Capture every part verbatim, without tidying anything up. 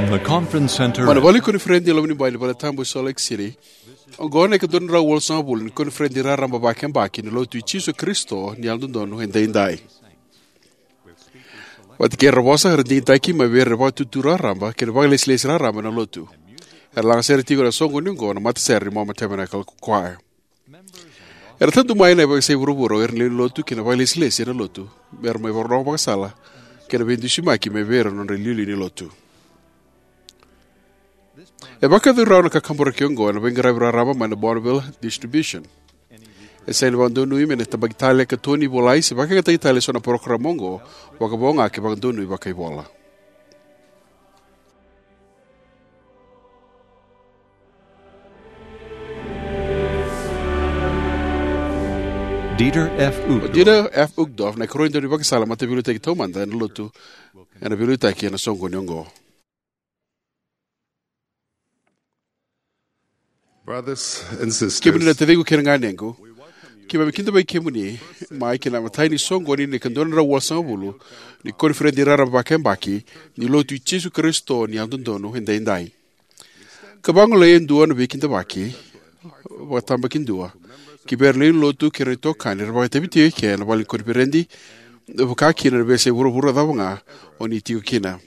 The conference center. Mai na vale ni koniferedi e loma ni bai ni valetabu e Salt Lake City, oqo na ika dua na drau walusagavulu ni koniferedi raraba vakayabaki ni Lotu i Jisu Karisito ni Yalododonu Edaidai. Vata kei ira na vosa era digitaki mai vei ira na vakatutu raraba kei na vakalesilesi raraba ena Lotu. Era lagasere tiko ena soqoni oqo na matasere ni Mormon Tabernacle Choir. Era tadu mai na veiyasai vuravura o ira na lewe ni Lotu kei na vakalesilesi ena Lotu me ra mai vakarorogo vakasala kei na veidusimaki mai vei ira na nodra iliuliu ni Lotu. E vakayacori rawa na kakaburaki oqo ena veiqaravi raraba mai na Bonneville Distribution. E sega ni vakadonui me na tabaki tale ka toni, volai, se vakayagataki tale eso na parokaramu oqo vakavo ga ke vakadonui vakaivola. Dieter F. O Uchtdorf. Dieter F. Uchtdorf na ikarua ni daunivakasala mataveiliutaki taumada ena Lotu ena veiliutaki ena soqoni oqo. Brothers and sisters, kemuni na taciqu kei na ganequ, keimami kidavaki kemuni mai ki na imatai ni soqoni ni ika dua na drau walusagavulu ni koniferedi raraba vakayabaki ni Lotu i Jisu Karisito ni Yalododonu Edaidai. Ka vagolei e dua na veikidavaki vakatabakidua ki vei ira na lewe ni Lotu kei ira na itokani era vakaitavi tiko eke ena vale ni koniferedi, vaka kina na veiyasai vuravura cava ga o ni tiko kina.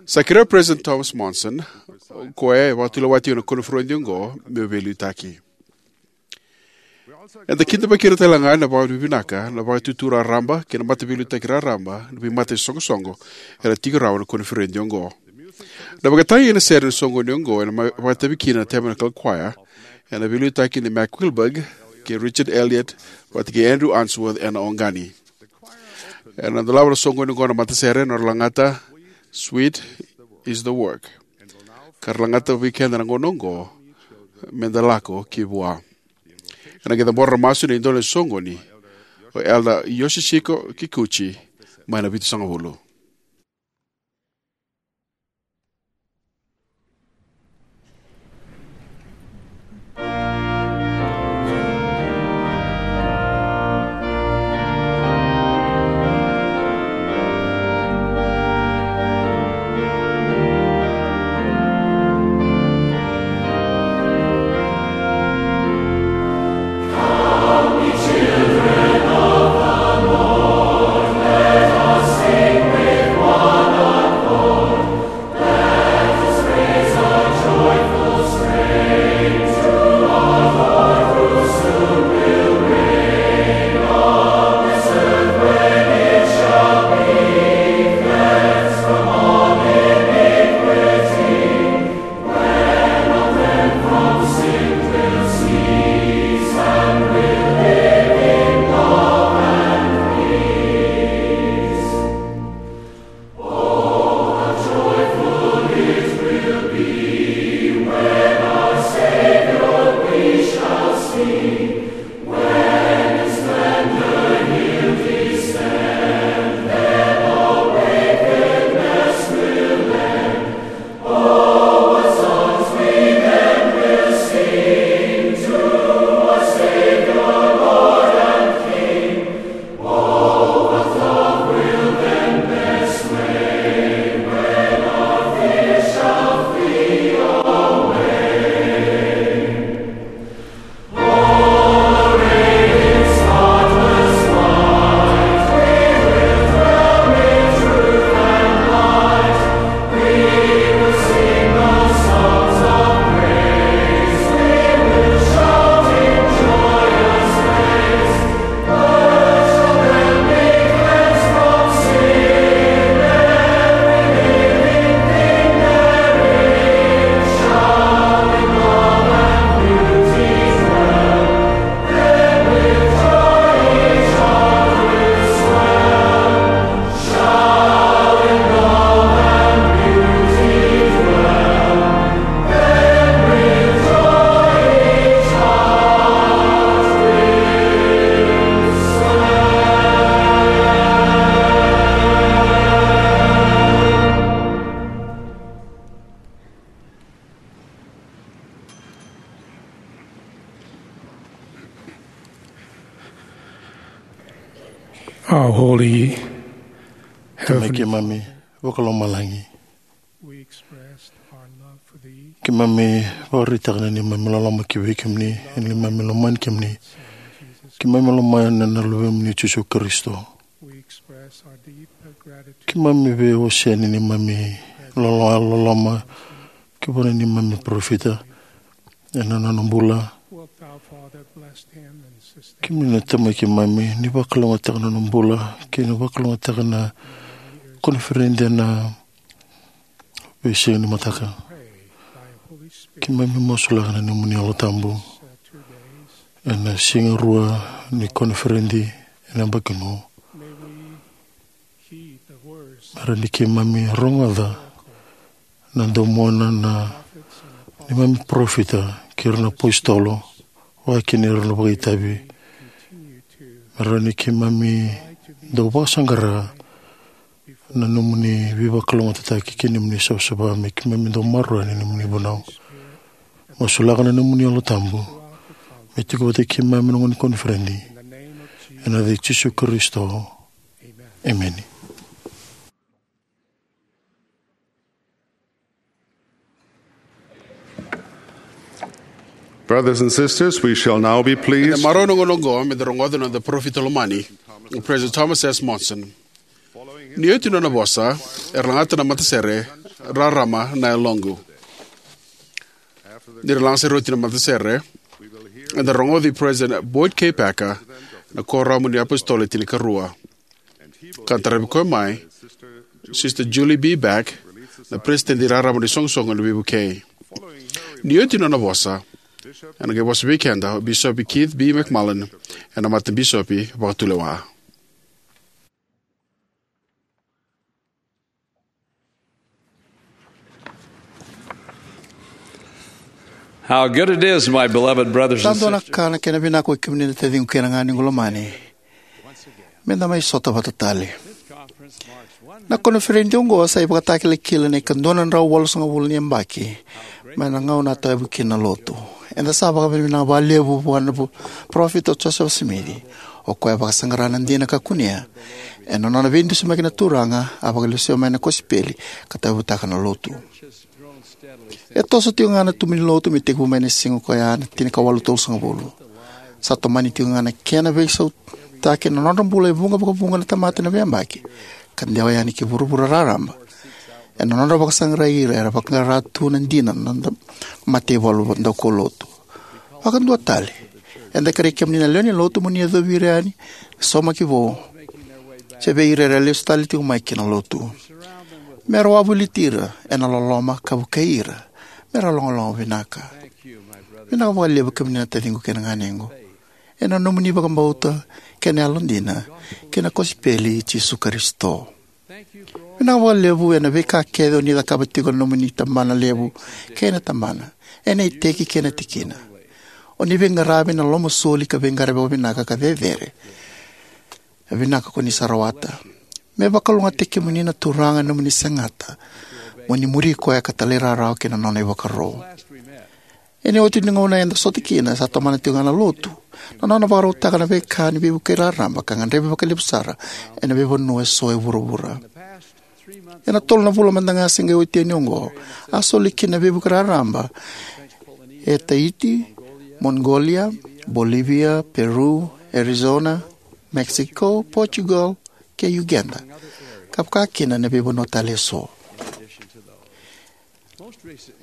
Sa kerea o President Thomas Monson, o koya e vakatulewa tiko ena koniferedi oqo, meu veiliutaki. Eda kidavaki ira tale ga ena vakavinavinaka na vakatutu raraba kei na mataveiliutaki raraba ni veimata ni soqosoqo era tiko rawa ena koniferedi oqo. Na vakatagi ena sere ni soqoni oqo ena mai vakaitavi kina na Tabernacle Choir ena veiliutaki nei Mac Wilberg kei Richard Elliott vata kei Andrew Unsworth ena oqani. Era na dolava na soqoni oqo na matasere ena nodra lagata Sweet is the Work, ka ra lagata vei keda na gauna oqo, Meda Lako ki Vua. Ena qai cabora na masu nei dua na soqoni, o Elder Yoshihiko Kikuchi, mai na vitusagavulu. Our holy Tamai Heavenly keimami vakalomalagi, We expressed our love for thee. Keimami vakaraitaka na neimami loloma ki vei kemuni, ena neimami lomani kemuni. Keimami lomana na Luvemuni o Jisu Karisito. We express our deep gratitude. Keimami veiwasea na neimami lolo-, loloma ki vua na neimami parofita ena nona bula. Wilt thou, Father, bless him and sustain. Kemuni na Tamai keimami, ni vakalougatataka na nona bula kei na vakalougatataka na koniferedi ena veisiga ni mataka. Pray thy Holy Spirit. Keimami masulaka na nomuni Yalo Tabu. Two days. Ena siga rua ni koniferedi ena yabaki oqo. May we heed the words. Me rawa ni keimami rogoca na domona na neimami parofita kei ira na apositolo, vaka kina ira na vakaitavi. Continue to. Me rawa ni keimami dau vakasaqara na nomuni veivakalougatataki kei na nomuni savasava, me keimami dau maroroya na nomuni vunau. Masulaka na nomuni Yalo Tabu me tiko vata kei keimami ena gauna ni koniferedi. Ena yaca i Jisu Karisito. Emeni. Brothers and sisters, we shall now be pleased. Eda marau ena gauna oqo me da rogoca na noda parofita lomani, President Thomas S. Monson. Ni oti na nona vosa, era lagata na matasere Rarama na Yaloqu. Ni ra laga sara oti na matasere, eda rogoci President Boyd K. Packer, na Kuoramu ni iApositolo e Tinikarua. Ka taravi koya mai Sister Julie B. Beck, na Peresitedi Raraba ni Soqosoqo ena Veivukei. Ni oti na nona vosa, ena qai vosa vei keda o Bisopi Keith B. McMullin, ena Matabisopi Vakatulewa. How good it is, my beloved brothers and sisters. Sa dua na ka na kena vinaka, oi kemuni na taciqu kei na ganequ lomani, me da mai sota vata tale. Na koniferedi oqo sa ivakatakilakila na ikadua na drau walusagavulu ni yabaki mai na gauna a tauyavutaki kina na lotu. Eda sa vakavinavinaka vakalevu vua na vu-, parofita o Josefa Simici, o koya a vakasaqara na dina ka kunea ena nona veidusimaki na Turaga, a vakalesuya mai na kosipeli ka tauyavutaka na lotu. E toso tiko ga na tubu ni lotu me tekivu mai na siga ko ya na tinikawalu tolusagavulu. Sa tomani tiko ga na kena veisautaki na nodra bula e vuqa vakavuqa na tamata ena veiyabaki, ka dewa yani ki vuravura raraba ena nodra vakasaqarai ira era vakaqara tu na dina na noda mataivalu daukaulotu. Vakadua tale, eda kerei kemuni na lewe ni lotu mo ni yacovi ira yani na saumaki vou, se vei ira era lesu tale tiko mai ki na lotu, me ra wavoliti ira ena loloma ka vukei ira me ra logaloga vinaka. Vinaka vakalevu, kemuni na taciqu kei na ganequ, ena nomuni vakabauta kei na yalodina kei na kosipeli i Jisu Karisito. Vinaka vakalevu ena veika kece o ni cakava tiko ena nomuni tabana levu kei na tabana, ena iteki kei na tikina. O ni veiqaravi ena lomasoli ka veiqaravi vakavinaka ka cecere. E vinaka ko ni sa rawata. Me vakalougatataki kemuni na Turaga ena nomuni segata mo ni muri koya ka talairawarawa ki na nona ivakaro. Ena iotioti ni gauna eda sota kina, sa tomana tiko ga na lotu na nona vakarautaka na veika ni veivukei raraba ka gadrevi vakalevu sara ena veivanua eso e vuravura. Ena tolu na vula mada ga se qai oti yani oqo, a soli kina na veivukei raraba e Tahiti, Mongolia, Bolivia, Peru, Arizona, Mexico, Portugal, kei Uganda, ka vaka kina na veivanua tale eso.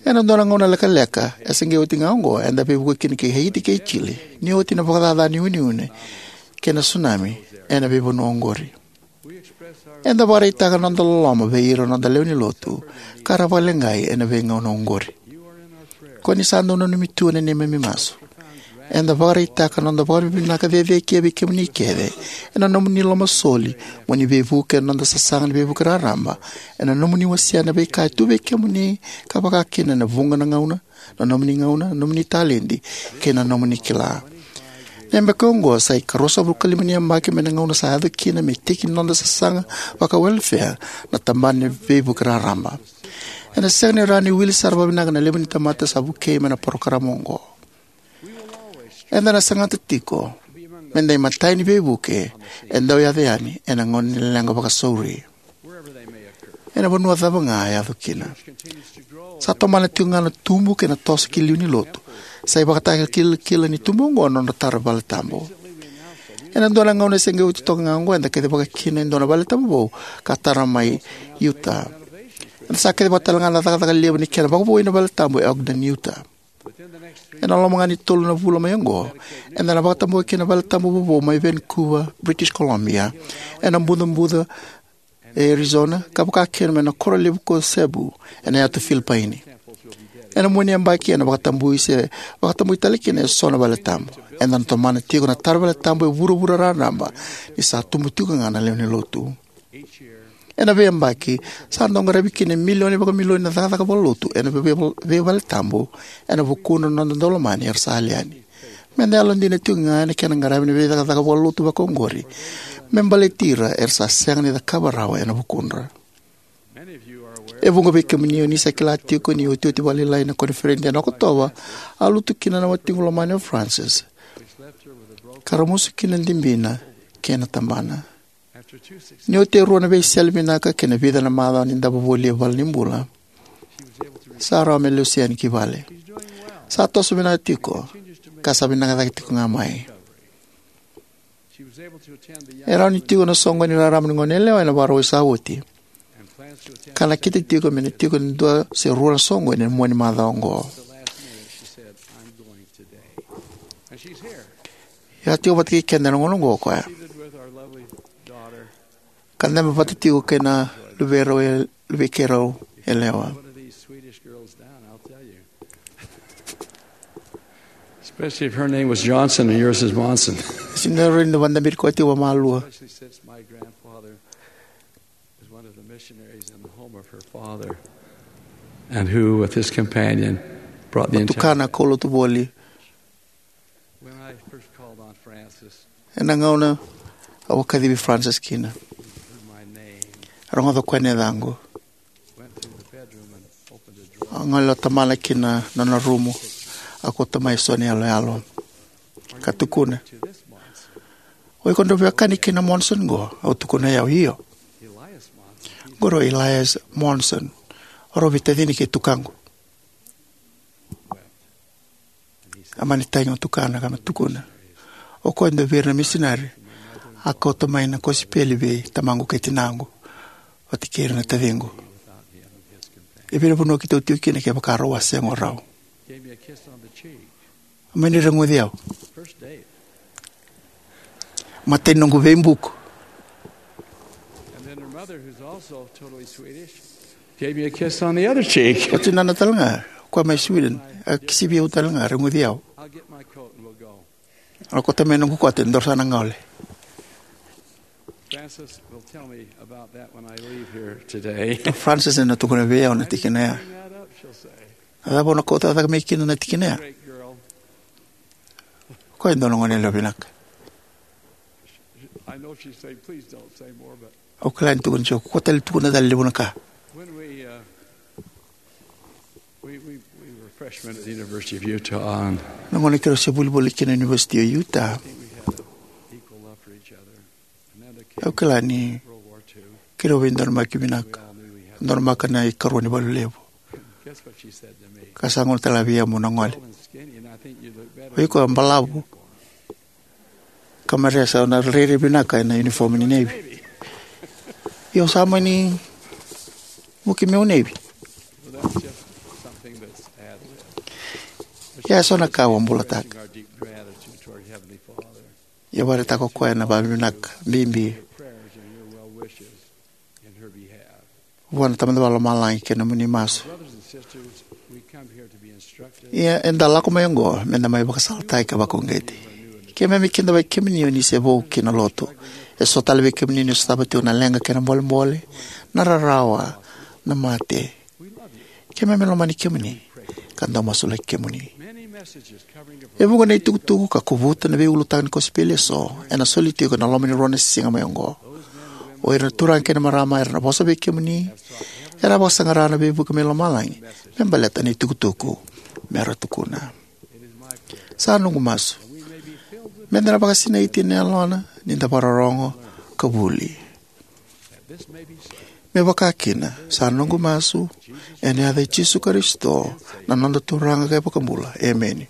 Ena dua na gauna lekaleka e se qai oti ga oqo, eda veivuke kina ki Haiti kei Chile, ni oti na vakacaca ni uneune kei na tsunami ena veivanua oqori. Eda vakaraitaka na noda loloma vei ira na noda lewe ni lotu ka ra vakaleqai ena veigauna oqori. Ko ni sa dau nanumi tu ena neimami masu. Eda vakaraitaka na noda vakavinavinaka cecekia vei kemuni kece ena nomuni lomasoli mo ni veivuke ena noda sasaga ni veivukei raraba, ena nomuni wasea na veika e tu vei kemuni, ka vaka kina na vuqa na gauna, na nomuni gauna, na nomuni taledi kei na nomuni kila. Na yabaki oqo sa ikaruasagavulu ka lima ni yabaki mai na gauna sa yaco kina me tiki ni noda sasaga vakawelefea na tabana ni veivukei raraba. Ena sega ni rawa ni wili sara vakavinaka na levu ni tamata sa vukei mai na parokaramu oqo. Eda na sagata tiko me da imatai ni veivuke e dau yaco yani ena gauna ni leqa vakasauri. Ena vanua cava ga e yaco kina, sa tomana tiko ga na tubu kei na toso ki liu ni lotu. Sa ivakatakilakila ni tubu oqo na nodra tara valetabu. Ena dua na gauna se qai oti toka ga oqo, eda kacivaka kina e dua na valetabu vou ka tara mai Utah. Eda sa kacivaka tale ga na cakacaka levu ni kena vakavoui na valetabu e Ogden, Utah. Ena loma ga ni tolu na vula mai oqo, eda na vakatabuya kina na valetabu vovou mai Vancouver, British Columbia, ena bucabuca e Arizona, ka vaka kina mai na koro levu ko Cebu, ena yatu Filipaini. Ena mua ni yabaki ena vakatabui se vakatabui tale kina eso na valetabu. Eda na tomana tiko na tara valetabu e vuravura raraba, ni sa tubu tiko ga na lewe ni lotu. Ena veiyabaki, sa dau qaravi kina e milioni vakamilioni na cakacaka vakalotu ena vei-, veivaletabu ena vukudra na noda daulomani era sa yali yani. Meda yalodina tiko ga ena kena qaravi na veicakacaka vakalotu vakaoqori me baleti ira era sa sega ni cakava rawa ena vukudra. E vuqa vei kemuni o ni sa kila tiko ni otioti vakalailai na koniferedi ena Okotova, a lutu kina na watiqu lomani o Frances, ka ramusu kina na dibina kei na tabana. Ni oti e rua na veisele vinaka kei na vica na macawa ni davo voli e valenibula, sa rawa me lesu yani ki vale. Sa toso vinaka tiko, ka sa vinaka cake tiko ga mai. E rawa ni tiko na soqoni raraba ni goneyalewa ena Vakarauwai sa oti, ka nakita tiko me na tiko e dua se rua na soqoni ena mua ni macawa oqo. E a tiko vata kei keda ena gauna oqo o koya, ka dabe vata tiko kei na luvei rau e, luvei keirau yalewa. Especially if her name was Johnson and yours is Monson. Sina rau ni vakadaberi koya tiko vakamalua. Especially since my grandfather was one of the missionaries in the home of her father, and who, with his companion, brought the entire... Tukana kaulotu voli. When I first called on Frances, ena gauna au a kacivi Frances kina, he heard my name, rogoca o koya na yacaqu. Went through the bedroom and opened a drawer. A gole o tamana ki na nona rumu, a kauta mai eso na iyaloyalo, ka tukuna, "O iko drau veiwekani kei na Monson qo?" Au tukuna, "Io, io." "Elias Monson, he's..." "Qori o Elias Monson, o rau veitacini kei tukaqu." A mani tagi o tukana ka me tukuna, "O koya e dua vei ira na misinari a kauta mai na kosipeli vei tamaqu kei tinaqu, vata kei ira na taciqu. E vei na vanua keitou tiko kina kevaka rau a sega o rau?" Gave me a kiss on the cheek. A mani reguci au. First date. Matai ni noqu veibuku. And then her mother, who's also totally Swedish, gave me a kiss on the other cheek. O tinana tale ga, o koya mai Sweden, a kisivi au tale ga, reguci au. "I'll get my coat and we'll go." "Au kauta mai noqu kote, daru sa na gole." Frances will tell me about that when I leave here today. O Frances ena tukuna vei au na tikina ya. "Bring that up," she'll say. "A cava o na kauta cake mai kina na tikina ya?" Great girl. O koya e dua na goneyalewa vinaka. I know she's saying, "Please don't say more," but... Au kila ni tukuna tiko, "Kua tale, tukuna tale levu na ka." When we, uh, we, we, we were freshmen at the University of Utah, and... Na gauna keirau se volivoli kina na University of Utah, I think we had an equal love for each other. Au kila ni keirau veidonumaki vinaka. Donumaka na ikarua ni valu levu. Ka sa gole tale vei au meu na gole. O iko e balavu ka maresa, o na rairai vinaka ena uniform ni Navy. Io, sa mani vuki meu Navy. Ia, e so na ka au a bulataka. Ia, vakaraitaka o koya na vakavinavinaka bibi vua na Tamada Vakalomalagi kei na nomuni masu. Ia, eda lako mai oqo meda mai vakasalataki ka vakauqeti. Keimami kidavaki kemuni o ni se vou ki na lotu. E so tale vei kemuni ni sotava tiko na leqa kei na bolebole, na rarawa, na mate. Keimami lomani kemuni ka dau masulaki kemuni. E vuqa na itukutuku ka kovuta na veiulutaga ni kosipeli e so ena soli tiko ena loma ni rua na siga mai oqo. O ira na turaga kei na marama era na vosa vei kemuni era a vakasaqara na veivuke mai lomalagi me baleta na itukutuku mera tukuna. Sa noqu masu meda na vakasinaiti ena yalona ni da vakarorogo ka vuli. Me vaka kina, sa noqu masu, ena yaca i Jisu Karisito, na noda Turaga ka iVakabula. Emeni.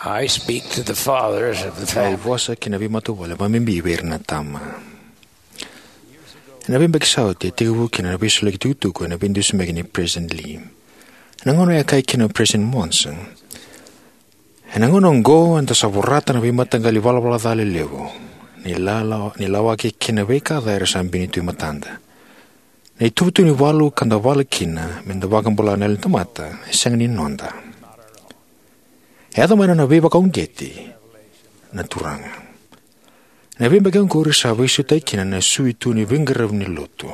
I speak to the fathers of the family. Au vosa ki na veimatavuvale, vakabibi vei ira na tama. Ena veibeki sa oti e tekivu kina na veisoliyaki tukutuku ena veidusimaki nei President Lee. Ena gauna e kaya kina o President Monson, ena gauna oqo eda sa vorata na veimataqali ivalavala ca lelevu ni lala, ni lawaki kei na veika ca era sa bini tu e matada. Na ituvatuva ni valu ka da vala kina me da vakabula na yalo ni tamata e sega ni noda. E yaco mai na nona veivakauqeti na Turaga. Na veibeki oqori sa veisautaki kina na sui tu ni veiqaravi ni lotu.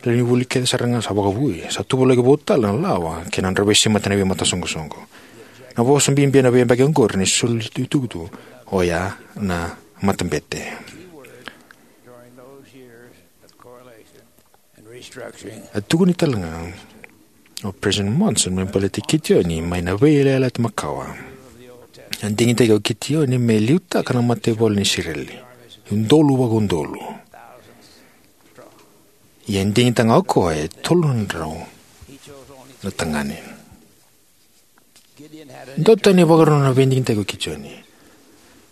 Lewe ni vuli kece sara ga sa vakavoui, sa tuvalaki vou tale na lawa kei na nodra veisemati na veimatasoqosoqo. Na vosa bibi ena veibeki oqori ni soli tukutuku oya na matabete. A tukuni tale ga o President Monson me baleti Kitioni mai na Veiyalayalati Makawa. A digitaki o Kitioni me liutaka na mataivalu ni Isireli, udolu vakaudolu. Ia e digitaka ga o koya e tolu na drau na tagane. Dua tani e vakarau na veidigitaki o Kitioni.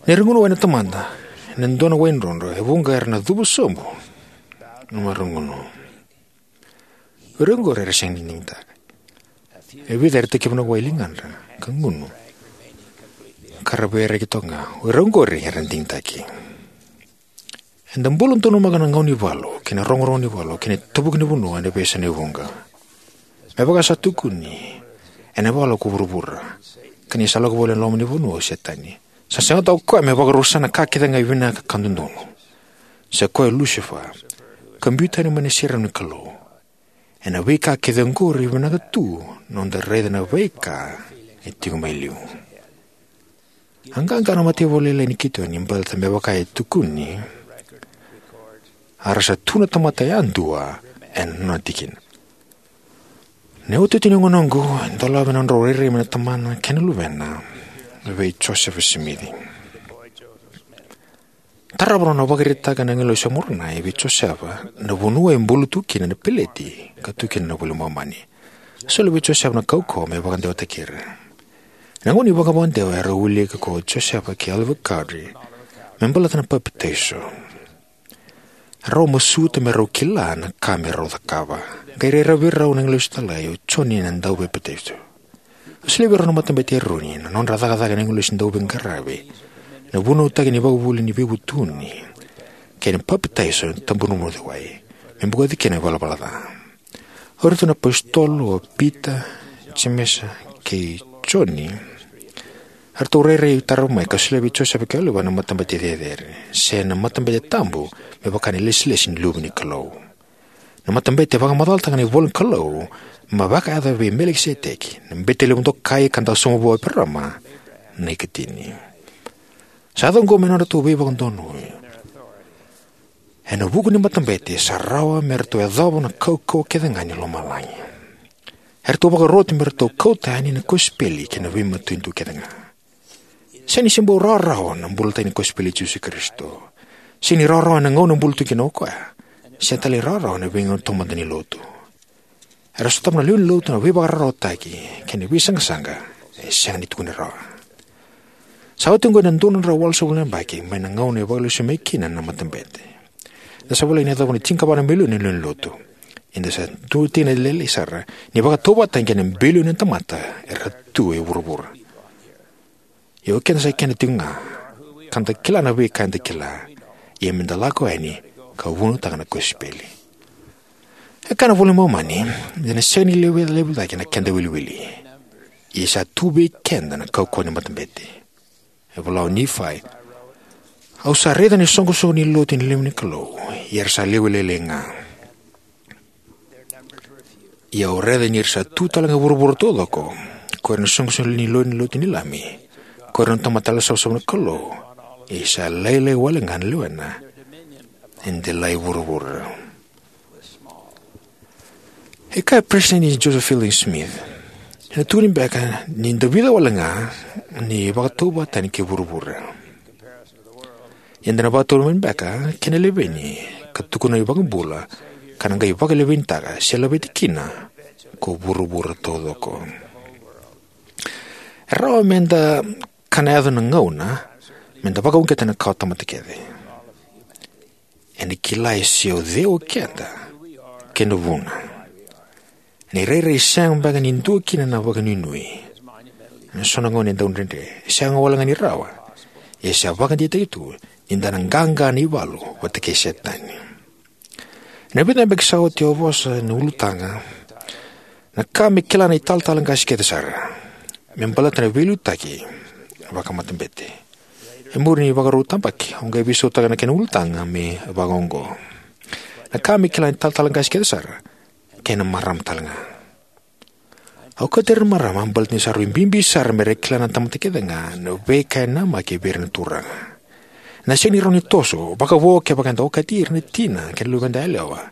Ni ra gunu wai na tamata ena dua na wai drodro, e vuqa era na cuva sobu na marau gunu. O ira oqori era sega ni digitaka. E vica era tekivu na wai e ligadra ka gunu. ka ra veiraiyaki toka ga. O ira oqori era digitaki. Eda bula donumaka na gauna ni valu kei na rogorogo ni valu kei na tavuki ni vanua ena veiyasai vuqa. Me vaka sa tukuni ena ivalu ko vuravura, ka ni sa lako voli ena loma ni vanua o Setani. Sa sega toka o koya me vakarusa na ka kece ga e vinaka ka dodonu. Sa koya o Lusifa, ka biu tani mai na serau ni Kalou. Ena veika kece oqori e vinaka tu na noda raica na veika e tiko mai liu. A qaqa na mataivalu lailai ni Kitioni baleta me vaka e tukuni, a ra sa tu na tamata yadua ena nona tikina. Na iotioti ni gauna oqo e dolava na nodrau rairai mai na tamana kei na luvena vei Josefa Simici. Tarava na nona vakaraitaka na agilosi o Moronai vei Josefa na vanua e bulu tu kina na peleti ka tu kina na iVola i Momani. A solia vei Josefa na kaukauwa me vakadewataki ira. Ena gauna ni vakavakadewa, erau wilika ko Josefa kei Oliver Cowdery me baleta na papitaiso. Rau masuta me rau kila na ka me rau cakava. Qai rairai vei rau na agilosi talai, o Joni na Dauvapapitaisotaki. A solia vei rau na Matabete i Eroni na nodra cakacaka na agilosi dauveiqaravi, na vunautaki ni ivakavuvuli ni veivutuni, kei na papitaiso ena tabana ni wai, me bokoci kina na ivalavala ca. O iratou na iapositolo o Pita, Jemesa, kei Joni, eratou rairai tarava mai ka solia vei Josefa kei Oliver na Matabete Cecere, se na Matabete Tabu, me vaka na ilesilesi ni Luve ni Kalou. Na matabete e vakamacalataka na ivola ni Kalou, me vakayaco vei Melikiseteki, na bete levu dokai ka dau sauma vua o Eparaama na ikatini. Sa yaco oqo me nodratou veivakadonui. Ena vuku ni matabete sa rawa me ratou yacova na kaukauwa kece ga ni lomalagi. Eratou vakaroti me ratou kauta yani na kosipeli kei na veimatanitu kece ga. Sega ni se bau rawarawa na bulataki ni kosipeli i Jisu Karisito. Sega ni rawarawa ena gauna e bula tu kina o koya. Sega tale ni rawarawa ena veigauna taumada ni lotu. Era sotava na lewe ni lotu na veivakararawataki kei na veisaqasaqa e sega ni tukuni rawa. Sa oti oqo ena dua na drau walusagavulu na yabaki mai na gauna e vakalesuya mai kina na matabete. Eda sa volai ni yacova na tinikava na milioni na lewe ni lotu. Ia eda sa tu ena lailai sara ni vakatauvatani kei na bilioni na tamata era tu e vuravura. Ia o keda sa keda tiko ga, ka da kila na veika eda kila, ia me da lako yani ka vunautaka na kosipeli. E kaya na iVola i Momani, eda na sega ni levu, levu cake na keda iwiliwili. Ia sa tu vei keda na kaukauwa ni matabete. E vola o Nifai, au sa raica na isoqosoqo ni lotu ni lewenilotu ni Kalou, ia era sa lewe lailai ga. Ia au raica ni ra sa tu tale ga e vuravura taucoko, ko ira na isoqosoqo ni lewe ni lotu ni Lami, ko ira na tamata yalosavasava na Kalou, ia sa lailai wale ga na lewena e delai vuravura. E kaya o Peresitedi Joseph Fielding Smith, ena tukuni beka ni da vica wale ga ni vakatauvatani kei vuravura. Ia eda na vakatauvatani beka kei na leveni, ka tukuna na iVakabula, ka na qai vakalevenitaka se laveti kina ko vuravura taucoko. E rawa me da kana yaco na gauna me da vakauqeta na kawa tamata kece. Ena kila e se o cei o keda kei na vuna. Ena irairai sega beka ni dua kina na vakanuinui. Ena so na gauna e dau dredre, e sega wale ga ni rawa, ia sa vakadeitaki tu ni da na qaqa ena ivalu vata kei Setani. Ena vica na yabaki sa oti au a vosa ena ulutaga, na ka me kila na italatala qase kece sara me baleta na veiliutaki vakamatabete. E muri ni vakarau tabaki au qai veisautaka na kena ulutaga me vakaoqo: Na ka me kila na italatala qase kece sara kei na marama tale ga. Au kauta ira na marama baleta ni sa rui bibi sara me ra kila na tamata kece ga na veika e namaki vei ira na Turaga. Ena sega ni rawa ni toso vakavo kevaka eda okati ira na tina kei na luveda yalewa.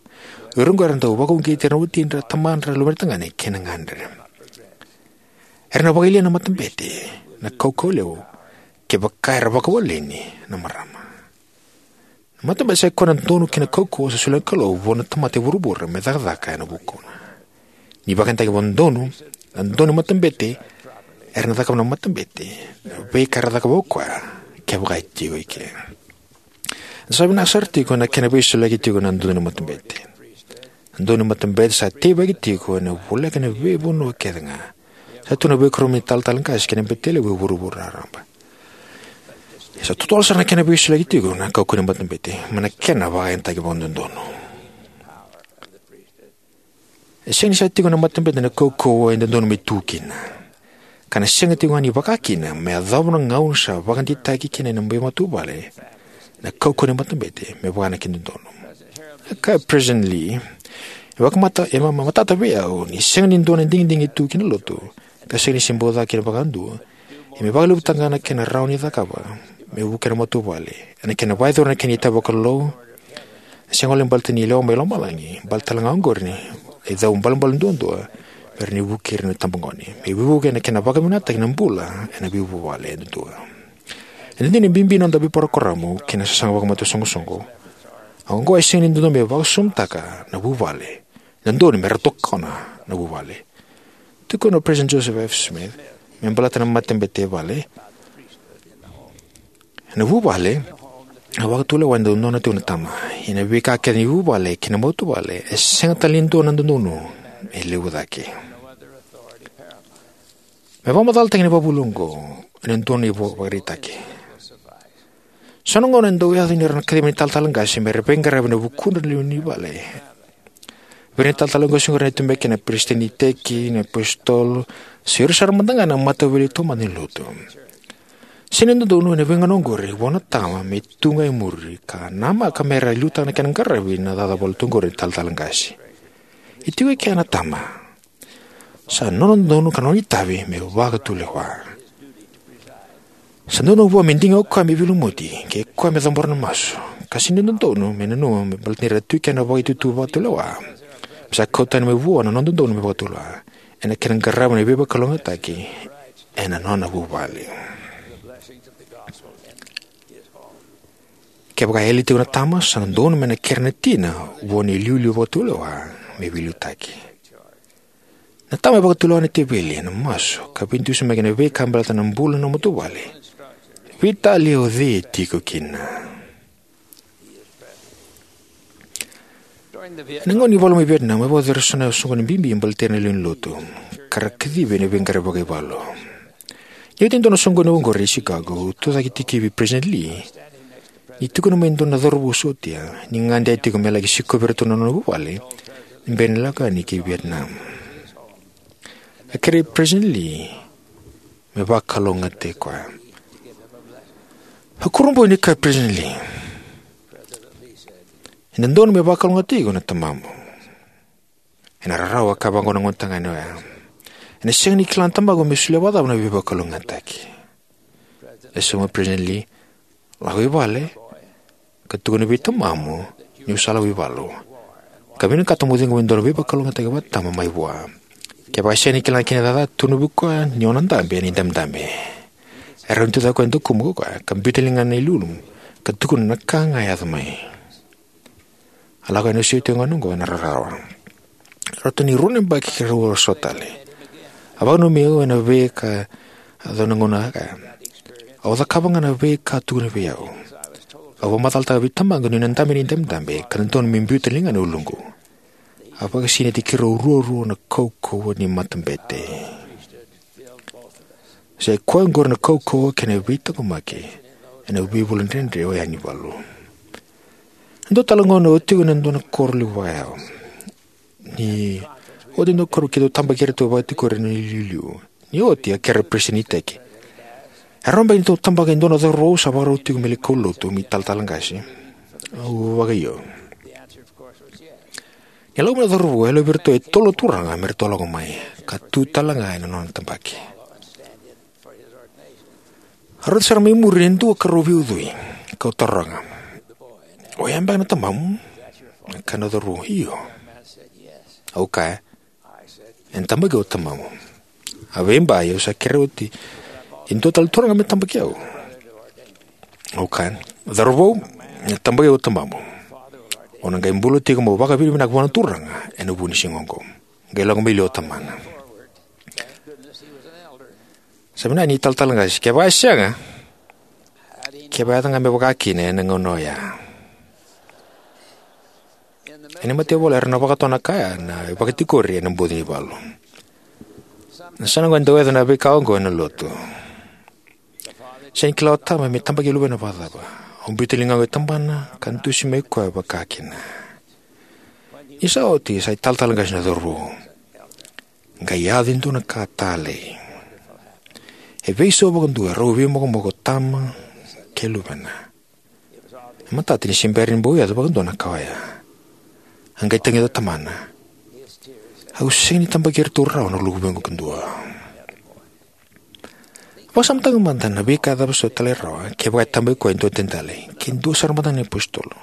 O ira oqo era dau vakauqeti ira na watidra, tamadra, luvedra tagane kei na gadre. Era na vakayalia na matabete na kaukauwa levu kevaka era vakawaleni na marama. Na matabete sa ikoya na dodonu kei na kaukauwa sa solia na Kalou vua na tamata e vuravura me cakacaka ena vukuna. Ni vakayagataki vakadodonu, na dodonu ni matabete, era na cakava na matabete na veika era cakava o koya kevaka e tiko eke. Eda sa vinaka sara tiko ena kena veisoliyaki tiko na dodonu ni matabete. Na dodonu ni matabete sa teivaki tiko ena voleka ena veivanua kece ga. Sa tu na veikoroma ni talatala qase kei na bete levu e vuravura raraba. Sa totolo sara na kena veisoliyaki tiko na kaukauwa ni matabete mai na kena vakayagataki vakadodonu. E sega ni sa tiko ena matabete na kaukauwa e dodonu me tu kina, ka na sega tiko ga ni vaka kina me yacova na gauna sa vakadeitaki kina ena veimatavuvale na kaukauwa ni matabete me vaka na kena dodonu. E kaya o Peresitedi Lee, e vakamata, e ma-, ma-, matata vei au ni sega ni dua na digidigi e tu ki na lotu ka sega ni se bau caka kina vakadua, ia me vakalevutaka ga na kena rawa ni cakava me vukea na matavuvale ena kena vakayacora na kena itavi vakalou. E sega walega baleta ni lewa mai lomalagi, baleta talega oqori na icau balebale duadua me rawa ni vukei ira na itabagone, me veivuke ena kena vakavinakataki na bula ena veivuvale yadudua. Ena dina e bibi na noda veiparokaramu kei na sasaga vakamatai soqosoqo, a oqo e sega ni dodonu me vakasamataka na vuvale, e dodonu me ra tokona na vuvale. Tukuna o Peresitedi Joseph F. Smith me baleta na matabete e vale: Ena vuvale, na vakatulewa e dodonu tiko na tama. Ia na veika kece ni vuvale kei na matavuvale, e sega tale ni dua na dodonu e levu cake. Me vakamacalataki na ivakavuvuli oqo ena dua na ivakaraitaki. So na gauna e dau yaco ni ra na kaciva na italatala qase me ra veiqaravi ena vukudra na lewe ni vale. Vei ira na italatala qase oqori ena tu beka na peresitedi ni iteki, na iapositolo, se o ira sara mada ga na matavuvale taumada ni lotu. Sega ni dodonu ena veigauna oqori vua na tama me tu ga e muri ka namaka me ra liutaka na kena qaravi na cakacaka vakalotutaki oqori na italatala qase. E tiko e kea na tama. Sa nona dodonu ka nona itavi me vakatulewa. Sa dodonu vua me diga o koya me veilumuti kei koya me cabora na masu, ka sega ni dodonu me nanuma me baleta ni ra tu e kea na vakaitutu vakatulewa, me sa kau tani mai vua na nona dodonu me vakatulewa ena kena qaravi na veivakalougatataki ena nona vuvale. Kevaka e yali tiko na tama, sa dodonu me na kere na tina vua na iliuliu vakatulewa me veiliutaki. Na tama e vakatulewa na teveli ena masu ka veidusimaki ena veika baleta na bula ena matavuvale, veitalia o cei e tiko kina. Ena gauna ni valu mai Vietnam, e vakayacori eso na soqoni bibi baleti ira na lewe ni lotu, ka ra kacivi ena veiqaravi vakaivalu. Ni oti e dua na soqoni oqori e Chicago, au tucake tikivi vei Peresitedi Lee ni tukuna mai e dua na cauravou sotia ni gade tiko me laki sikovi iratou na nona vuvale ni bera ni lako yani ki Vietnam. A kerei Peresitedi Lee me vakalougatataki koya. A kurabui ni kaya o Peresitedi Lee, "E dodonu me vakalougatataki iko na tamamu." Ena rarawa ka vaqo na gonetagane oya. Ena sega ni kila na tamaqu me solia vakacava na veivakalougatataki. E sauma o Peresitedi Lee, "Lako i vale ka tukuna vei tamamu niu sa lako i valu, ka vinakata mo ciqoma e dua na veivakalougatataki vakatama mai vua. Kevaka e sega ni kila kina na cakacaka, tukuna vei koya ni o na dabe ena idabedabe." E rawa ni tucake o koya e dakuqu, ka biuta na ligana e liuliu ka tukuna na ka ga e yaco mai. A lako yani o Sio tiko ga oqo ena rarawa. Ratou ni rua na yabaki keirau a sota tale. A vakananumi au ena veika a cakava na gauna, a kaya, "Au cakava ga na veika a tukuna vei au. Au vakamacalataka vei tamaqu niu na dabe ena idabedabe ka na dodonu me biuta na ligana e uluqu." A vakasinaiti keirau ruarua na kaukauwa ni matabete. Sa i koya oqori na kaukauwa kei na veitaqomaki ena veivula dredre oya ni valu. E dua tale na gauna au tiko ena dua na koro levu vakayalo. Ni oti e dua na koro keitou tabaki iratou vakatikori ena iliuliu. Ni oti a kerea o peresitedi ni iteki, "E rawa beka ni tou tabaka e dua na cauravou sa vakarau tiko me lai kaulotu me italatala qase?" Au vakaio. Ni lako mai na cauravou, e yalovi iratou e tolu na turaga me ratou lako mai ka tu tale ga ena nona tabaki. A rauta sara mai muri e dua ka rau veiucui, kau taroga, "O ya beka na tamamu?" A kaya na cauravou, "Io." Au kaya, "Ena tabaki au o tamamu." A veibai au sa kerea oti e dua tale na turaga me tabaki au. Au kaya, "Cauravou, ena tabaki au o tamamu. O na qai bula tiko mo vakavinavinaka vua na Turaga ena vuku ni siga oqo." Qai lako mai liu o tamana. Sa vinaka ni italatala qase, kevaka e sega, kevaka e yaco ga me vaka kina ena gauna oya. Ena mataivalu era na vakatoka na ka ya na vakatikori ena bogi ni valu. Na yasana oqo e dau yaco na veika oqo ena lotu. Sega ni kila o tama me tabaki luvena vakacava. Au biuta ligaqu e tabana ka dusi mai koya vakakina. Ni sa oti, sa italatala qase na cauravou. Qai yaco e dua na ka talei. E veisau vakadua, rau veimokomoko o tama kei luvena. E matata ni se bera ni bau yaco vakadua na ka oya. A qai tagica o tamana, "Au sega ni tabaki iratou rawa na luvequ kadua." Vakasamataka mada na veika e cava soti tale rawa kevaka e tabaki koya e dua tale, ke dua sara mada na iapositolo.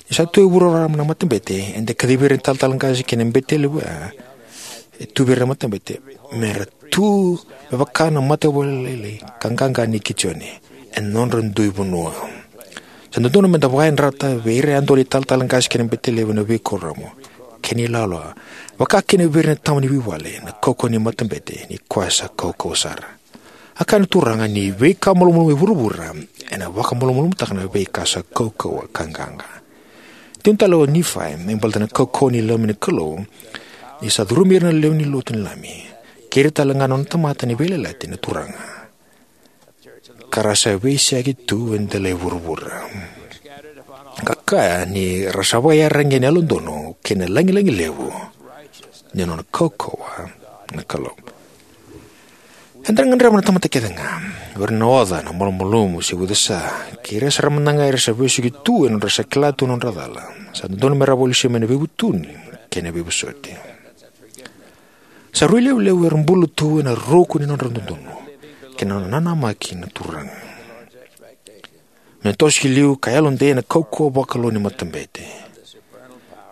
Ni sa tu e vuravura na matabete, eda kacivi ira na italatala qase kei na bete levu oya e tu vei ira na matabete, me ra tu me vaka na mataivalu lailai ka qaqa nei Kijione ena nodra dui vanua. Sa dodonu meda vakayadrata vei ira yadua na italatala qase kei na bete levu ena veikuoramu kei na ilawalawa, vakakina vei ira na tama ni veivale, na kaukauwa ni matabete, ni koya sa kaukauwa sara. A kaya na Turaga ni veika malumalumu e vuravura ena vakamalumalumutaka na veika sa kaukauwa ka qaqa. Tukuna tale o Nifai me baleta na kaukauwa ni Lami na Kalou, ni sa curumi ira na lewe ni lotu ni Lami, kei ira tale ga na nona tamata ni veiyalayalati na Turaga, ka ra sa veiseyaki tu e dela i vuravura. Ka kaya ni ra sa vakaiyaragi ena yalododonu kei na lagilagi levu ni nona kaukauwa na Kalou. Eda na gadreva na tamata kece ga, o ira na oca, na malumalumu se ucasa, kei ira sara mada ga era sa vesuki tu ena nodra sa kila tu na nodra cala, sa dodonu me ra vakalesui mai na veivutuni kei na veivosoti. Sa rui levulevu era bula tu ena ruku ni nodra dodonu kei na nona nanamaki na Turaga. Me toso ki liu ka yalodei ena kaukauwa vakalou ni matabete,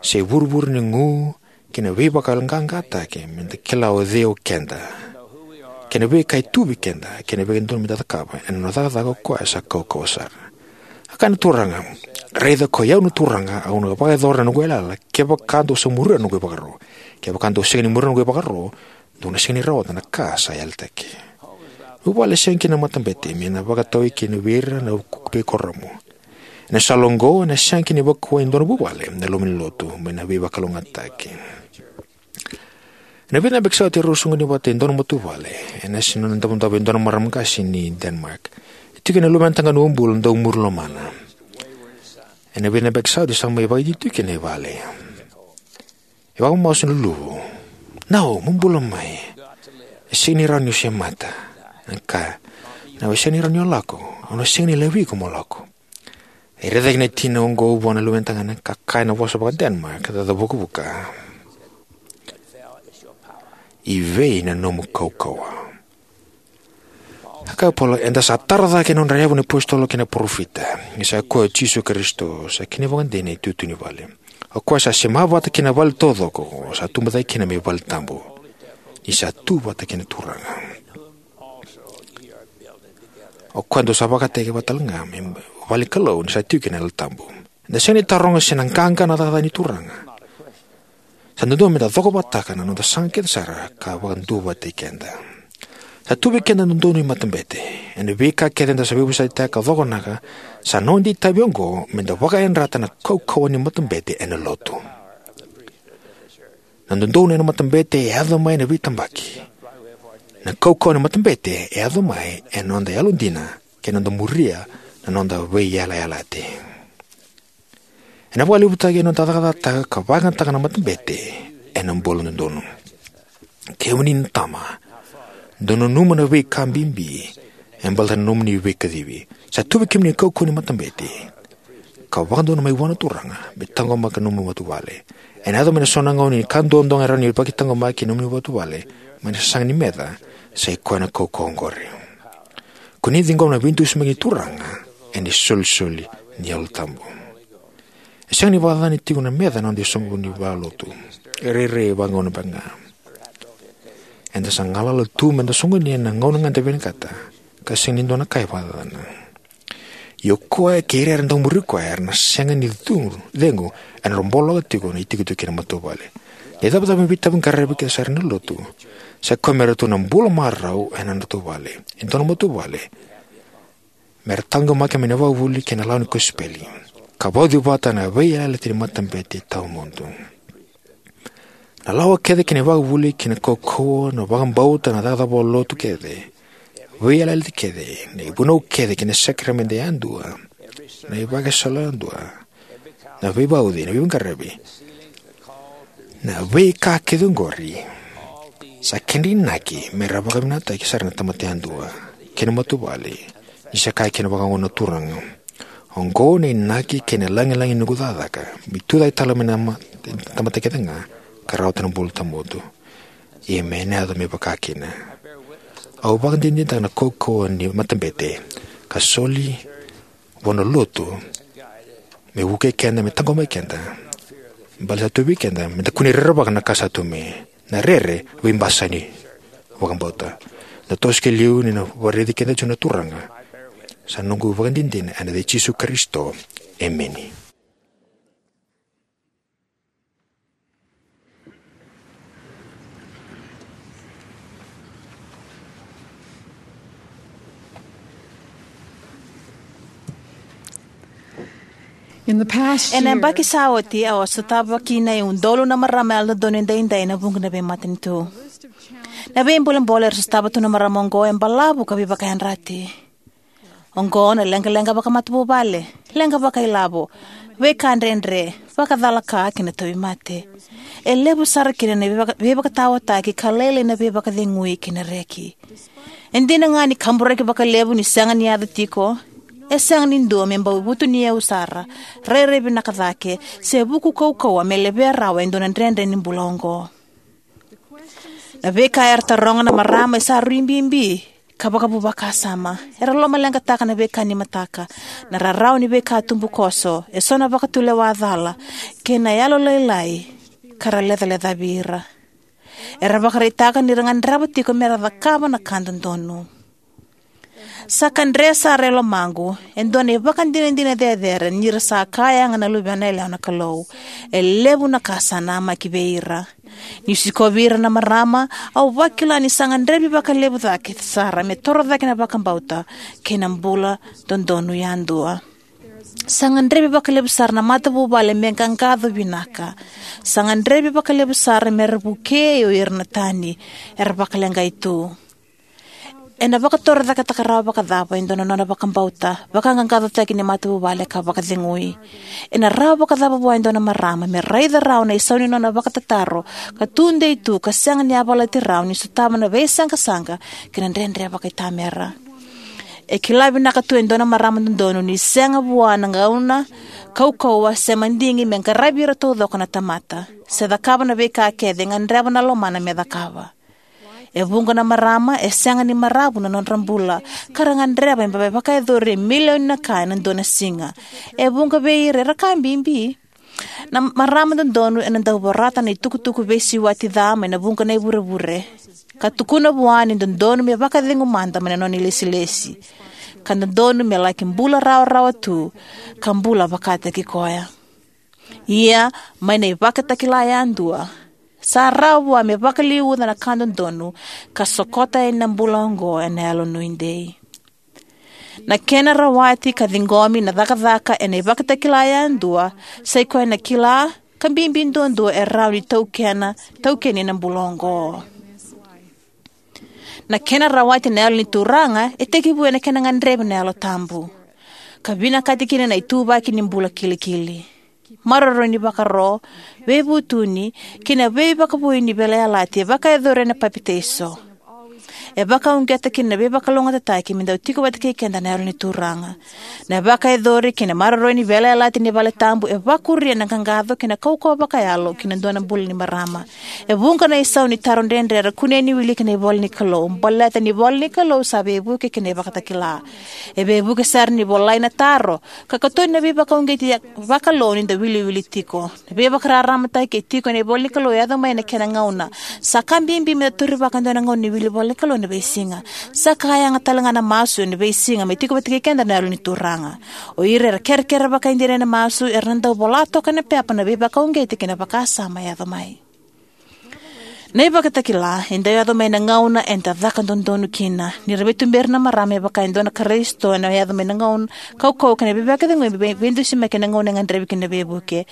se vuravura ni gu kei na veivakayaloqaqataki, meda kila o cei o keda kei na veika e tu vei keda kei na veika e dodonu meda cakava ena nona cakacaka o koya sa kaukauwa sara. A kaya na Turaga, "Raica, koi au na Turaga, au na vakayacora na noqu yalayala kevaka dou sa muria na noqu ivakaro. Kevaka dou sega ni muria na noqu ivakaro, dou na sega ni rawata na ka sa yalataki." Vuvale e sega kina na matabete me na vakatau kina vei ira na veikuoramu. Ena sala oqo, ena sega kina ni vakuwai e dua na vuvale na loma ni lotu mai na veivakalougatataki. Ena vica na yabaki sa oti, erau soqoni vata e dua na matavuvale ena yasa ni nona davodavo e dua na marama qase ni Denmark. E tiko kina na luvena tagane uabula dau muri lomana. Ena vica na yabaki sa oti, sa mai vakaiti tu kina i vale. E vakamasu na luluvu. "Nau, mo bula mai. E sega ni rawa ni o semata." E kaya, "Nau, e sega ni rawa ni o lako. Au na sega ni laivi iko mo lako." E raica kina na tina oqo vua na luvena tagane ka kaya ena vosa vaka-Denmark ka caca vukavuka, "I vei na nomu kaukauwa?" A kaya o Paula, eda sa tara cake ena nodra yavu na iapositolo kei na parofita, ni sa koya o Jisu Karisito, sa kena ivakadinadina na itutu ni vale. O koya sa sema vata kei na vale taucoko, sa tubu cake kina me vale tabu. Ni sa tu vata kei na Turaga. O koya dou sa vakataki vata tale ga me vale ni Kalou, ni sa tiko kina na Yalo Tabu. Eda sega ni taroga se na qaqa na cakacaka ni Turaga. Sa dodonu meda cokovata na noda sasaga kece sara ka vakaduavatataki keda. Sa tu vei keda na dodonu ni matabete. Ena veika kece eda sa veivosakitaka ka cokonaka, sa noda itavi oqo meda vakayadrata na kaukauwa ni matabete ena lotu. Na dodonu ena matabete e yaco mai ena veitabaki. Na kaukauwa ni matabete e yaco mai ena noda yalodina kei na noda muria na noda veiyalayalati. Ena vakalevutaki ena noda cakacakataka ka vakayagataka na matabete ena bula dodonu. Kemuni na tama, dou nanuma na veika bibi e baleta na nomuni veikacivi. Sa tu vei kemuni na kaukauwa ni matabete ka vakadonui mai vua na Turaga me taqomaka na nomuni matavuvale. Ena yaco mai na so na gauna ni ka duadua ga e rawa ni vakataqomaki na nomuni matavuvale mai na sasaga ni meca, sa i koya na kaukauwa oqori. Ko ni ciqoma na veidusimaki ni Turaga ena isolisoli ni Yalo Tabu. E sega ni vakacacana tiko na meca ena noda isoqoni vakalotu. E rairai vakagauna beka ga. Eda sa galala tu meda soqoni ena gauna ga eda vinakata, ka sega ni dua na ka e vakacacana. Ia o koya kei ira era dau muri koya era na sega ni cegu, cegu ena nodra boloka tiko na itikotiko kei na matavuvale. Ni cava me veitavaqaravi kece sara ena lotu, sa i koya me ratou na bula marau ena nodratou vale. E dua na matavuvale me ra taqomaki mai na vakavuvuli kei na lawa ni kosipeli, ka vauci vata na veiyalayalati ni matabete tawamudu. Na lawa kece kei na ivakavuvuli kei na kaukauwa, na vakabauta, na cakacaka vakalotu kece, Veiyalayalati kece, na ivunau kece kei na sakaramede yadua, na ivakasala yadua, na veivauci, na veiqaravi, na veika kece oqori, sa kedra inaki me ra vakavinakataki sara na tamata yadua kei na matavuvale, ni sa kaya kina vakaoqo na Turaga: Oqo na inaki kei na lagilagi ni noqu cakacaka, me tucake tale mai na ma-, tamata kece ga, ka rawata na bula tawamudu. Ia me na yaco me vaka kina. Au vakadinadinataka na kaukauwa ni matabete ka soli vua na Lotu me vukei keda, me taqomaki keda, baleta sa tu vei keda me da kunei rerevaka na ka sa tu mai. Na rere veibasani vakabauta. Na toso ki liu ni na vakaraici keda tiko na Turaga. Sa noqu vakadinadina ena yaca i Jisu Karisito. Emeni. In the past Ena year, yabaki sa oti, au a sotava kina e udolu na marama yalododonu edaidai ena vuqa na veimatanitu. Na veibolebole era sotava tu na marama oqo e balavu ka veivakayadrati. Oqo na leqaleqa vakamatavuvale, leqa vakailavo, veika dredre, vakacalaka kei na tauvimate. E levu sara kina na veivaka-, veivakataotaki ka lailai na veivakacegui kei na reki. E dina ga ni kaburaki vakalevu ni sega ni yaco tiko, e sega ni dua me bau vutuniyau sara, rairai vinaka cake, se vuku kaukauwa me levea rawa e dua na dredre ni bula oqo. Na veika era taroga na marama e sa rui bibi ka vakavu vakasama. Era lomaleqataka na veika ni mataka, na rarawa ni veika tubukoso, eso na vakatulewa cala, kei na yalolailai ka ra lecalecavi ira. Era vakaraitaka ni ra gadreva tiko me ra cakava na ka dodonu. Sa kadre sara e lomaqu e dua na ivakadinadina cecere ni ra sa ka yaga na luvena yalewa na Kalou. E levu na ka sa namaki vei ira. Niu sikovi ira na marama, au vakila ni sa gadrevi vakalevu cake sara me toro cake na vakabauta kei na bula dodonu yadua. Sa gadrevi vakalevu sara na matavuvale me qaqaco vinaka. Sa gadrevi vakalevu sara me ra vukei o ira na tani era vakaleqai tu. Ena vakatorocaketaka rawa vakacava e dua na nona vakabauta, vakaqaqacotaki ni matavuvale ka vakacegui? Ena rawa vakacava vua e dua na marama me raica rawa na isau ni nona vakatataro ka tudei tu ka sega ni yavalati rawa ni sotava na veisaqasaqa kei na dredre vakaitamera? E kila vinaka tu e dua na marama dodonu ni sega vua na gauna kaukauwa se madigi me qaravi ira taucoko na tamata, se cakava na veika kece e gadreva na lomana me cakava. E vuqa na marama e sega ni maravu na nodra bula, ka ra gadreva me vakayacori e milioni na ka ena dua na siga. E vuqa vei ira era ka bibi. Na marama dodonu ena dau vorata na itukutuku veisiwati ca mai na vuqa na ivurevure, ka tukuna vua ni dodonu me vakacegu mada mai na nona ilesilesi, ka dodonu me laki bula rawarawa tu, ka bula vakataki koya. Ia, mai na ivakatakila yadua, sa rawa vua me vakaliuca na ka dodonu ka sokota yani na bula oqo ena yalo nuidei. Na kena rawati ka ciqomi na cakacaka ena ivakatakila yadua, sai koya na kila ka bibi duadua e rawa ni taukena, taukeni ena bula oqo. Na kena rawati na Yalo ni Turaga e tekivu ena kena gadrevi na Yalo Tabu ka vinakati kina na ituvaki ni bula kilikili. Maroroi ni vakaro, veivutuni, kei na veivakavoui ni veiyalayalati e vakayacori ena papitaiso. E vakauqeta kina na veivakalougatataki me dau tiko vata kei keda na Yalo ni Turaga. Na vakayacori kei na maroroi ni veiyalayalati ni vale tabu e vakuria na qaqaco kei na kaukauwa vakayalo ki na dua na bula ni marama. E vuqa na isau ni taro dredre era kunea ni wiliki ena ivola ni Kalou, baleta ni ivola ni Kalou sa veivuke kei na ivakatakila. E veivuke sara ni volai na taro ka katoni na veivakauqeti ya-, vakalou ni da wiliwili tiko. Na veivakararamataki e tiko ena ivola ni Kalou e yaco mai ena kena gauna. Sa ka bibi me da taurivaka e dua na gauna ni wili ivola ni Kalou ena veisiga. Sa ka yaga tale ga na masu ena veisiga me tiko vata kei keda na Yalo ni Turaga. O ira era kerekere vakaidina ena masu era na dau vola toka ena pepa na veivakauqeti kei na vakasama e yaco mai. Na ivakatakila e dau yaco mai ena gauna eda caka dodonu kina. Ni ra veituberi na marama e vaka e dua na Karisito, ena yaco mai na gauna kaukauwa kei na veivakacegui me vei-, veidusimaki ena gauna e gadrevi kina na veivuke.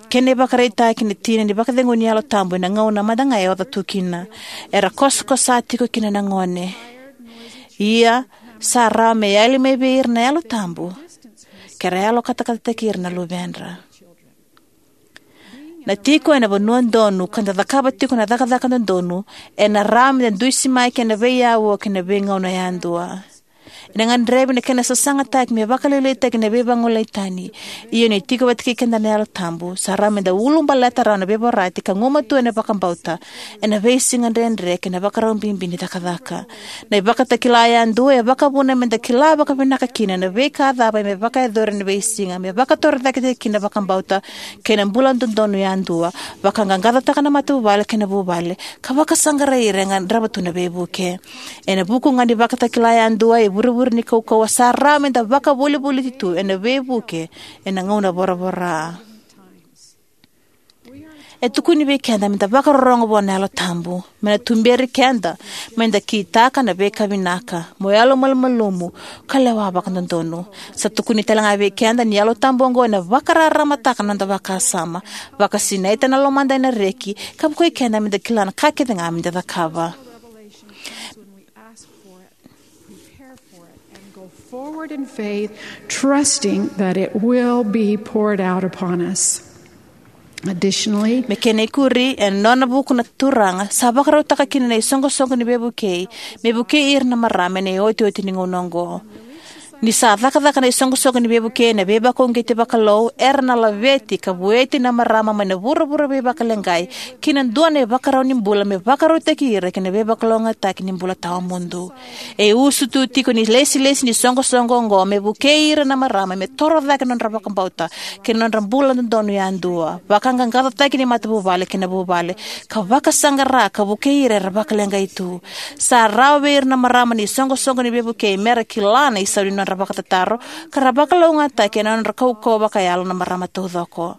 Kena ivakaraitaki na tina ni vakacegu ni Yalo Tabu ena gauna mada ga e oca tu kina. Era kosakosa tiko kina na gone. Ia, sa rawa me yali mai vei ira na Yalo Tabu, ke ra yalo katakatataki ira na luvedra. Na tiko ena vanua donu ka da cakava tiko na cakacaka dodonu, ena rawa me da dusimaki ena veiauwa kei na veigauna yadua. Ena gadrevi na kena sasagataki me vakalailaitaki na veivagolei tani. Ia ni tiko vata kei keda na Yalo Tabu, sa rawa me da ulubaleta rawa na veivorati ka gumatua ena vakabauta, ena veisiga dredre kei na vakarau bibi ni cakacaka. Na ivakatakila yadua e vakavuna me da kila vakavinaka kina na veika cava me vakayacori ena veisiga, me vakatorocaketaki kina na vakabauta kei na bula dodonu yadua, vakaqaqacotaka na matavuvale kei na vuvale, ka vakasaqarai ira e gadreva tu na veivuke. Ena vuku ga ni vakatakila yadua e vurevure ni kaukauwa, sa rawa me da vakavolivoliti tu ena veivuke ena gauna voravora. E tukuni vei keda me da vakarorogo vua na Yalo Tabu, me na tuberi keda me da kitaka na veika vinaka, mo yalomalumalumu, ka lewa vakadodonu. Sa tukuni tale ga vei keda ni Yalo Tabu oqo ena vakararamataka na noda vakasama, vakasinaita na lomada ena reki, ka vukei keda me da kila na ka kece ga me da cakava. Revelation when we ask for it, prepare for it, and go forward in faith, trusting that it will be poured out upon us. Additionally, Me kena ikuri, ena nona vuku na Turaga, sa vakarautaka kina na isoqosoqo ni veivukei, me vukei ira na marama ena iotioti ni gauna oqo. Ni sa cakacaka na isoqosoqo ni veivukei ena veivakauqeti vakalou, era na laveti ka vueti na marama mai na vuravura veivakaleqai ki na dua na ivakarau ni bula me vakarautaki ira ki na veivakalougatataki ni bula tawamudu. E usutu tiko ni ilesilesi ni soqosoqo oqo me vukei ira na marama me toro cake na nodra vakabauta kei na nodra bula dodonu yadua, vakaqaqacotaki ni matavuvale kei na vuvale, ka vakasaqara ka vukei ira era vakaleqai tu. Sa rawa vei ira na marama ni soqosoqo ni veivukei me ra kila na isau ni nodra vakatataro, ka ra vakalougatataki ena nodra kaukauwa vakayalo na marama taucoko.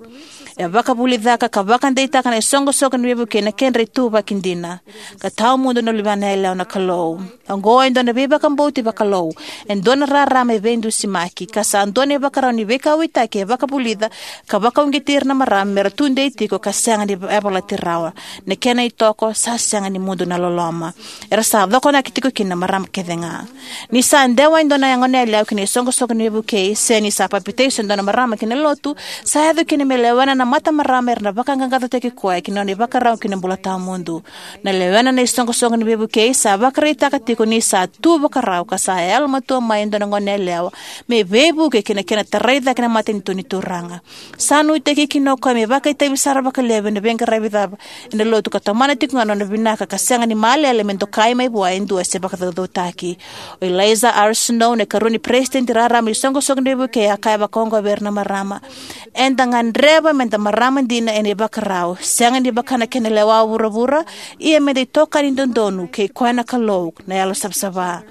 E vakavulicaka ka vakadeitaka na isoqosoqo ni veivukei na kedra ituvaki dina. Ka tawamudu na luvena yalewa na Kalou. Oqo e dua na veivakabauti vakalou, e dua na rarama e veidusimaki, ka sa dua na ivakarau ni veikauwaitaki e vakavulica ka vakauqeti ira na marama me ra tudei tiko ka sega ni yavalati rawa. Na kena itoko, sa sega ni mudu na loloma. Era sa cokonaki tiko kina na marama kece ga. Ni sa dewa e dua na goneyalewa ki na isoqosoqo ni veivukei, se ni sa papitaiso e dua na marama ki na lotu, sa yaco kina me lewena na matamarama era na vakaqaqacotaki koya ki na nona ivakarau ki na bula tawamudu. Na lewena na isoqosoqo ni veivukei sa vakaraitaka tiko ni sa tu vakarau ka sa yalomatua mai e dua na goneyalewa me veivuke ki na kena tarai cake na matanitu ni Turaga. Sa nuitaki kina o koya me vakaitavi sara vakalevu ena veiqaravi cava ena lotu ka tomana tiko ga na nona vinaka ka sega ni malele me dokai mai vua e dua se vakacaucautaki. O Eliza R. Snow, na ikarua ni peresitedi raraba ni isoqosoqo ni veivukei, a kaya vakaoqo vei ira na marama: Eda gadreva me da marama dina ena ivakarau, sega ni vaka na kena lewa vuravura, ia me da itokani dodonu kei koya na Kalou, na Yalo Savasava.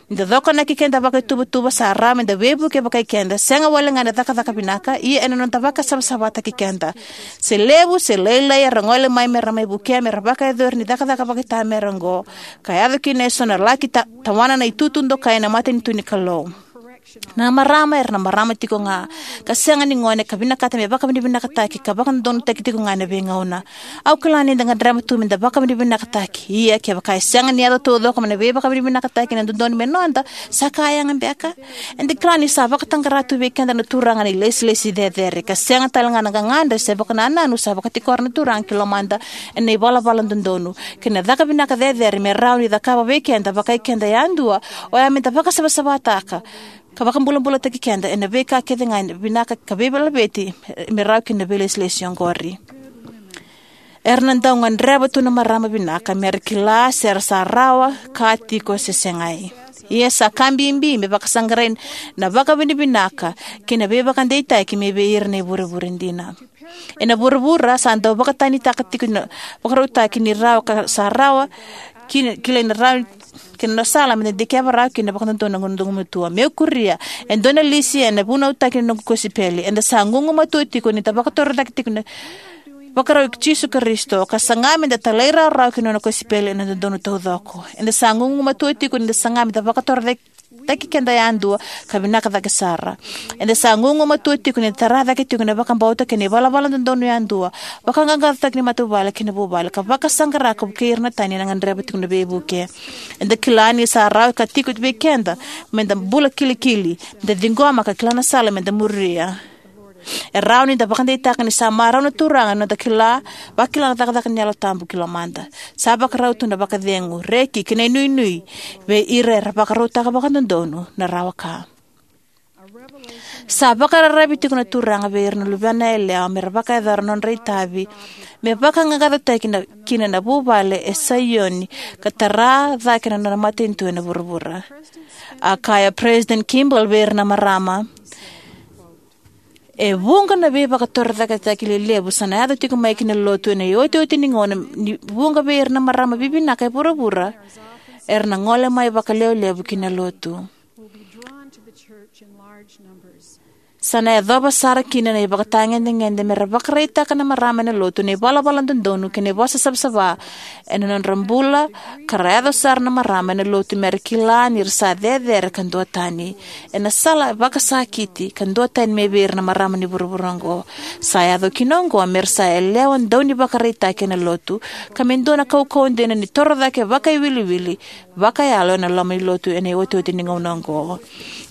Ni da cokonaki keda vakaituvatuva, sa rawa me da veivuke vakai keda, sega walega ena cakacaka vinaka, ia ena noda vakasavasavataki keda. Se levu se lailai era gole mai me ra mai vukea me ra vakayacori ni cakacaka vakaitamera oqo, ka yaco kina eso na laki ta, tawana na itutu dokai ena matanitu ni Kalou. Na marama era na marama tiko ga, ka sega ni gone, ka vinakata me vakavinavinakataki ka vakadodonutaki tiko ga ena veigauna. Au kila ni da gadreva tu me da vakavinavinakataki. Ia kevaka e sega ni yaco taucoko mai na veivakavinavinakataki ena dodonu me noda, sa ka yaga beka? Eda kila ni sa vakataqara tu vei keda na Turaga na ilesilesi cecere, ka sega tale ga na gagadre se vakanananu sa vakatikora na Turaga ki lomada ena ivalavala dodonu kei na caka vinaka cecere me rawa ni cakava vei keda vakai keda yadua, oya me da vakasavasavataka ka vakabulabulataki keda ena veika kece ga e vinaka ka veilaveti me rawa kina na veilesilesi oqori. Era na dau gadreva tu na marama vinaka me ra kila se ra sa rawa ka tiko se segai. Ia sa ka bibi me vakasaqarai na vakavinavinaka kei na veivakadeitaki mai vei ira na ivurevure dina. Ena vuravura sa dau vakatanitaka tiko na vakarautaki ni rawa ka sa rawa, ki, kilai na rawa kei na sala me da dikeva rawa kina vakadodonu na gumatua. Meu kuria, e dua na lisi ena vunautaki na noqu kosipeli. Eda sa gugumatua tiko ni da vakatorocake tiko na ivakarau i Jisu Karisito, ka saga me da talairawarawa ki na nona kosipeli ena dodonu taucoko. Eda sa gugumatua tiko ni da saga me da vakatorocake vakaraitaki keda yadua ka vinaka cake sara. Eda sa gugumatua tiko ni da tara cake tiko na vakabauta kei na ivalavala dodonu yadua, vaqaqacotaki ni matavuvale kei na vuvale, ka vakasaqara ka vukei ira na tani era gadreva tiko na veivuke. Eda kila ni sa rawa ka tiko vei keda me da bula kilikili, me da ciqoma ka kila na sala me da muria. E rawa ni da vakadeitaka ni sa marau na Turaga na noda kila, vakila na cakacaka ni Yalo Tabu ki lomada. Sa vakarau tu na vakacegu, reki kei na inuinui vei ira era vakarautaka vakadodonu na rawa ka. Sa vakararavi tiko na Turaga vei ira na luvena yalewa me ra vakayacora na nodra itavi me vaqaqacotaki na, kina na vuvale e Saioni, ka tara cake na nona matanitu ena vuravura. A kaya President Kimball vei ira na marama: "E vuqa na veivakatorocaketaki lelevu sa na yaco tiko mai ki na lotu ena iotioti ni gauna, ni vuqa vei ira na marama vivinaka e vuravura era na gole mai vakalevulevu ki na lotu. Sa na yacova sara kina na ivakatagedegede me ra vakaraitaka na marama ena lotu na ivalavala dodonu kei na ivosa savasava ena nodra bula, ka ra yaco sara na marama ena lotu me ra kila ni ra sa cecere ka duatani. Ena sala vakasakiti ka duatani mai vei ira na marama ni vuravura oqo. Sa yaco kina oqo me ra sa yalewa dau ni vakaraitaki ena lotu, ka me dua na kaukauwa dina ni toro cake vakaiwiliwili vakayalo ena loma ni lotu ena iotioti ni gauna oqo."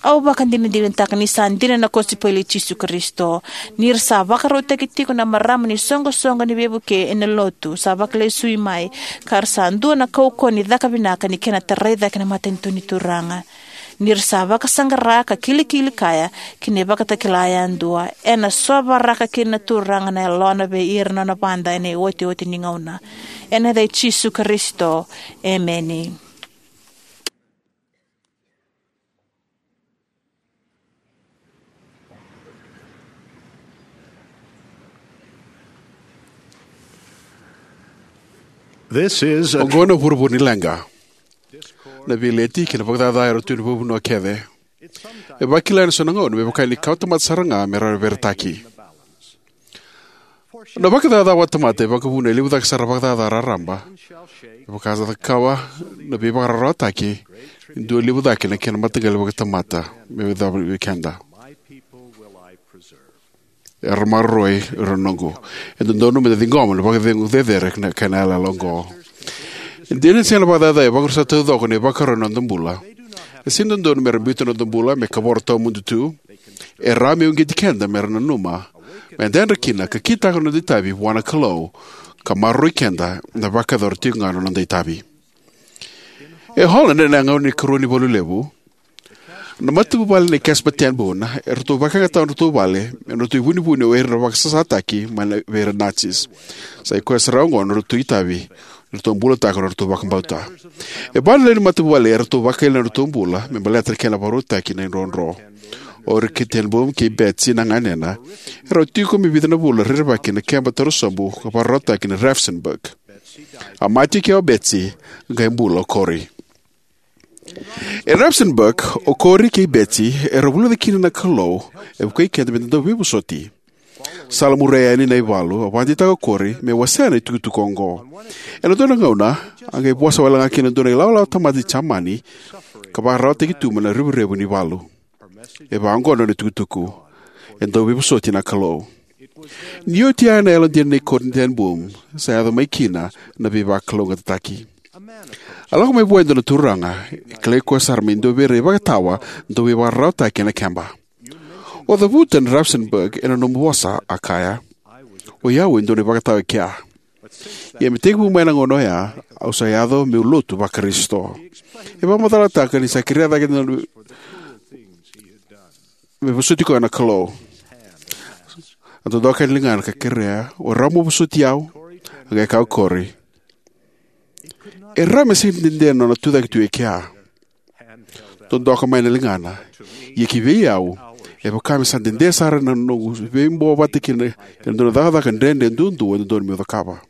Au vakadinadinataka ni sa dina na kosipeli i Jisu Karisito. Ni ra sa vakarautaki tiko na marama ni soqosoqo ni veivuke ena lotu sa vakalesui mai, ka ra sa dua na kaukauwa ni caka vinaka ni kena tarai cake na matanitu ni Turaga. Ni ra sa vakasaqara ka kilikili kaya ki na ivakatakila yadua, ena sovaraka kina na Turaga na Yalona vei ira na nona vada ena iotioti ni gauna. Ena yaca i Jisu Karisito, emeni. This is a Oqo na vuravura ni leqa. Na veileti kei na vakacaca era tu ena veivanua kece. E vakila ena so na gauna me vaka ni kawa tamata sara ga me ra veretaki. Na vakacaca vakatamata e vakavuna e levu cake sara na vakacaca raraba. E vaka sa cakava na veivakararawataki, e dua levu cake na kena mataqali vakatamata me veicavi vei keda. Era maroroi ira na noqu. E dodonu me da ciqoma na vakacegu cecere na kena yalayala oqo. E dina ni sega na vakacaca e vakarusa taucoko na ivakarau ena noda bula, e sega ni dodonu me ra biuta na noda bula me kavoro tawamudu tu. E rawa me uqeti keda me ra nanuma, me da yadra kina ka kitaka na noda itavi vua na Kalou, ka maroroi keda na vakayacora tiko ga na noda itavi. E Holland, ena gauna ni ikarua ni valu levu, na matavuvale nei Caspar ten Boom eratou vakayagataka na nodratou vale me nodratou ivunivuni o ira na vakasasataki mai vei ira na Nazis. Sa i koya sara oqo na nodratou itavi eratou bulataka na nodratou vakabauta. E va na lewe ni matavuvale eratou vakaila na nodratou bula me baleta na kena vakarautaki na idrodro. O Rick ten Boom kei Betsy na ganena, erau tiko me vica na vula rerevaki ena keba torosobu ka vakarautaki na Ravensbrück. A mate o Betsy, qai bula o Corrie. E Ravensbrück, o Corrie kei Betsy era vulica kina na Kalou e vukei keda me da dau veivosoti. Salamuria yani na ivalu, a vakadeitaka o Corrie me wasea na itukutuku oqo. Ena dua na gauna, a qai vosa wale ga kina e dua na ilawalawa tamata ni Jamani ka vakararawataki tu mai na revurevu ni valu. E vaka oqo na nona itukutuku: "E dau veivosoti na Kalou." Ni oti ya na yalodina nei Corrie ten Boom, sa yaco mai kina na veivakalougatataki. A lako mai vua e dua na turaga, e kilai koya sara me dua vei ira na ivakatawa dau veivakararawataki ena keba. "O cavuta na Ravensbrück ena nomu vosa," a kaya. "O i au e dua na ivakatawa e kea. Ia me tekivu mai na gauna oya, au sa yaco meu lotu vaKarisito." E vakamacalataka ni sa kerea cake na me vosoti koya na Kalou. A dodoka na ligana ka kerea, "O rawa mo vosoti au?" A qai kaya o Corrie, "E rawa me sega ni dede na nona tucake tu e kea." Dodoka mai na ligana, "Ia ki vei au, e vaka me sa dede sara na noqu veibowa vata kei na, kei na dua na cakacaka dredre duadua e dodonu meu cakava."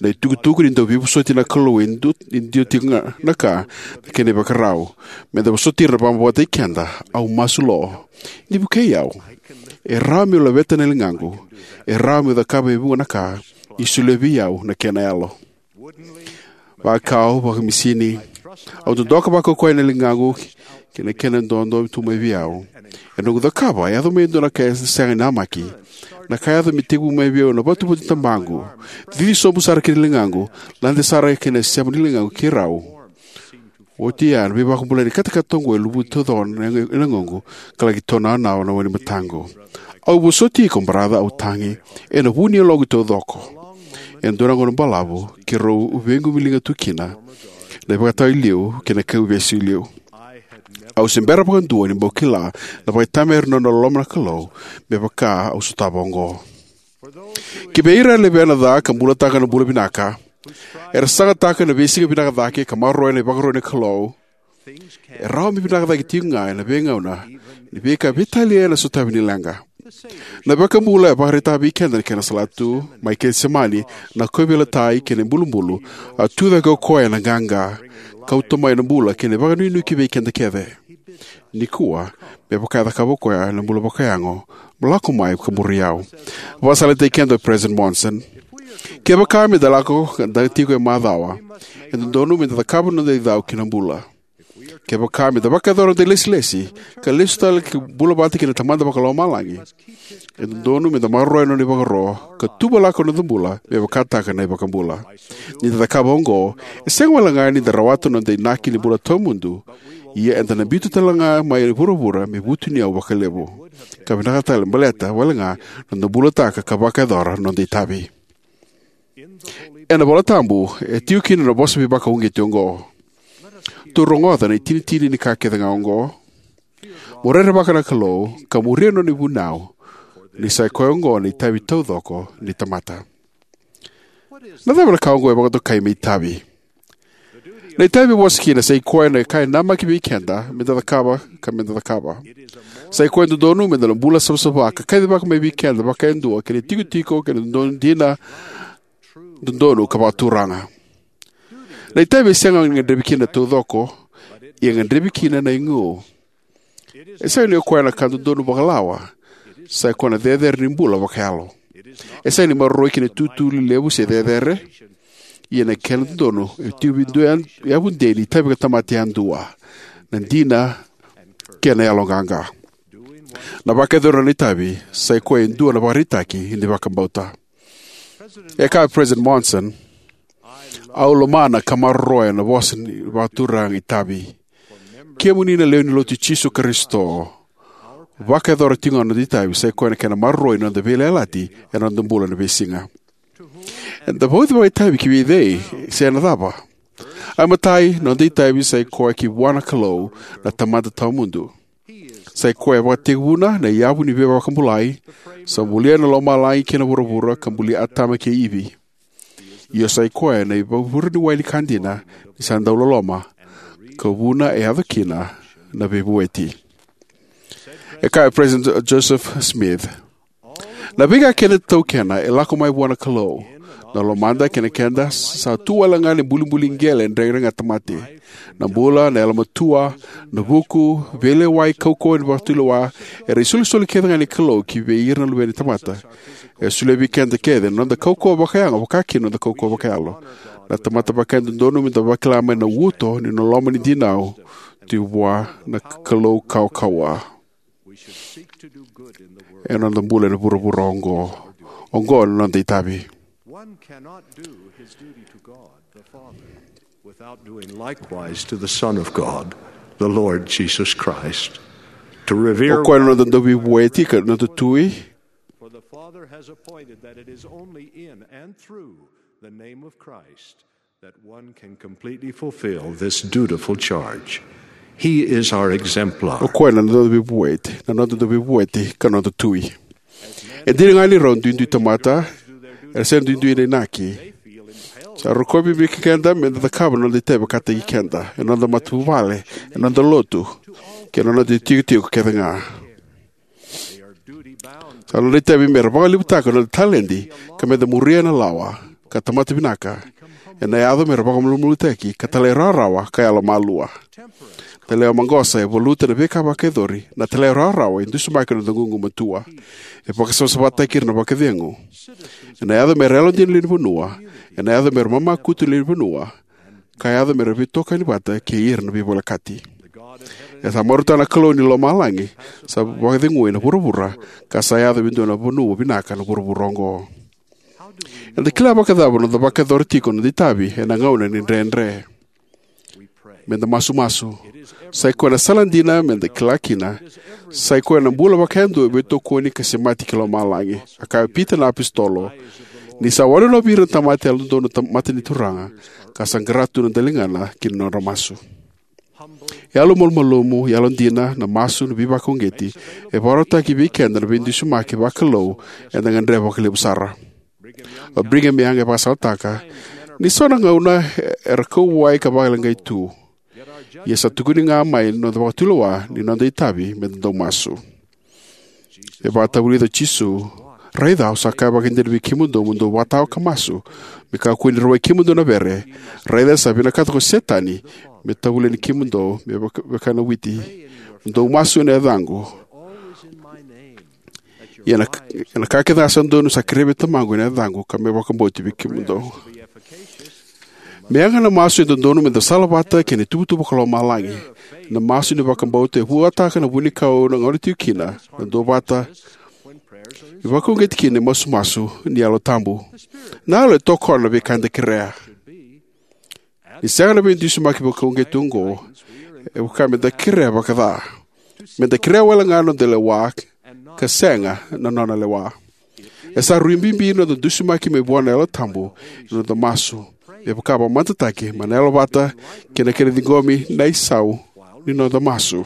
Na itukutuku ni dau veivosoti na Kalou e dua, e dua tiko ga na ka, na kena ivakarau. Me da vosoti ira na vakabauta vata kei keda, au masu lo. Ni vukei au. E rawa meu laveta na ligaqu. E rawa meu cakava e vuqa na ka. Ni solia vei au na kena yalo. Vakau, vakamisini. Au dodoka vakaukauwa na ligaqu kei na kena dodo tu mai vei au. E noqu cakava, e yaco mai e dua na ka e sega ni namaki. Na ka e yaco me tekivu mai vei au na vatuvatu ni tabaqu. Cici sobu sara ki na ligaqu, lade sara ki na sema ni ligaqu kei rau. Oti ya, na veivakabulai ni katakata oqo e luvuci taucoko na yagoqu, ka laki tonawanawa na wai ni mataqu. Au vosoti iko, baraca, au tagi ena vu ni yaloqu taucoko. E dua na gauna balavu keirau veiqumiliga tu kina, na ivakatawa i liu kei na kauveivesu i liu. Au se bera vakadua ni bau kila na vakaitamera ni nona loloma na Kalou me vaka au sotava oqo. Ki vei ira na lewena ca ka bulataka na bula vinaka, era sagataka na veisiga vinaka cake ka maroroya na ivakaro ni Kalou, e rawa me vinaka cake tiko ga ena veigauna ni veika veitalia ena sotavi ni leqa. Na iVakabula e vakaraitaka vei keda na kena salatu mai Kecisemani, na kauveilatai kei na ibulubulu. A tucake o koya ena qaqa, kauta mai na bula kei na vakanuinui ki vei keda kece. Nikua, me vaka e cakava o koya ena bula vakayago, mo lako mai ka muri au. Vakasalataki keda o President Monson. Kevaka me da lako, da tiko e macawa, e dodonu me da cakava na noda icau ki na bula. Kevaka me da vakayacora na noda ilesilesi ka lesu tale ki bula vata kei na Tamada Vakalomalagi, e dodonu me da maroroya na nona ivakaro ka tuvalaka na noda bula me vakataka na iVakabula. Ni da cakava oqo, e sega wale ga ni da rawata na noda inaki ni bula tawamudu, ia eda na biuta tale ga mai vuravura me vutuniyau vakalevu, ka vinaka tale baleta wale ga na noda bulataka ka vakayacora na noda itavi. Ena iVola Tabu e tiko kina na vosa veivakauqeti oqo. Tou rogoca na itinitini ni ka kece ga oqo. Mo rerevaka na Kalou ka muria na nona ivunau, ni sa i koya oqo na itavi taucoko ni tamata. Na cava na ka oqo e vakatokai me itavi? Na itavi e vosa kina sa i koya na ka e namaki vei keda me da cakava ka me da cakava. Sa i koya e dodonu me da na bula savasava ka kacivaka mai vei keda vaka e dua kei na itikotiko kei na dodonu dina, dodonu ka vakaturaga. Na itavi e sega ni gadrevi kina taucoko, ia e gadrevi kina na igu. E sega ni o koya na ka dodonu vakalawa, sa i koya na cecere ni bula vakayalo. E sega ni maroroi ki na itutu lelevu se cecere, ia na kena dodonu e tiko vei dua e yavudei ni itavi ka tamata yadua, na dina kei na yaloqaqa. Na vakayacori na itavi sa i koya e dua na ivakaraitaki ni vakabauta. E kaya o President Monson, "Au lomana ka maroroya na vosa ni vakaturaga itavi. Kemuni na lewe ni Lotu i Jisu Karisito, vakayacora tiko ga na noda itavi sa i koya na kena maroroi na noda veiyalayalati ena noda bula ena veisiga." Eda vauci vakaitavi ki vei cei se ena cava? Ai matai, na noda itavi sa i koya ki vua na Kalou, na Tamada Tawamudu. Sa i koya e vakatekivuna na yavu ni veivakabulai, sa bulia na lomalagi kei na vuravura ka bulia Atama kei Ivi. Io, sa i koya na ivakavure ni wai ni ka dina ni sa dau loloma, ka vuna e yaco kina na veivueti. E kaya o President Joseph Smith, "Na veika kece taukena e lako mai vua na Kalou. Na lomada kei na keda sa tu wale ga na ibulibuli qele e dreqedreqa tamate. Na bula, na yalomatua, na vuku, veilewai, kaukauwa ni vakatulewa, era isolisoli kece ga ni Kalou ki vei ira na luvena ni tamata. E solia vei keda kece na noda kaukauwa vakayago, vaka kina na noda kaukauwa vakayalo. Na tamata vaka e dodonu me da vakila mai na uto ni loloma ni dinau, tu vua na Kalou kaukauwa ena noda bula ena vuravura oqo." Oqo na noda itavi. One cannot do his duty to God the Father without doing likewise to the Son of God, the Lord Jesus Christ. To revere. O koya na noda dauveivueti ka noda tui. For the Father has appointed that it is only in and through the name of Christ that one can completely fulfill this dutiful charge. He is our exemplar. O koya na noda veivueti, na noda veivueti ka noda tui. E dina ga ni rau duidui tamata, era sega duidui na inaki. Sa rokovi vei keda me da cakava na noda itavi vakataki keda, ena noda matavuvale, ena noda lotu, kei na noda itikotiko kece ga. Sa noda itavi me ra vakalevutaka na noda taledi ka me da muria na lawa ka tamata vinaka. Ena yaco me ra vakamalumalumutaki ka talairawarawa ka yalomalua. Na lewe maqosa e valuta na veika vakayacori, na talairawarawa e dusimaki na noda gugumatua. E vakasavasavataki ira na vakacegu. Ena yaco me ra yalodina na lewenivanua. Ena yaco me ra mamakutu na lewenivanua. ka yaco me ra veitokani vata kei ira na veivolekati. E sa marautaka na Kalou ni lomalagi sa vakacegui na vuravura, ka sa yaco me dua na vanua vinaka na vuravura oqo. Eda kila vakacava na noda vakayacora tiko na noda itavi ena gauna ni dredre? Meda masumasu. Sa i koya na sala dina meda kila kina, sa i koya na bula vakayadua e veitokoni ka semati ki lomalagi. A kaya o Pita na apositolo, ni sa wanonovi ira na tamata yalododonu na ta- mata ni Turaga, ka sa qara tu na daligana ki na nodra masu. Yalo malumalumu, yalodina, na masu, na veivakauqeti, e vakarautaki vei keda na veidusimaki vakalou eda gadreva vakalevu sara. O Brigham Young e vakasalataka, ni so na gauna era kauwai ka vakaleqai tu, ia sa tukuni ga mai na noda vakatulewa ni noda itavi meda dau masu. E vakatavulica o Jisu, raica au sa kaya vakaidina vei kemudou mo dou vakatawa ka masu, me kakua ni rawai kemudou na vere, raica sa vinakata ko Setani me tavuliani kemudou me vaka, vaka na witi. Mo dou masu ena yacaqu. Ia na, ia na ka kece ga sa dodonu sa kerei vei Tamaqu ena yacaqu ka me vakabauti vei kemudou. Me yaga na masu e dodonu meda salavata kei na ituvatuva ko lomalagi. Na masu ni vakabauta e vuataka na vunikau na gauna tiko kina na duavata, e vakauqeti kina e masumasu ni Yalo Tabu. Na Yalo e tokona na veika eda kerea. Ni sega na veidusimaki vakauqeti oqo, e vaka meda kerea vakaca. Meda kerea wale ga na noda lewa ka sega na nona lewa. E sa rui bibi na noda dusimaki mai vua na Yalo Tabu ena noda masu, me vaka vakamatataki mai na yalovata kei na kena ciqomi na isau ni noda masu.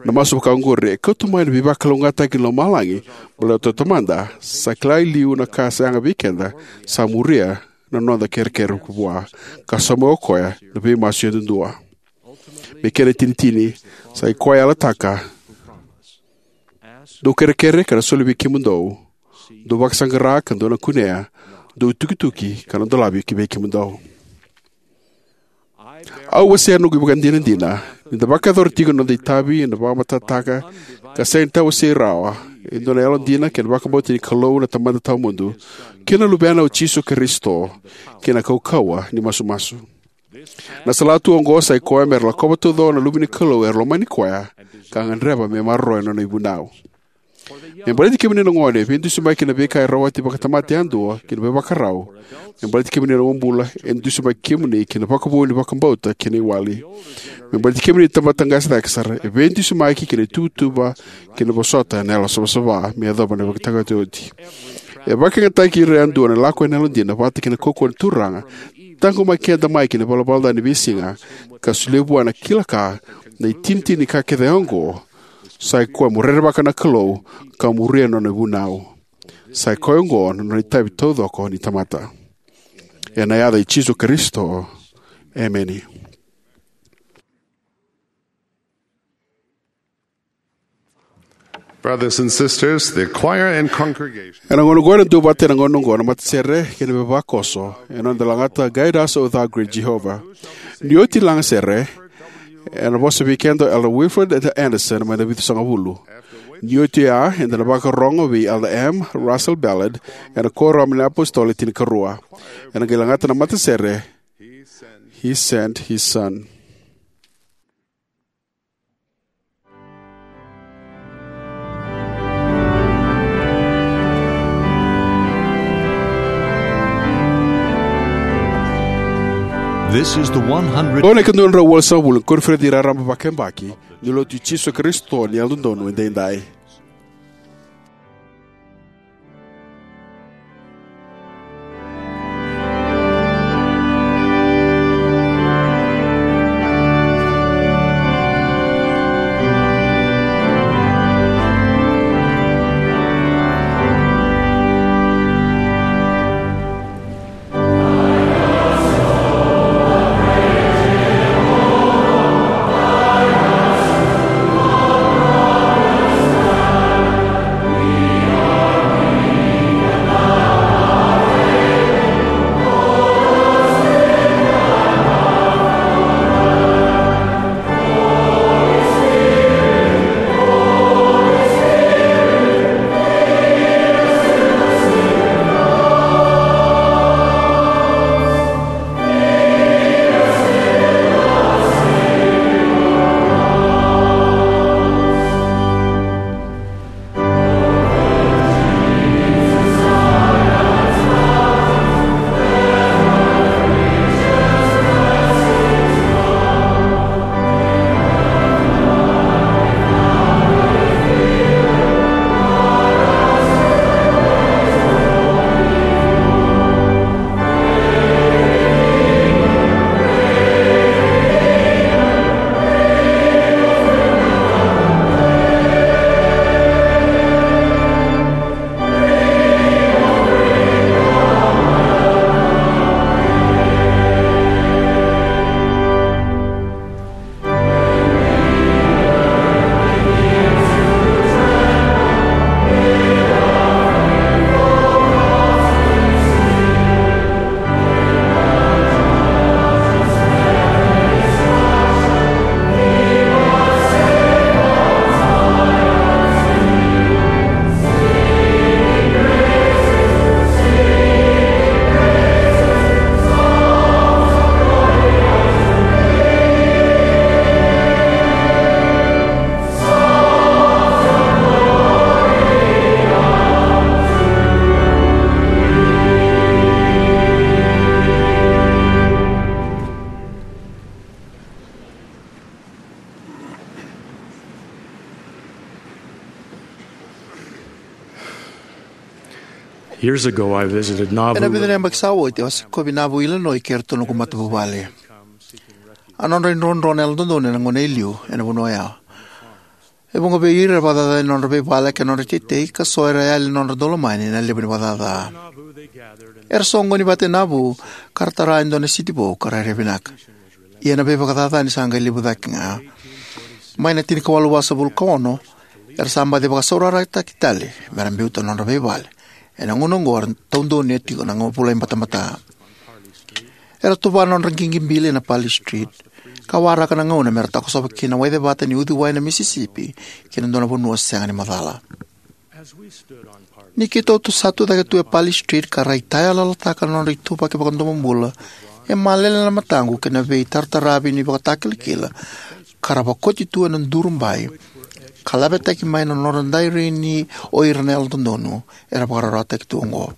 Na masu vaka oqori e kauta mai na veivakalougatataki ni lomalagi, baleta o Tamada sa kila e liu na ka sa yaga vei keda, sa muria na noda kerekere vua, ka sauma o koya na veimasu yadudua. Me kena itinitini, sa i koya e yalataka, dou kerekere ka na soli vei kemudou, dou vakasaqara ka dou na kunea, dou tukituki ka na dolavi ki vei kemudou. Au wasea na noqu ivakadinadina ni da vakayacora tiko na noda itavi ena vakamatatataka ka sega ni tawasei rawa e dua na yalodina kei na vakabauta ni Kalou na Tamada Tawamudu kei na Luvena o Jisu Karisito, kei na kaukauwa ni masumasu. Na salatu oqo sa i koya me ra lakova taucoko na luve ni Kalou era lomani koya ka gadreva me maroroya na nona ivunau. Me baleti kemuni na gone, e veidusimaki ki na veika e rawati vakatamata yadua ki na veivakarau. Me baleti kemuni na uabula, e dusimaki kemuni ki na vakavoui ni vakabauta kei na iwali. Me baleti kemuni na tamata qase cake sara, e veidusimaki ki na ituvatuva kei na vosota ena yalo savasava me yacova na ivakataotioti. E vakayagataki ira yadua na lako ena yalodina vata kei na kaukauwa ni Turaga, taqomaki keda mai ki na ivalavala ca ni veisiga, ka solia vua na kila ka, na itinitini ni ka kece oqo, sa i koya mo rerevaka na Kalou ka muria na nona ivunau. Sa i koya oqo na nona itavi taucoko ni tamata. Ena yaca i Jisu Karisito, emeni. Brothers and sisters, the choir and congregation. Ena gauna oqo ena dua vata ena gauna oqo na matasere kei na veivakaoso, ena noda lagata Guide Us, O Thou Great Jehovah. Ni oti lagasere, ena vosa vei keda o Elder Wilfred Andersen mai na Vitusagavulu. Ni oti oya, eda na vakarorogo vei Elder M. Russell Ballard ena Kuoramu ni iApositolo e Tinikarua. Ena qai lagata na matasere, He Sent His Son. This is the one hundred. Qo na ikadua na drau walusagavulu ni koniferedi raraba vakayabaki ni Lotu i Jisu Karisito ni Yalododonu Edaidai. Years ago, I visited Nauvoo. Ena vica na yabaki sa oti, au a sikovi Nauvoo, Illinois, kei iratou na noqu matavuvale. A nodra idrodro na Yalododonu ena gauna e liu ena vanua oya. E vuqa vei ira era vakacaca ena nodra veivale kei na nodra teitei, ka so era yali na nodra daulomani ena levu ni vakacaca. Era soqoni vata e Nauvoo, ka ra tara e dua na siti vou ka rairai vinaka. Ia na veivakacaca ni sa qai levu cake ga. Mai na tinikawalu vasagavulu ka ono, era sa baci vakasaurarataki tale me ra biuta na nodra veivale ena gauna oqo era taudonu e tiko na vulaibatabata. Era tuva na nodra qiqi bili ena Parley Street, ka waraka na gauna me ra takosova kina na waicevata ni uciwai na Mississippi ki na dua na vanua sega ni macala. Ni keitou tu sa tu cake tu e Parley Street ka raitayaloyalotaka na nodra ituvaki vakadomobula, e malele na mataqu ki na veitarataravi ni vakatakilakila ka ra vakoti tu ena duru bai, ka lavetaki mai na nodra dairini o ira na Yalododonu era vakararawataki tu oqo.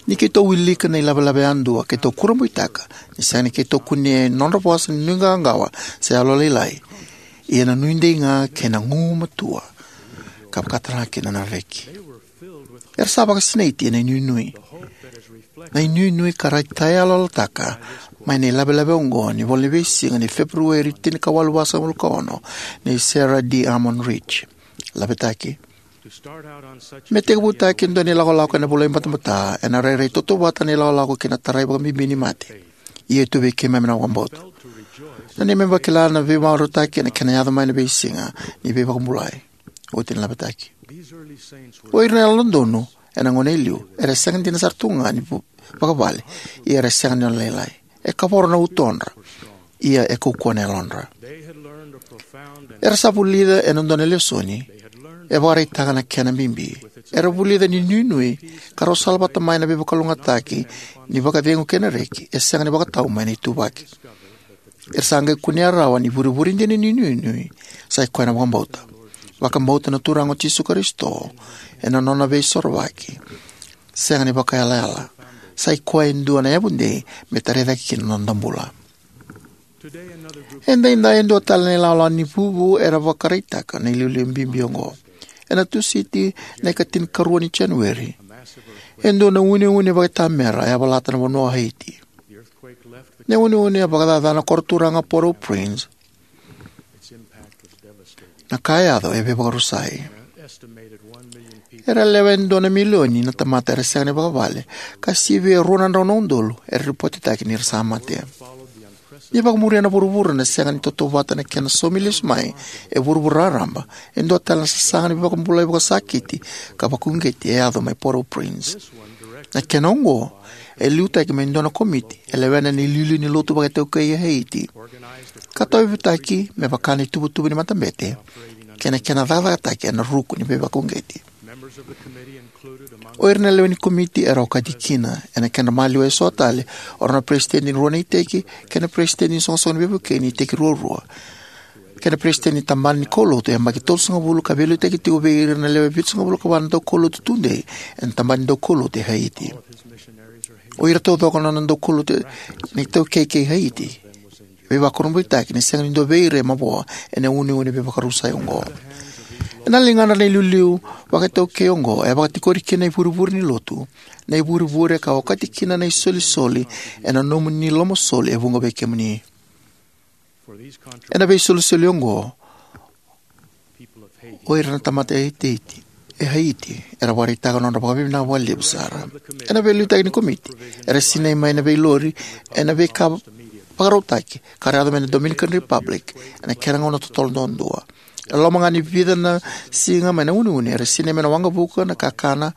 Ni keitou wilika na ilavelave yadua, keitou kurabuitaka ni sega ni keitou kunea e nodra vosa na nuiqawaqawa se yalolailai, ia na nuidei ga kei na gugumatua, ka vakatara kina na reki. Era sa vakasinaiti ena inuinui. Na inuinui ka raitayaloyalotaka mai na ilavelave oqo ni ivola ni veisiga ni Feperueri tinikawalu vasagavulu ka ono nei Sarah D. Almon Rich. Lavetaki: Me tekivutaki e dua na ilakolako ena vulaibatabata, ena rairai tautauvata na ilakolako ki na tarai vakabibi ni mate. Ia e tu vei keimami na vakabauta. Na neimami vakila na veimarautaki ena kena yaco mai na veisiga ni veivakabulai. Oti na lavetaki. O ira na Yalododonu ena gauna e liu era sega dina sara tu ga ni vu- vakavale, ia era sega ni nona lailai. E kavoro na utodra, ia e kaukauwa na yalodra. Era sa vulica ena dua na lesoni e vakaraitaka na kena bibi. Era vulica ni nuinui ka rau salavata mai na veivakalougatataki ni vakacegu kei na reki e sega ni vakatau mai na ituvaki. Era sa qai kunea rawa ni vurevure dina ni nuinui sa i koya na vakabauta. Vakabauta na Turaga o Jisu Karisito ena nona veisorovaki sega ni vakayalayala. Sa i koya e dua na yavudei me tarai cake kina na noda bula. Edaidai e dua tale na ilawalawa ni vuvu era vakaraitaka na iliuliu bibi oqo. Ena Tusiti na ikatinikarua ni Janueri, e dua na uneune vakaitamera e yavalata na vanua o Haiti. Na uneune a vakacacana na koro turaga Port-au-Prince. Na ka e yaco e veivakarusai. Era lewe e dua na milioni na tamata era sega ni vakavale, ka sivia e rua na drau na udolu era ripotitaki ni ra sa mate. Ni vakamuria na vuravura na sega ni tautauvata na kena saumi lesu mai e vuravura raraba, e dua tale na sasaga ni veivakabulai vakasakiti ka vakauqeti e yaco mai Port-au-Prince. Na kena oqo e liutaki mai e dua na komiti e lewena na iliuliu ni lotu vakaitaukei e Haiti, ka tauyavutaki me vaka na ituvatuva ni matabete kei na kena cakacakataki ena ruku ni veivakauqeti. O ira na lewe ni komiti era okati kina ena kedra maliwa e so tale o ira na peresitedi ni rua na iteki kei na peresitedi ni soqosoqo ni veivukei ni iteki ruarua, kei na peresitedi ni tabana ni kaulotu e yabaki tolusagavulu ka veiliutaki tiko vei ira na lewe vitusagavulu ka va na daukaulotu tudei ena tabana ni daukaulotu e Haiti. O ira taucoko na nona daukaulotu na itaukei kei Haiti. Veivakurabuitaki ni sega ni dua vei ira e mavoa ena uneune veivakarusai oqo. Ena ligana na iliuliu vakaitaukei oqo e vakatikori kina na ivurevure ni lotu, na ivurevure ka okati kina na isolisoli ena nomuni lomasoli e vuqa vei kemuni. Ena veisolisoli oqo, o ira na tamata e Haiti, e Haiti era vakaraitaka na nodra vakavinavinaka vakalevu sara. Ena veiliutaki ni komiti, era sinai mai na veilori ena veika vakarautaki ka ra yaco mai na Dominican Republic ena kena gauna totolo duadua. E loma ga ni vica na siga mai na uneune, era sinai mai na waqavuka, na kakana,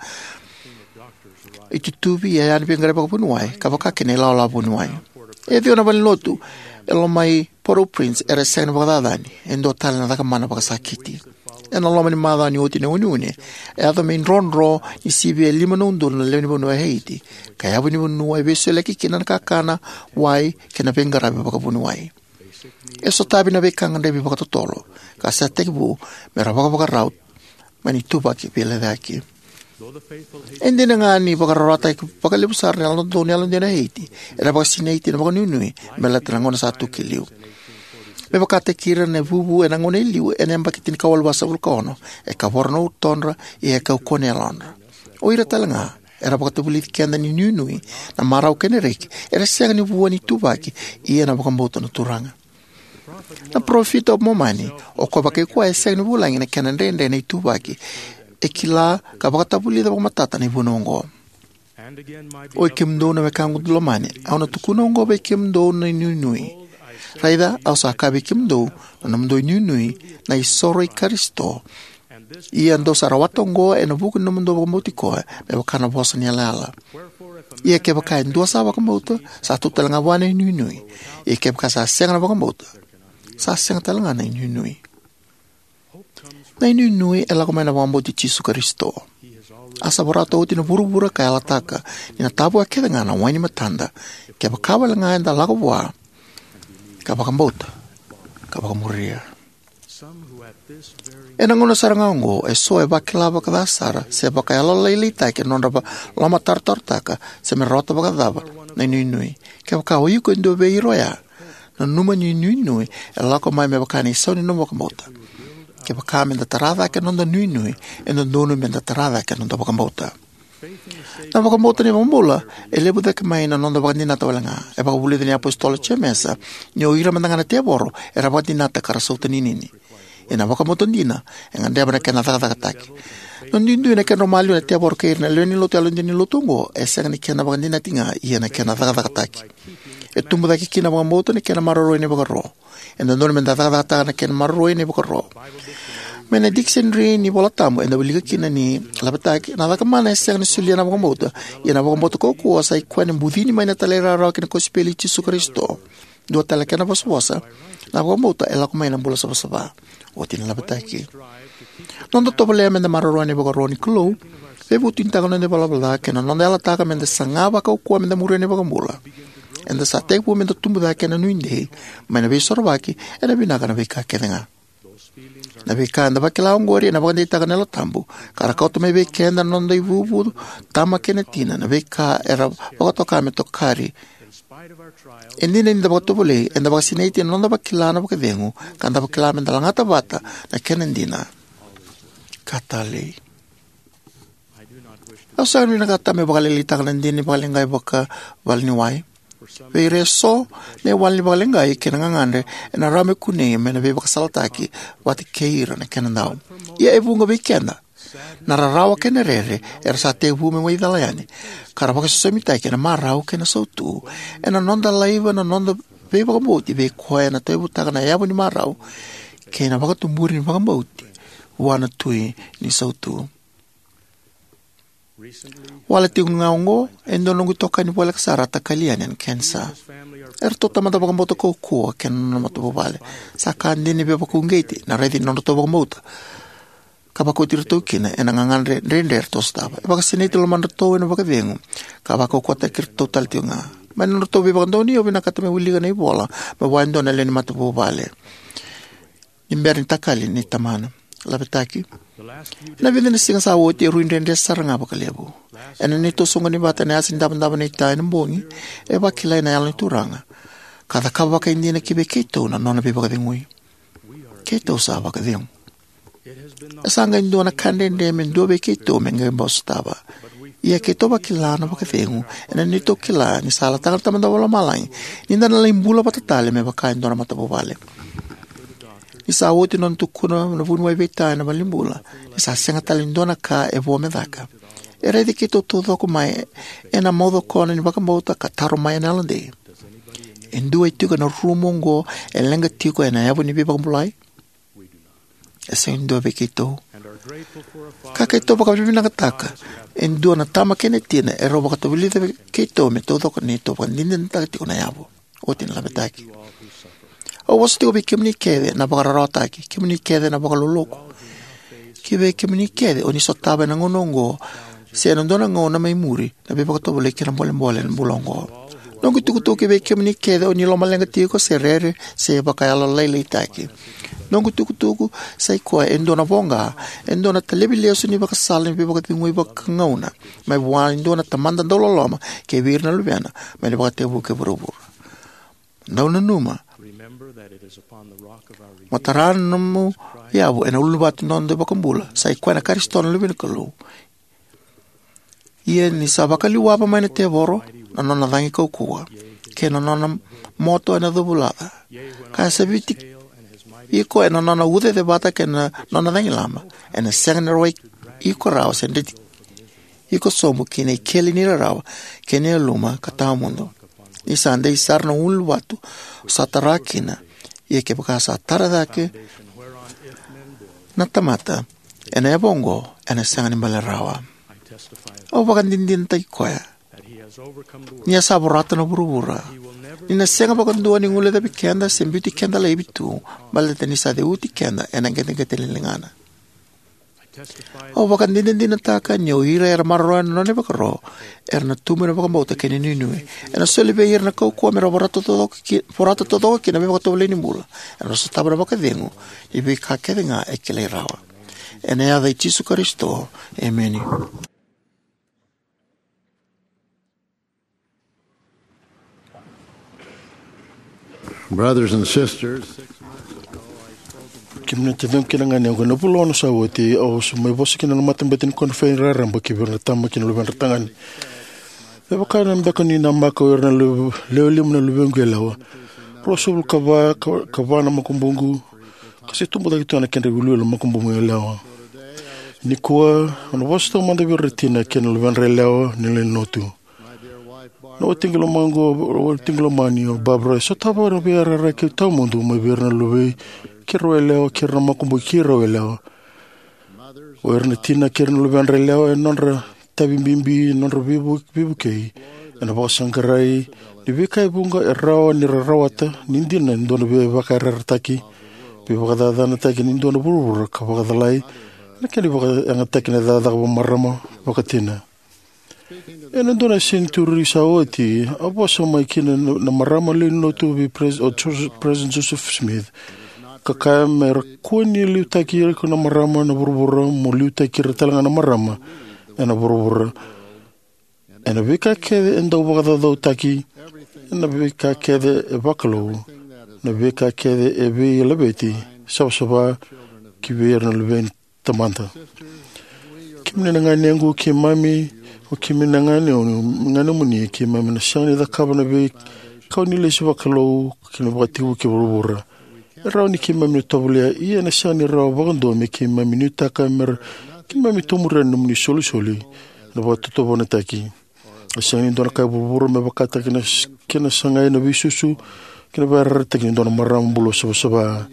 itutuvi, iyaya ni veiqaravi vakavuniwai, ka vaka kina na ilawalawa vuniwai. E ciwa na valenilotu e loma i Port-au-Prince era sega ni vakacacani, e dua tale na cakamana vakasakiti. Ena loma ni macawa ni oti na uneune, e yaco me idrodro ni sivia e lima na udolu na lewe ni vanua e Haiti, ka yavu ni vanua e veisoliyaki kina na kakana, wai, kei na veiqaravi vakavuniwai. E sotavi na veika gadrevi vakatotolo ka sa tekivu me ra vakavakarau mai na ituvaki veilecayaki. E dina ga ni vakararawataki vakalevu sara na Yalododonu Yalodina e Haiti, era vakasinaiti ena vakanuinui me baleta na gauna sa tu ki liu. Me vakataki ira na vuvu ena gauna e liu ena yabaki tinikawalu vasagavulu ka ono, e kavoro na utodra, ia e kaukauwa na yalodra. O ira talega era vakatavulici keda ni inuinui, na marau kei na reki era sega ni vua ni ituvaki, ia na vakabauta na Turaga. Na parofita o Momani, o koya vakai koya, e sega ni vulagi na kena dredre na ituvaki. E kila ka vakatavulica vakamatata na ivunau oqo. Oi kemudou na wekaqu lomani, au na tukuna oqo vei kemudou na inuinui. Raica, au sa kaya vei kemudou, na nomudou inuinui, na isoro i Karisito. Ia dou sa rawata oqo ena vuku ni nomudou vakabauti koya, me vaka na vosa ni yalayala. Ia kevaka e dua sa vakabauta, sa tu talega vua na inuinui. Ia kevaka sa sega na vakabauta, sa sega talega na inuinui. Na inuinui e lako mai na vakabauti Jisu Karisito. A sa vorata oti na vuravura ka yalataka ni na tavoya kecega na wai ni matada, kevaka walega eda lako vua ka vakabauta ka vakamuria. Ena gauna sara ga oqo, eso e vakila vakaca sara se vakayalolailaitaki ena nodra va-, lomatarotarotaka se me rawata vakacava na inuinui. Kevaka o iko e dua vei ira oya, nanuma ni inuinui e lako mai me vaka na isau ni nomu vakabauta. Kevaka meda tara cake na noda inuinui, e dodonu meda tara cake na noda vakabauta. Na vakabauta ni iVakabula e levu cake mai na noda vakadinata walega. E vakavulica na iApositolo o Jemesa ni o ira mada ga na tevoro era vakadinata ka ra sautaninini. Ia na vakabauta dina e gadreva na kena cakacakataki. Na duidui na kedrau maliwa na tevoro kei ira na lewe ni lotu yalodina ni lotu oqo e sega ni kena vakadinati ga, ia na kena cakacakataki. E tubu cake kina na vakabauta na kena maroroi na ivakaro. E dodonu meda cakacakataka na kena maroroi na ivakaro. Mai na dikisenari ni iVolatabu eda wilika kina ni, laveti, na caka mana e sega ni solia na vakabauta, ia na vakabauta kaukauwa sa i koya na bucini mai na talairawarawa ki na kosipeli i Jisu Karisito. Dua tale na kena vosavosa, na vakabauta e lako mai na bula savasava. Oti na laveti. Noda tovolea meda maroroya na ivakaro ni Kalou, veivutunitaka na noda ivalavala ca kei na noda yalataka meda saga vakaukauwa meda muria na iVakabula, eda sa tekivu meda tubu cake ena nuidei mai na Veisorovaki ena vinaka na veika kecega. Na veika eda vakila oqori ena vakadeitaka na Yalo Tabu, ka ra kauta mai vei keda na noda ivuvu, tama kei na tina, na veika era vakatoka me tokari. E dina ni da vakatovolei, eda vakasinaiti ena noda vakila na vakacegu, ka da vakila meda lagata vata na kena dina ka talei. Au sega ni vinakata meu vakalailaitaka na dina ni vakaleqai vakavaleniwai. Vei ira eso, na iwali ni vakaleqai kei na gagadre ena rawa me kunei mai na veivakasalataki vata kei ira na kenadau. Ia e vuqa vei keda, na rarawa kei na rere era sa tekivu me mai cala yani, ka ra vakaisosomitaki ena marau kei na sautu ena noda laiva na noda veivakabauti vei koya ena tauyavutaka na yavu ni marau kei na vakatuburi ni vakabauti vua na Tui ni sautu. Wale tiko ga oqo, e dua na noqu itokani voleka sara a takali yani ena kenisa. Eratou tamata vakabauta kaukauwa kei na nona matavuvale. Sa ka dina ni veivakauqeti na raici ni nodratou vakabauta ka vakoti iratou kina ena gagadre dredre eratou sotava. E vakasinaiti na lomadratou ena vakacegu ka vakaukauwataki iratou tale tiko ga. Mai na nodratou veivakadonui, au vinakata meu wilika na ivola mai vua e dua na lewe ni matavuvale ni bera ni takali na tamana. Laveti. Ena vica na siga sa oti e rui dredre sara ga vakalevu. Ena neitou soqoni vata ena yasa ni davodavo na ita ena bogi, e vakilai na Yalo ni Turaga ka cakava vakaidina ki vei keitou na nona veivakacegui. Keitou sa vakacegu. E sa qai dua na ka dredre me dua vei keitou me qai bau sotava. Ia keitou vakila na vakacegu ena neitou kila ni sa yalataka na Tamada Vakalomalagi ni da na lai bula vata tale me vaka e dua na matavuvale. Ni sa oti na nona tukuna na vuniwai vei Ta ena valenibula, ni sa sega tale ni dua na ka e vo me caka, e raici keitou taucoko mai ena maucokona ni vakabauta ka taro mai ena yalodei: E dua e tiko ena rumu oqo e leqa tiko ena yavu ni veivakabulai? E sega ni dua vei keitou. Ka keitou vakavinavinakataka e dua na tama kei na tina erau vakatavulica vei keitou me taucoko neitou vakadinadinataka tiko na yavu. Oti na laveti. Au vosa tiko vei kemuni kece na vakararawataki, kemuni kece na vakaloloku, kei vei kemuni kece o ni sotava ena gauna oqo se ena dua na gauna mai muri na veivakatovolei kei na bolebole ena bula oqo. Noqu itukutuku kei vei kemuni kece o ni lomaleqa tiko se rere se vakayalolailaitaki. Noqu itukutuku sa i koya e dua na voqa, e dua na talevi lesu ni vakasala ni veivakacegui vakagauna mai vua e dua na Tamada dauloloma kei vei ira na Luvena mai na ivakatekivu kei vuravura. Dau nanuma, mo tara na nomu yavu ena ulunivanua ni noda iVakabula, sa i koya na Karisito na Luve ni Kalou. Ia ni sa vakaliwava mai na tevoro na nona cagi kaukauwa, kei na nona moto ena covulaca, ka saviti iko ena nona ucacevata kei na nona cagilaba, ena sega ni rawai iko rawa se dreti iko sobu ki na ikeli ni rarawa kei na yaluma ka tawamudu. Ni sa dei sara na ulunivanua, sa tara kina. Ia kevaka sa tara cake na tamata ena yavu oqo, ena sega ni bale rawa. Au vakadinadinataki koya ni a sa vorata na vuravura, ni na sega vakadua ni guilecavi keda se biuti keda laivi tu, baleta ni sa ceuti keda ena qeteqete ni ligana. Au vakadinadinataka ni o ira era maroroya na nona ivakaro era na tubu ena vakabauta kei na inuinui. Ena soli vei ira na kaukauwa me ra vorata taucoko ki, vorata taucoko kina na veivakatovolei ni bula, era na sotava na vakacegu ni veika kece ga e kilai rawa. Ena yaca i Jisu Karisito, emeni. Brothers and sisters, kemuni na taciqu kei na ganequ, ena vula ono sa oti au sa mai vosa kina na matabete ni koniferedi raraba ki vei ira na tama kei na luvedra tagane. Me vaka na beka ni namaka o ira na lewe lima na luvequ yalewa, ruasagavulu ka va, ka va na makubuqu, ka se tubu cake tu ga na kedra iwiliwili na makubuqu yalewa. Nikua au na vosa taumada vei ira na tina kei na luvedra yalewa ni lewe ni lotu. Na watiqu lomani, watiqu lomani o Barbara e sotava na veiyarayara kei tawamudu mai vei ira na luvei keirau yalewa kei ira na makubuqu keirau yalewa. O ira na tina kei ira na luvedra yalewa, e nodra itavi bibi, e nodra veivu, veivukei, ena vakasaqarai ni veika e vuqa e rawa ni ra rawata ni dina e dua na veivakayarayarataki, veivakacacanataki ni dua na vuravura ka vakacalai ena kena ivakayagataki na cakacaka vakamarama, vakatina. Ena dua na senituri sa oti, a vosa mai kina na, na marama lewe ni lotu vei Pres-, o Jos-, President Joseph Smith, ka kaya me ra kua ni liutaki ira na marama na vuravura, mo liutaki ira tale ga na marama ena vuravura. Ena veika kece e dau vakacaucautaki, ena veika kece e vakalou, na veika kece e veilaveti, savasava ki vei ira na luveni tamata. Kemuni na ganequ, keimami, o kemuni na gane, ganemuni, keimami na sega ni cakava na veikau ni lesi vakalou kei na vakatekivu ki vuravura. E rawa ni keimami na tovolea, ia ena sega ni rawa vakadua me keimami nuitaka me ra keimami tomuria na nomuni isolisoli ena vakatotovonaitaki. E sega ni dua na ka e vuravura me vakataki na s-, kena sagai na veisusu kei na veiyarayarayarataki ni dua na marama bula savasava.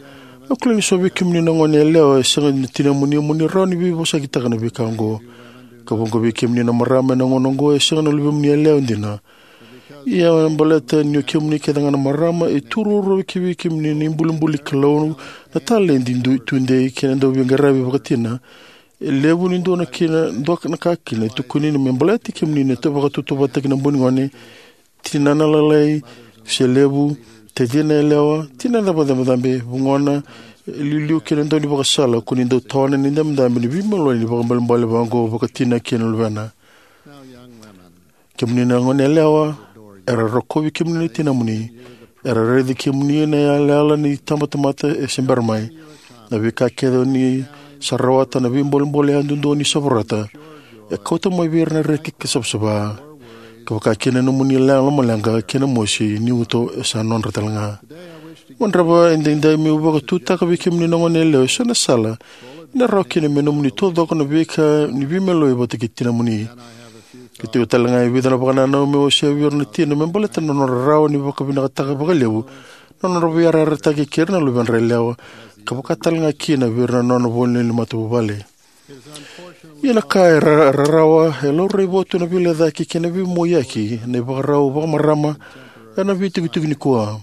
Au kila ni so vei kemuni na gone yalewa e sega na tinamuni, mo ni rawa ni veivosakitaka na veika oqo. Ka vuqa vei kemuni na marama ena gauna oqo e sega na luvemuni yalewa dina. Ia baleta ni o kemuni kece ga na marama, e tu ruarua ki vei kemuni na ibulibuli ni Kalou, na taledi, du-, tudei kei na dauveiqaravi vakatina. E levu ni dua na kina, dua na ka kina e tukuni me baleti kemuni na vakatautauvatataki na bogi ni gone, tinana lalai se levu, tacina yalewa, tinana vakacabocabo, vugona, e liuliu kei na dau ni vakasala, ko ni dau tawana na idabedabe ni veimaloi ni vakaibalebale vaqo vakatina kei na luvena. Kemuni na gone yalewa, era rokovi kemuni na tinamuni, era raici kemuni na yalayala ni tabatamata e se bera mai. Na veika kece o ni sa rawata, na veibolebole yadudua o ni sa vorata, e kauta mai vei ira na reki ka savasava. Ka vaka kina na nomuni leqa, lomaleqa kei na mosi ni uto e sa nodra tale ga. Au gadreva edaidai meu vakatutaka vei kemuni na gone yalewa eso na sala ena rawa kina me nomuni taucoko na veika ni veimaloi vata kei tinamuni. Ka tiko tale ga e vica na vakanananu meu wasea vei ira na tina me baleta na nodra rawa ni vakavinakataka vakalevu na nodra veiyarayarayarataki kei ira na luvedra yalewa, ka vaka tale ga kina vei ira na nona vo ni matavuvale. Ia na ka e ra-, rarawa, e laurai vua tu na veilecayaki kei na veimoiyaki na ivakarau vakamarama ena veitikotiko nikua.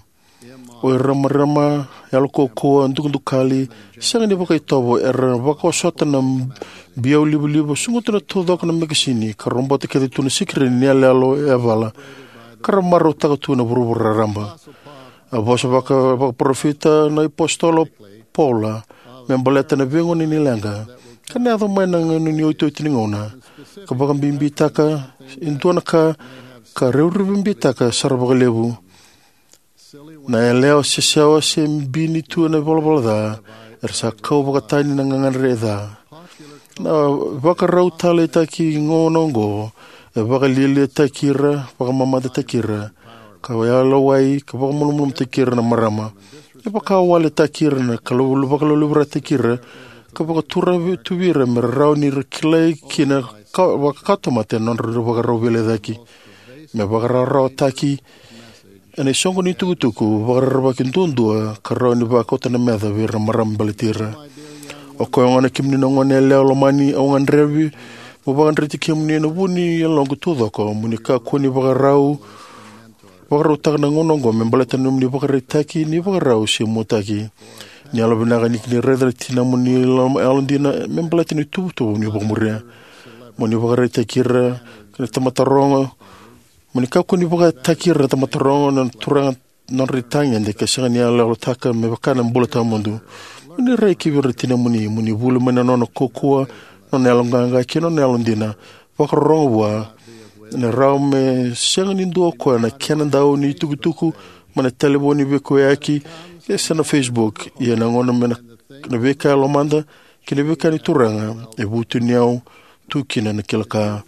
O ira na marama yalo kaukauwa, dukadukali, sega ni vakaitovo, era vakaosota na biau livaliva, susuga tu na taucoko na mekasini, ka robota kece tu na sikirini ni yaloyalo e yavala, ka ra marautaka tu na vuravura raraba. A vosa vaka, vakaparofita na iApositolo o Paula me baleta na veigauna ni leqa, ka na yaco mai na gauna ni iotioti ni gauna, ka vakabibitaka e dua na ka, ka revurevu bitaka sara vakalevu. Na yalewa sesewa se bini tu ena ivalavala ca, era sa kau vakatani na gagadre e ca. Na ivakarau taleitaki gauna oqo E vakalialiataki ira, vakamamadataki ira, ka yalowai ka vakamalumalumutaki ira na marama. E vakawaletaki ira, na kalou vakalolovirataki ira, ka vakaturavi ira me ra rawa ni ra kilai kina ka vakakatamata e nodra ivakarau veilecayaki. Me vakarawarawataki ena isoqoni ni tukutuku, vakarerevaki duadua ka rawa ni vakauta na meca vei ira na marama baleti ira. O koya gona kemuni na goneyalewa lomani, au gadreva meu vakadreti kemuni ena vu ni yaloqu taucoko mo ni kakua ni vakarau vakarautaka na gauna oqo me baleta na nomuni ivakaraitaki ni vakarau se muataki. Ni yalovinaka ni kini raica na tinamuni yalodina me baleta na ituvatuva ni vakamuria. Mo ni vakaraitaki ira na tamata rogo. Mo ni kakua ni vakataki ira na tamata rogo na turaga nodra itagede ka sega ni yaloyalotaka me vaka na bula tawamudu. Mo ni rai ki vei ira na tinamuni, mo ni vuli mai na nona kaukauwa, nona yaloqaqa kei na nona yalodina. Vakarorogo vua. Ena rawa me sega ni dua o koya na kena dau ni tukutuku mai na talevoni veikauyaki, e se na Facebook, ia na gauna me na, na veika e lomada kei na veika ni Turaga e vutuni au tu kina na kila ka.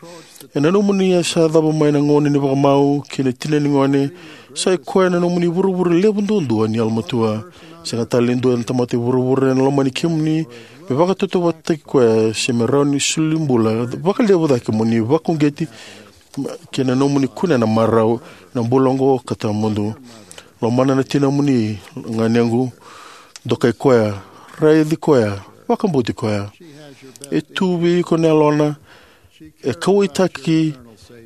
E nanuma ni a sa cava mai na gauna ni vakamau kei na tina ni gone, sa i koya na nomuni vuravura levu duadua ni yalomatua. Sega tale ni dua na tamata e vuravura ena lomani kemuni me vakatautauvatataki koya se me rawa ni soli bula vakalevu cake mo ni vakauqeti kei na nomuni kunea na marau ena bula oqo ka tawamudu. Lomana na tinamuni, ganequ. Dokai koya, raici koya, vakabauti koya. E tu vei iko na yalona. E kauwaitaki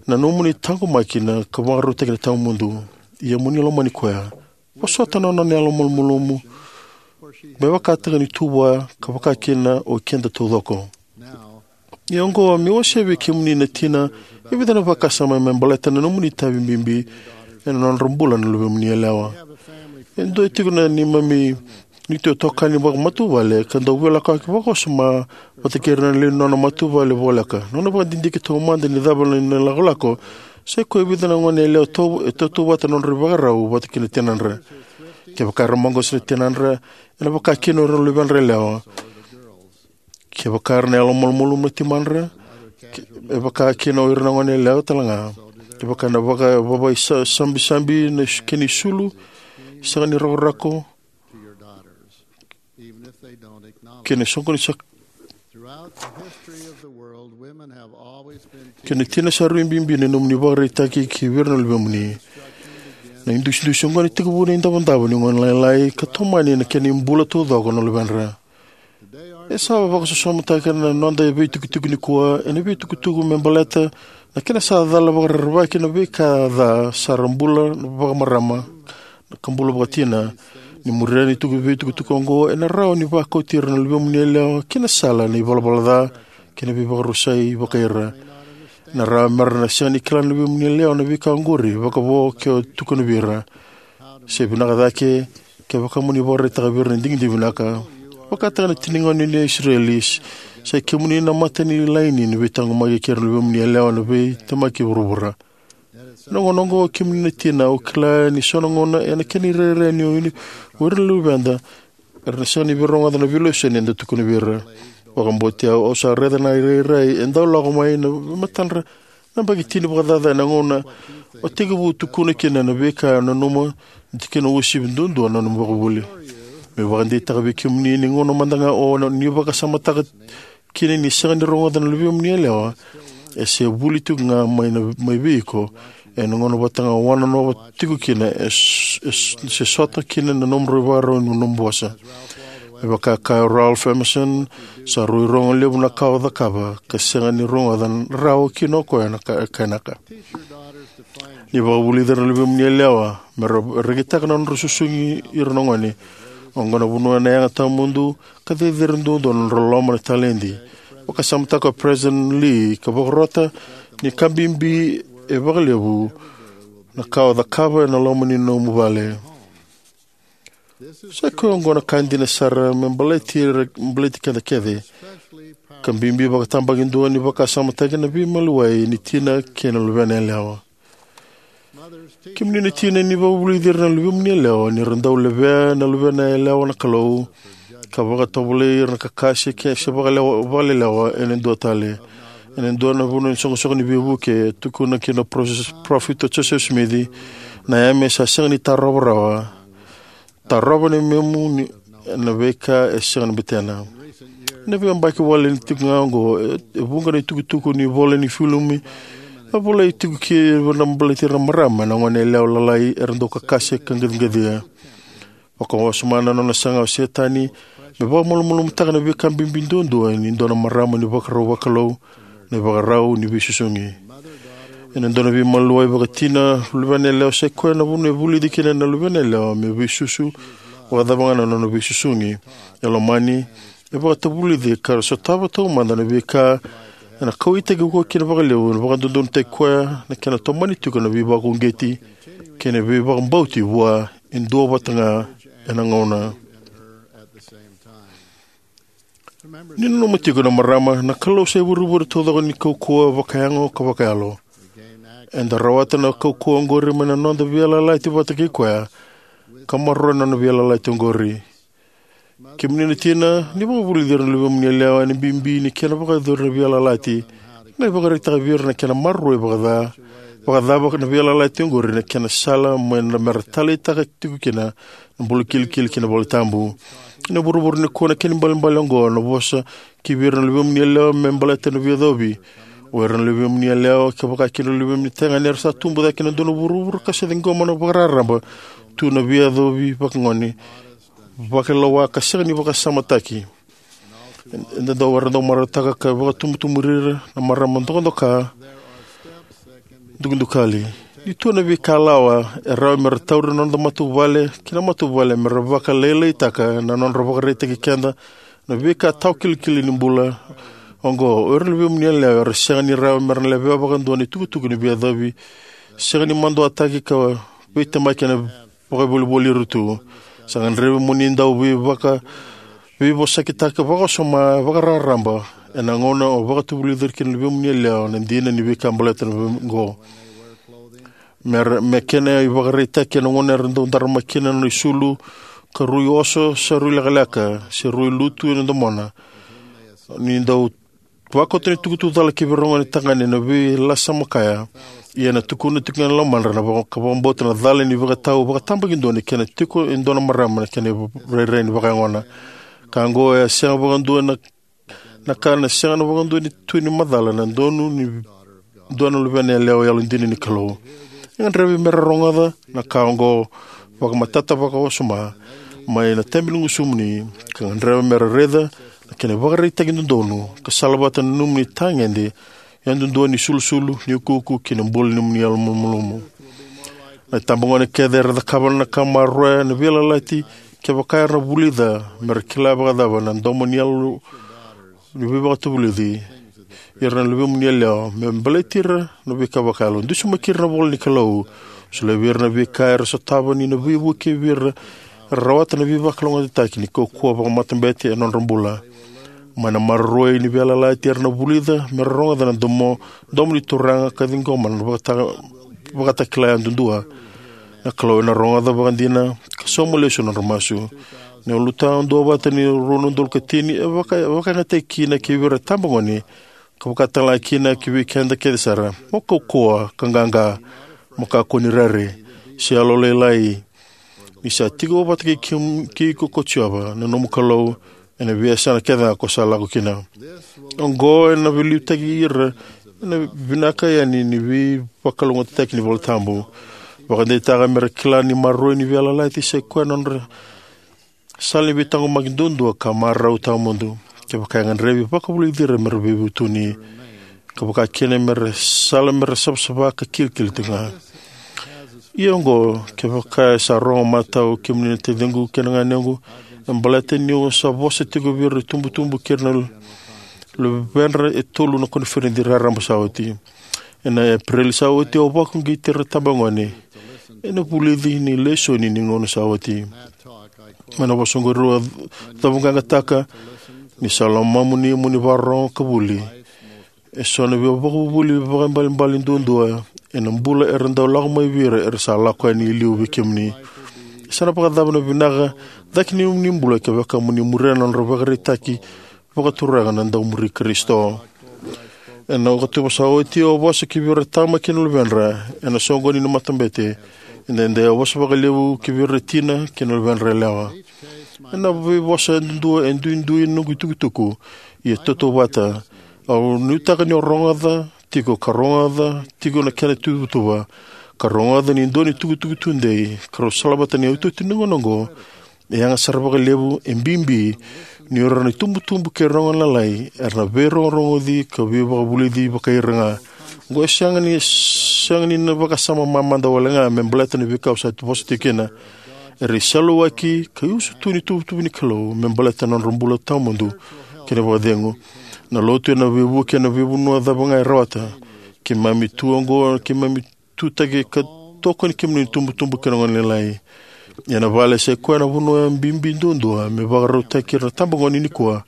na nomuni taqomaki na ka vakarautaki na tawamudu. Ia mo ni lomani koya. Vosota na nona yalomalumalumu me vakataka ni tu vua ka vakakina o keda taucoko. Ia oqo meu wasea vei kemuni na tina e vica na vakasama me baleta na nomuni itavi bibi ena nodra bula na luvemuni yalewa. E dua tiko na neimami neitou itokani vakamatavuvale ka dau veilakoyaki vakawasoma vata kei ira na lewe ni nona matavuvale voleka. Nona vakadidike taumada ni cava na ilakolako, sa i koya e vica na goneyalewa tau- e tautauvata na nodra ivakarau vata kei na tinadra. Kevaka era maqosa na tinadra, ena vakakina o ira na luvedra yalewa. Kevaka era na yalomalumalumu na timadra, ke- e vakakina o ira na goneyalewa talega. Kevaka na vaka- vavai sa- sabisabi na is- kena isulu, sega ni rakorako, kei na soqoni sa- kei na tina sa rui bibi na nomuni vakaraitaki ki vei ira na luvemuni. Na idusidusi oqo ena tekivu ena idavodavo ni gone lailai ka tomani ena kena ibula taucoko na luvedra. E sa vakasosomitaki na noda veitukutuku nikua ena veitukutuku me baleta na kena sa cala vakarerevaki na veika ca sara bula vakamarama ka bula vakatina. Ni muria na ituku- veitukutuku oqo, ena rawa ni vakauti ira na luvemuni yalewa ki na sala na ivalavala ca kei na veivakarusai vakai ira. Ena rawa mera na sega ni kila na luvemuni yalewa na veika oqori vakavo ke o tukuna vei ira. Se vinaka cake kevaka mo ni vakaraitaka vei ira na digidigi vinaka. Vakataka na tina ni gone ni Isireli, sa i kemuni na mata ni laini ni veitaqomaki kei ira na luvemuni yalewa na veitemaki vuravura. Na gauna oqo kemuni na tina, au kila ni so na gauna ena kena irairai ni o ira na luveda era na sega ni veirogoca na veilesoni eda tukuna vei ira. Vakabauti au, au sa raica na irairai e dau lako mai na matadra na yabaki tini vakacaca ena gauna o tekivu tukuna kina na veika e nanuma ni kena uasivi duadua na nomu ivakavuvuli. Meu vakadeitaka vei kemuni ni gauna mada ga o ni vakasamataka kina ni sega ni rogoca na luvemuni yalewa, e se vuli tiko ga mai na- mai vei iko ena gauna vata ga o wanonova tiko kina e s- e s- se sota kina na nomudrau ivakarau ni nomu vosa. Me vaka kaya o Ralph Emerson, sa rui rogo levu na ka o cakava ka sega ni rogoca rawa kina o koya na ka- kainaka. Ni vakavulici ira na luvemuni yalewa me ra rekitaka na nodra susugi ira na gone. Oqo na vanua ena yaga tawamudu ka cecere duadua na nodra loloma na taledi. Vakasamataka o President Lee ka vakarota ni ka bibi e vakalevu na ka o cakava ena loma ni nomu vale. Sa i koya oqo na ka dina sara me baleti ira- baleti keda kece, ka bibi vakatabakidua ni vakasamataki na veimaliwai ni tina kei na luvena yalewa. Kemuni na tina, ni vakavulici ira na luvemuni yalewa ni ra dau levea na luvena yalewa na Kalou ka vakatovolei ira na kakase ke- se vakalewa- vakalelewa ena dua tale. Ena dua na vanua ni soqosoqo ni veivuke, e tukuna kina o Parofesa Josefa Simici, na yame sa sega ni tarova rawa. Tarova na yamemu ni, na veika e sega ni betena. Ena veiyabaki wale ni tiko ga oqo, e, e vuqa na itukutuku ni vola ni filimu e volai tiko kina na baleti ira na marama na gone yalewa lalai era dau kakase ka qaciqacia. Vakawasoma na nona saga o Setani me vakamalumalumutaka na veika bibi duadua ni dua na marama ni vakarau vakalou, na ivakarau ni veisusugi. Ena dua na veimaliwai vakatina, luvena yalewa sa i koya na vanua e vulici kina na luvena yalewa me veisusu, vakacava ga na nona veisusugi. E lomani, e vakatavulici ka ra sotava taumada na veika ena kauwaitaki koya kina vakalevu, ena vakadodonutaki koya na kena tomani tiko na veivakauqeti kei na veivakabauti vua e dua vata ga ena gauna. Ni nanuma tiko na marama, na Kalou sa ivurevure taucoko ni kaukauwa vakayago ka vakayalo. Eda rawata na kaukauwa oqori mai na noda veiyalayalati vata kei koya, ka maroroya na nona veiyalayalati oqori. Kemuni na tina, ni vakavulici ira na luvemuni yalewa ena bibi ni kena vakayacori na veiyalayalati, qai vakaraitaka vei ira na kena maroroi vakaca, vakacava na veiyalayalati oqori na kena sala mai na mera taleitaka tiko kina na bula kilikili kei na valetabu. Ena vuravura nikua, na kena ibalebale oqo na vosa ki vei ira na luvemuni yalewa me baleta na veiyacovi. O ira na luvemuni yalewa, ka vaka kina na luvemuni tagane, era sa tubu cake ena dua na vuravura ka sa ciqoma na vakararaba tu na veiyacovi vakagone, vakailoa ka sega ni vakasamataki. Eda dau, era dau marautaka ka vakatubutubu ira na marama dokadoka, dukadukali. Ni tu na veikalawa, e rawa mera tauri na noda matavuvale kei na matavuvale mera vakalailaitaka na nodra vakaraitaki keda na veika tawakilikili ni bula oqo. O ira na luvemuni yalewa era sega ni rawa mera leveya vakadua na itukutuku ni veiyacovi, sega ni maduataki ka veitemaki ena vakavolivoli ira tu. Sa gadrevi mo ni dau veivaka, veivosakitaka vakawasoma, vakararaba ena gauna o vakatavulici ira kina na luvemuni yalewa na dina ni veika baleta na oqo. Me, me kena ivakaraitaki, ena gauna era dau daramaka kina na nona isulu, ka rui oso se rui lekaleka se rui lutu ena domona, ni dau vakauta na itukutuku cala ki vei ira na gone tagane na veilasa makaya. Ia ena tukuna tiko ga e lomadra na vaka, ka vakabauta na cala ni veikatau vakatabakidua ni kena tiko e dua na marama na kena rairai ni vakayagona. Ka oqo e sega vakadua na, na ka na sega na vakadua ni tu ni macala na donu ni dua na luvena yalewa yalodina ni Kalou. E gadrevi mera rogoca na ka oqo vakamatata vakawasoma mai na tebenigusumuni, ka gadreva mera raica na kena ivakaraitaki dodonu ka salavata na nomuni itagede yadudua ni sulusulu, ni ukuuku kei na bula ni nomuni yalomalumalumu. Na itabagone kece era cakava na ka maroroya na veiyalayalati kevaka era na vulica mera kila vakacava na domo ni yalo ni veivakatavulici ira na luvemuni yalewa me baleti ira na veika vakayalo. Dusimaki ira na ivola ni Kalou. Solia vei ira na veika era sotava ni na veivuke vei ira era rawata na veivakalougatataki ni kaukauwa vakamatabete ena nodra bula. Mai na maroroi ni veiyalayalati era na vulica mera rogoca na domo, domo ni Turaga ka ciqoma na vakata, vakatakila yadudua. Na Kalou ena rogoca vakadina ka sauma lesu na nodra masu. Na ulutaga duavata ni rua na udolu ka tini e vaka, vakayagataki kina ki vei ira na itabagone, ka vaka talega kina ki vei keda kece sara. Mo kaukauwa ka qaqa, mo kakua ni rere se yalolailai, ni sa tiko vata kei, kei iko ko Jiova na nomu Kalou ena veiyasana kece ga ko sa lako kina. Oqo ena veiliutaki ira ena vinaka yani ni veivakalougatataki ni iVolatabu. Vakadeitaka mera kila ni maroroi ni veiyalayalati sa i koya na nodra sala ni veitaqomaki duadua ka marau tawamudu. Kevaka e gadrevi, vakavulici ira mera veivutuni, ka vaka kina mera sala mera savasava ka kilikili tiko ga. Ia oqo, kevaka e sa rogo matau kemuni na taciqu kei na ganequ, e baleta niu sa vosa tiko vei ira na itubutubu kei ira na luvedra e tolu na koniferedi raraba sa oti. Ena Epereli sa oti au vakauqeti ira na itabagone ena vulici ni lesoni ni gauna sa oti. Mai na vosa oqori au cavuqaqataka ni sa lomamuni mo ni vakarorogo ka vuli. E so na veivakavuvuli vakaibalebale duadua ena bula era dau lako mai vei ira era sa lako yani i liu vei kemuni. E sa na vakacava na vinaka cake ni nomuni bula kevaka mo ni muria na nodra ivakaraitaki vakaturaga na dau muri Karisito. Ena okatoba sa oti au vosa ki vei ira na tama kei na luvedra ena soqoni ni matabete. Edaidai au vosa vakalevu ki vei ira na tina kei na luvedra yalewa. Ena veivosa yadudua e duidui na noqu itukutuku, ia tautauvata. Au nuitaka ni o rogoca tiko ka rogoca tiko na kena ituvatuva, ka rogoca ni dua na itukutuku tudei ka rau salavata na iotioti ni gauna oqo. E yaga sara vakalevu, e bibi, ni o ira na itubutubu kei ira na gone lalai era na veirogorogoci ka veivakavulici vakai ira ga. Oqo e sega ni, sega ni na vakasama mamada wale ga me baleta na veika au sa vosa tiko kina. Era iseleiwaki ka iusutu ni ituvatuva ni Kalou me baleta na nodra bula tawamudu kei na vakacegu. Na lotu ena veivuke ena veivanua cava ga e rawata. Keimami tu oqo, keimami tutaki ka tokoni kemuni na itubutubu kei na gone lalai. Ia na vale sa i koya na vanua bibi duadua me vakarautaki ira na tabagone nikua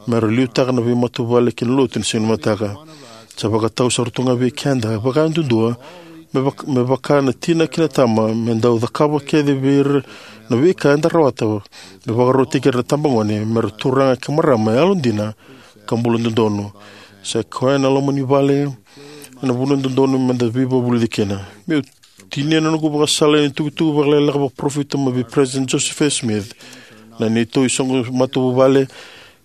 me ra liutaka na veimatavuvale kei na lotu ni siga ni mataka. Sa vakatau sara tu ga vei keda vakayadudua me vak-, me vaka na tina kei na tama, me dau cakava kece vei ira na veika eda rawata me vakarautaki ira na tabagone me ra turaga kei marama yalodina ka bula dodonu. Sa i koya na loma ni vale ena vanua dodonu me da veivakavulici kina. Meu tinia na noqu vakasala ena itukutuku vakalekaleka vakaparofita mai vei President Joseph F. Smith. Na neitou isoqo matavuvale,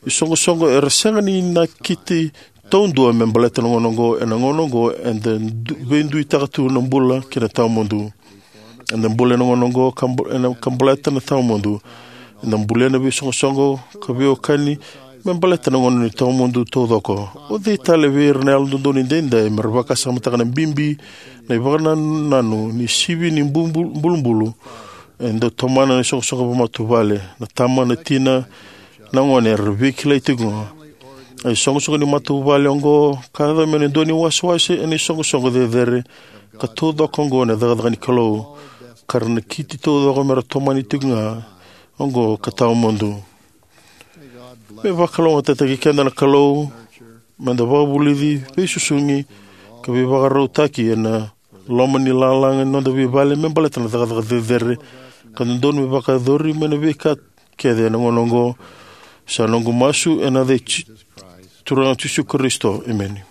isoqosoqo era sega ni nakiti taudua me baleta na gauna oqo. Ena gauna oqo eda du-, veiduitaka tu na bula kei na tawamudu. Eda bula ena gauna oqo ka bu-, ena ka baleta na tawamudu. Eda bulia na veisoqosoqo ka veiwekani me baleta na gauna ni tawamudu taucoko. O cei tale vei ira na yalododonu edaidai me ra vakasamataka na bibi, na ivakanananu ni sivi ni bu-, bu-, bulubulu e dau tomana na isoqosoqo vakamatavuvale? Na tama, na tina, na gone era veikilai tiko ga. A isoqosoqo ni matavuvale oqo ka yaco me na dua na iwasewase ena isoqosoqo cecere ka taucoko oqo na cakacaka ni Kalou, ka ra nakiti taucoko me ra tomani tiko ga oqo ka tawamudu. Me vakalougatataki keda na Kalou me da vakavulici, veisusugi, ka veivakarautaki ena loma ni lalaga ni noda veivale me baleta na cakacaka cecere ka dodonu me vakayacori mai na veika kece ena gauna oqo. Sa noqu masu ena yaca i Ji-, Turaga Jisu Karisito. Emeni.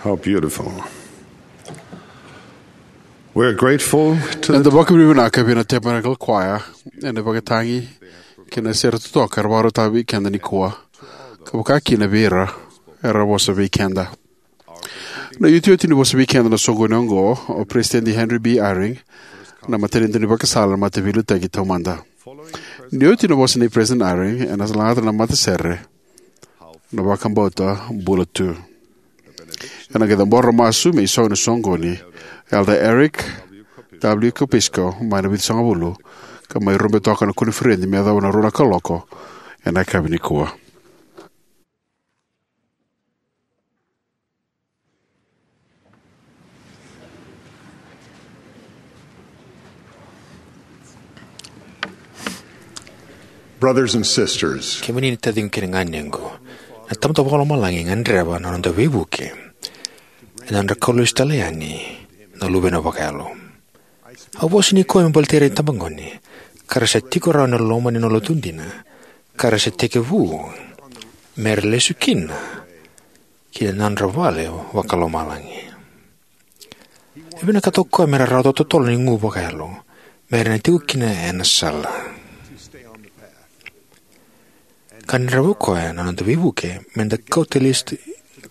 How beautiful. We're grateful to Eda the vakavinavinaka vei na Tabernacle Choir ena vakatagi kei na sere totoka era vakarautaka vei keda nikua, ka vaka kina vei ira era vosa vei keda. Na iotioti ni vosa vei keda na soqoni oqo, o President Henry B. Eyring, na matanitu ni vakasala na Mataveiliutaki Taumada. Ni oti na vosa nei President Eyring, ena lagata na matasere na Vakabauta Bula Tu. Ena qai cabora masu me isau ena soqoni, Elder Eric W. Kopisko, mai na Vitusagavulu, ka mai rube toka na koniferedi me yacova na rua na kaloko ena yakavi nikua. Brothers and sisters, kemuni na taciqu kei na ganequ, na Tamada Vakalomalagi e gadreva na noda veivuke ena nodra kau lesu tale yani na luvena vakayalo. Au vosa nikua me baleti ira na itabagone ka ra sa tiko rawa ena loma ni nona lotu dina, ka ra sa tekivu me ra lesu kina ki na nodra vale vakalomalagi. E vinakata o koya me ra rawata totolo na igu vakayalo me ra na tiko kina ena sala. Ka gadreva o koya na noda veivuke me da kauta lesu,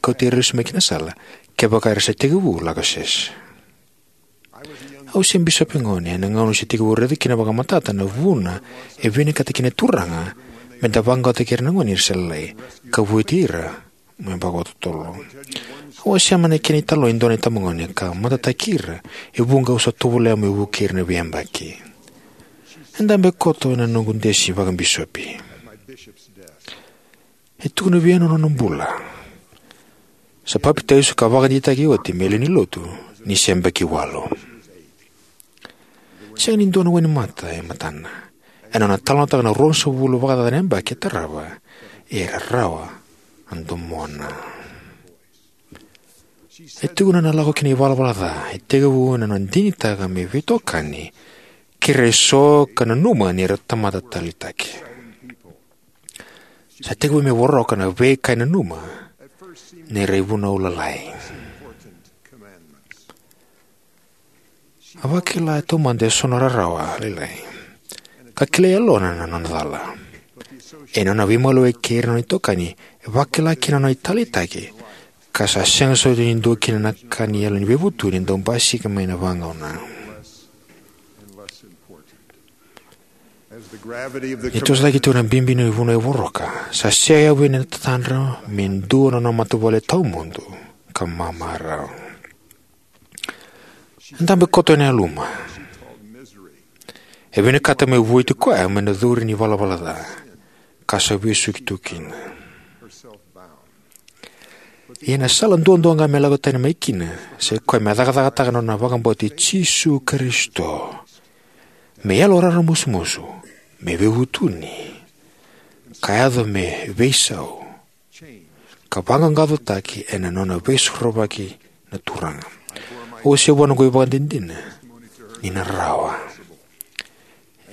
kauta ira lesu mai ki na sala kevaka era sa tekivu lako sese. Au se bisopi gone ena gauna au se tekivu raica kina vakamatata na vuna e vinakata kina na Turaga me da vaqaqacotaki ira na gone era sa lailai ka vueti ira me vakatotolo. Au a sema ena kena italanoa e dua na itabagone ka matataki ira e vuqa au sa tovolea meu vukei ira na veiyabaki. E dabe koto ena noqu desi vakabisopi. E tukuna vei au na nona bula. Sa papitaiso ka vakadeitaki oti me lewe ni lotu ni se yabaki walu. Sega ni dua na wainimata e matana ena nona talanoataka na ruasagavulu vakacaca na yabaki e tarava e rarawa na domona. E tukuna na lako ki na ivalavala ca e tekivu ena nona digitaka me veitokani kei ira eso ka nanuma ni ra tamata taleitaki. Sa tekivu me voroka na veika e nanuma ni ra ivunau lalai. A vakila e taumada eso na rarawa lailai ka kilai yalona na nona cala. E nona veimaliwai kei ira na nona itokani e vakila kina na nona italeitaki, ka sa sega soti ni dua kina na ka ni yalo ni veivutuni e dau basika mai na vagauna. Ni toso cake tiko na bibi ni vunau e voroka, sa sega vei na tatadra me dua na nona matavuvale tawamudu ka mamarau. E dabe koto ena yaluma. E vinakata me vueti koya mai na curu ni valavala ca ka sa vesuki tu kina. Ia na sala duadua ga me lako tani mai kina, sai koya me cakacakataka na nona vakabauti Jisu Karisito me yalo raramusumusu, me veivutuni, ka yaco me veisau, ka vaqaqacotaki ena nona veisorovaki na Turaga. Au se vua noqu ivakadinadina ni na rawa.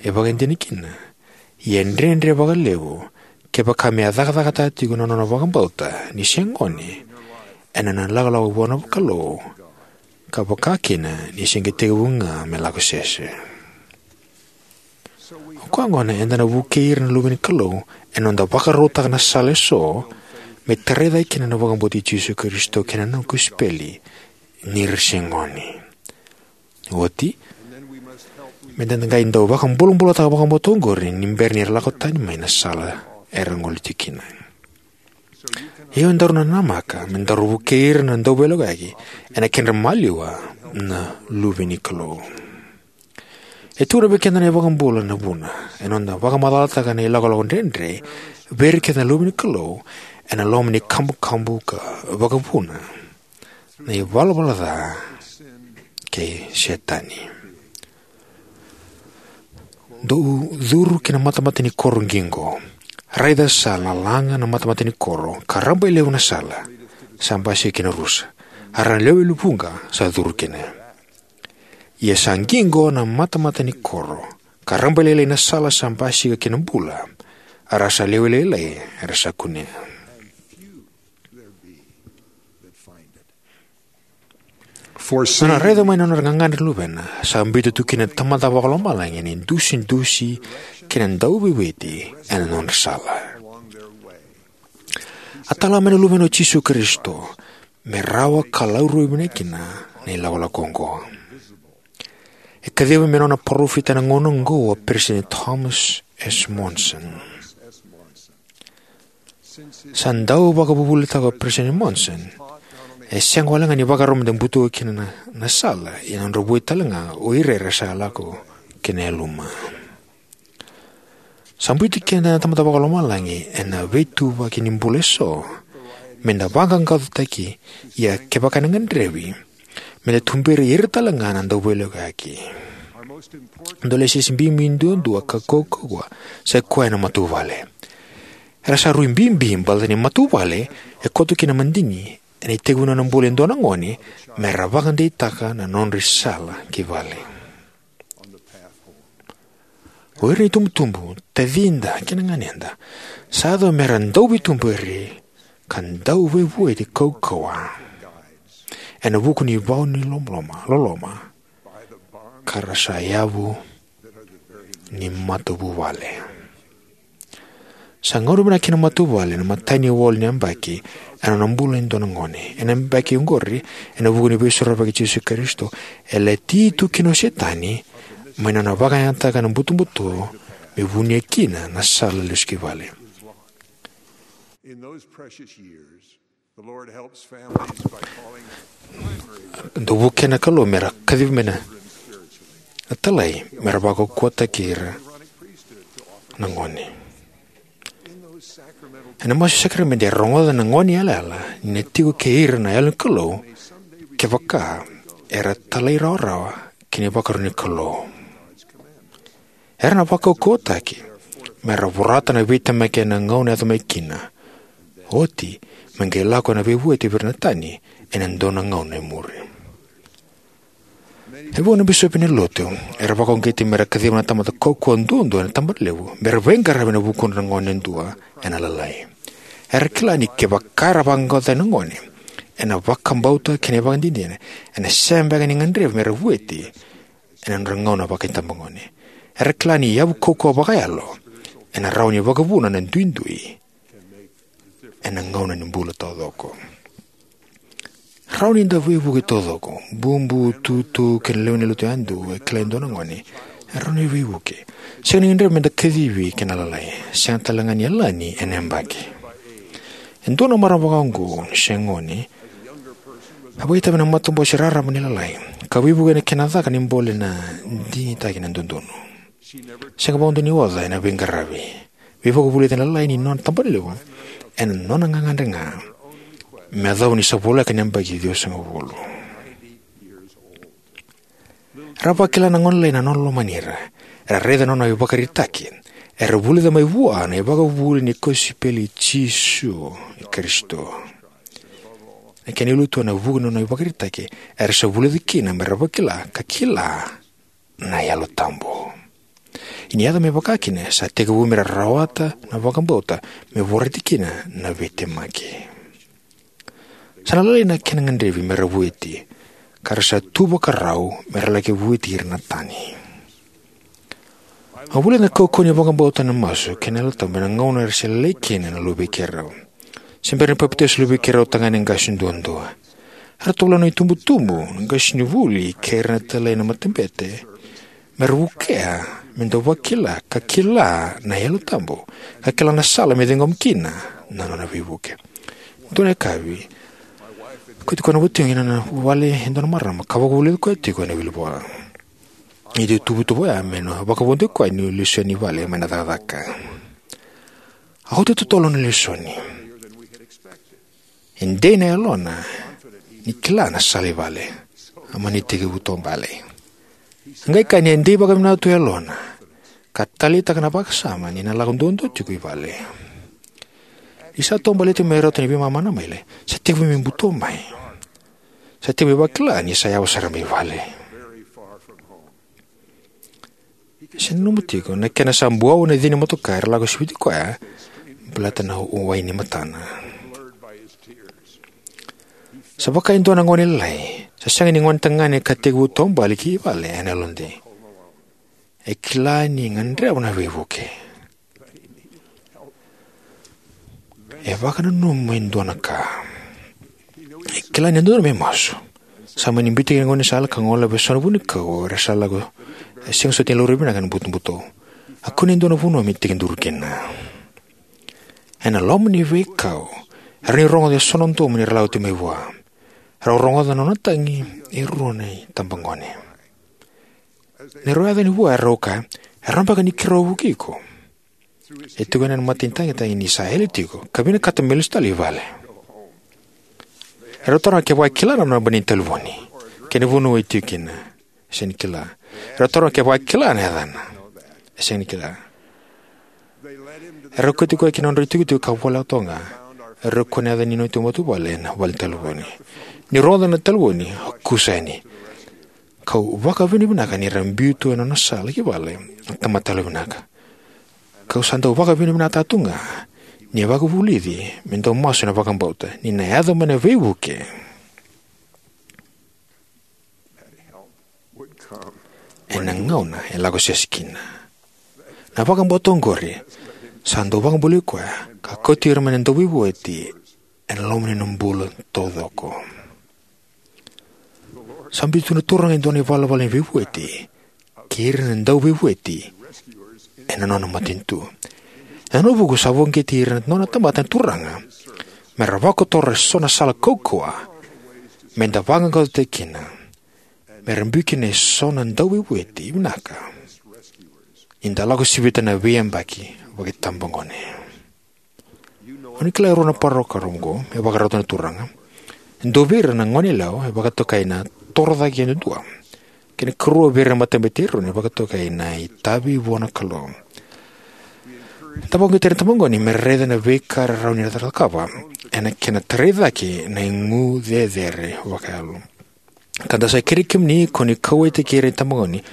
E vakaidina kina, ia e dredre vakalevu kevaka me a cakacakataka tiko na nona vakabauta ni se gone ena nona ilakolako vua na Kalou, ka vaka kina ni se qai tekivu ga me lako sese. O koya gona eda na vukei ira na luve ni Kalou ena noda vakarautaka na sala eso me tarai cake kina na vakabauti Jisu Karisito kei na nona kosipeli ni ra se gone. Oti, me da qai dau vakabulabulataka vakabauta oqori ni bera ni ra lako tani mai na sala era gole tiko kina. Ia daru na namaka me daru vukei ira na dauveilakoyaki ena kedra maliwa na luve ni Kalou. E tukuna vei keda na iVakabula na vuna ena noda vakamacalataka na ilakolako dredre vei ira kece na luve ni Kalou ena loma ni kabukabu ka vakavuna, na ivalavala ca kei Setani. Dou curu ki na matamata ni koro qiqo. Raica sa lalaga na matamata ni koro ka rabailevu na sala sa basika ki na rusa, a ra lewe levu vuqa sa curu kina. Ia sa qiqo na matamata ni koro ka rabailailai na sala sa basika ki na bula, a ra sa lewe lailai era sa kunea. There be that find it. For Na nona raica mai na nodra gagadre na luvena, sa biuta tu kina na Tamada Vakalomalagi na idusidusi kei na dauveivueti ena nodra sala. A tala mai na Luvena o Jisu Karisito me rawa ka laurai vinaka kina na ilakolako oqo. E kacivi mai na nona parofita ena gauna oqo o Peresitedi Thomas S. Monson. Sa dau vakavuvulitaka o Peresitedi Monson, e sega wale ga ni vakarau me da butuka kina na, na sala, ia na nodra vua tale ga o ira era sa lako ki na yaluma. Sa biuti keda na Tamada Vakalomalagi ena veituvaki ni bula eso, me da vaqaqacotaki, ia kevaka ena gadrevi, me da tuberi ira tale ga na dauveilakoyaki. Dua na lesesi bibi duadua ka kaukauwa, sa i koya na matavuvale. Era sa rui bibi baleta ni matavuvale e koto kina na madigi ena itekivu ni nona bula e dua na gone, me ra vakadeitaka na nodra isala ki vale. O ira na itubutubu, tacida kei na ganeda, sa yaco me ra dauveituberi ka dauveivueti kaukauwa ena vuku ni vau ni loloma, loloma, ka ra sa yavu ni matavuvale. Sa gauna vinaka kina matavuvale ena imatai ni walu ni yabaki ena nona bula e dua na gone. Ena yabaki oqori, ena vuku ni Veisorovaki i Jisu Karisito, e lati tu kina o Setani mai na nona vakayagataka na butobuto me vunia kina na sala lesu ki vale. In those precious years, the Lord helps families by calling primary Dau vukea na Kalou me ra kacivi mai na, na talai me ra vakaukauwataki ira na gone. Ena masu sakaramede e rogoca na gone yalayala ni na tiko kei ira na Yalo ni Kalou, kevaka era talairawarawa ki na ivakarau ni Kalou. Era na vakaukauwataki me ra vorata na veitemaki ena gauna e yaco mai kina, oti me qai lako ena veivueti vei ira na tani ena dua na gauna e muri. E vuqa na bisopi ni lotu era vakauqeti me ra kaciva na tamata kaukauwa duadua ena tabana levu me ra veiqaravi ena vukudra na gone yadua ena lalai. Era kila ni kevaka era vaqaqacotaka na gone ena vakabauta kei na ivakadinadina, ena sega beka ni gadrevi me ra vueti ena nodra gauna vakaitabagone. Era kila ni yavu kaukauwa vakayalo ena rawa ni vakavuna na duidui ena gauna ni bula taucoko. Rawa ni da veivuke taucoko. Bubu, tutu kei na lewe ni lotu yadua e kila e dua na gone e rawa ni veivuke. Sega ni gadrevi me da kacivi kei na lalai, sega tale ga ni yalani ena yabaki. E dua na marama vakaoqo ni se gone a vakaitavi ena matabose raraba ni lalai ka veivuke ena kena caka ni bole na digitaki na dodonu. Sega vakadua ni oca ena veiqaravi. Veivakavulici ena lalai ni nona tabana levu ena nona gagadre ga me yacova ni sa voleka na yabaki ciwasagavulu. Era vakila na gone lalai na nona lomani ira. Era raica na nona ivakaraitaki. Era vulica mai vua na ivakavuvuli ni kosipeli i Jisu Karisito. Na kena ilutu ena vuku ni nona ivakaraitaki, era sa vulica kina me ra vakila ka kila na Yalo Tabu. Ni yaco me vaka kina, sa tekivu me ra rawata na vakabauta me vorati kina na veitemaki. Sa na lalai na kena gadrevi me ra vueti, ka ra sa tu vakarau me ra laki vueti ira na tani. Au vulica na kaukauwa ni vakabauta, na masu kei na Yalo Tabu ena gauna era se lalai kina na luvei keirau. Se bera ni papitaiso na luvei keirau tagane qase duadua, era tovolea na itubutubu, na qasenivuli kei ira na talai ena matabete me ra vukea me dau vakila ka kila na Yalo Tabu ka kila na sala me ciqoma kina na nona veivuke. Dua na yakavi, kauti koya na watiqu ki na nona vale e dua na marama ka vakavulici koya tiko ena wilivola. Ni tuvatuva oya me na vakavodoki koya niu lesoni i vale mai na cakacaka. A oti totolo na lesoni. E dei na yalona ni kila na sala i vale. A mani tekivu taubale. A qai kaya ni a dei vakavinaka tu yalona ka taleitaka na vakasama ni na lako duadua tiko i vale. Ni sa taubale tiko me rauta ni veimama na maile, sa tekivu me buto mai. Sa tekivu me vakila ni sa yawa sara mai vale. Se nanuma tiko na kena sa buau na cina ni motoka era lako siviti koya baleta na wai ni matana. Sa vaka e dua na gone lalai Sa sega ni gone tagane ka tekivu taubale ki vale ena yalodei. E kila ni gadreva na veivuke. E vakananuma e dua na ka. E kila ni dodonu me masu. Sa mani biuta kina na gaunisala ka gole vei so na vunikau era sa lako, e sega soti ni laurai vinaka ena butobuto. A kune e dua na vanua me tekiduru kina. Ena loma ni veikau, era ni rogoca e so na domo ni ra lako tu mai vua. Rau rogoca na nona tagi e rua na itabagone. Ni rau yaco yani vua, erau kaya, "E rawa beka ni keirau vuki iko?" E tukuna ena mata ni tagitagi ni sa yali tiko ka vinakata me lesu tale i vale. Erau taroga kevaka e kila na naba ni talevoni kei na vanua e tiko kina. E sega ni kila. Erau taroga kevaka e kila na yacana. E sega ni kila. Erau kauti koya ki na nodra itukutuku ka voleka toka ga. Erau kune yaca ni nona matavuvale ena vale ni talevoni. Ni rogoca na talevoni, a kusa yani. Kau vakavinavinaka ni ra biu tu ena nona sala ki vale na tamata yalovinaka. Kau sa dau vakavinavinakataka tu ga ni a vakavulici me dau masu ena vakabauta ni na yaco mai na veivuke ena gauna e lako sese kina. Na vakabauta oqori sa dau vakabulai koya ka kauti ira mai na dauveivueti ena loma ni nona bula taucoko. Sa biuta tu na Turaga e dua na ivalavala ni veivueti kei ira na dauveivueti ena nona matanitu. Ena nona vuku sa vakauqeti ira na nona tamata na Turaga me ra vakotora eso na sala kaukauwa me da vaqaqacotaki kina, me ra biu kina eso na dauveivueti vinaka ni da lako sivita na veiyabaki vakaitabagone. O ni kila e rua na parokaramu oqo me vakarauta na Turaga. E dua vei ira na goneyalewa e vakatokai na Torocake Yadudua, kei na karua vei ira na Matabete i Eroni e vakatokai na Itavi Vua na Kalou. Da vakauqeti ira na itabagone me ra raica na veika era rawa ni ra cakava ena kena tarai cake na igu cecere vakayalo. Ka da sa kerei kemuni ko ni kauwaitaki ira na itabagone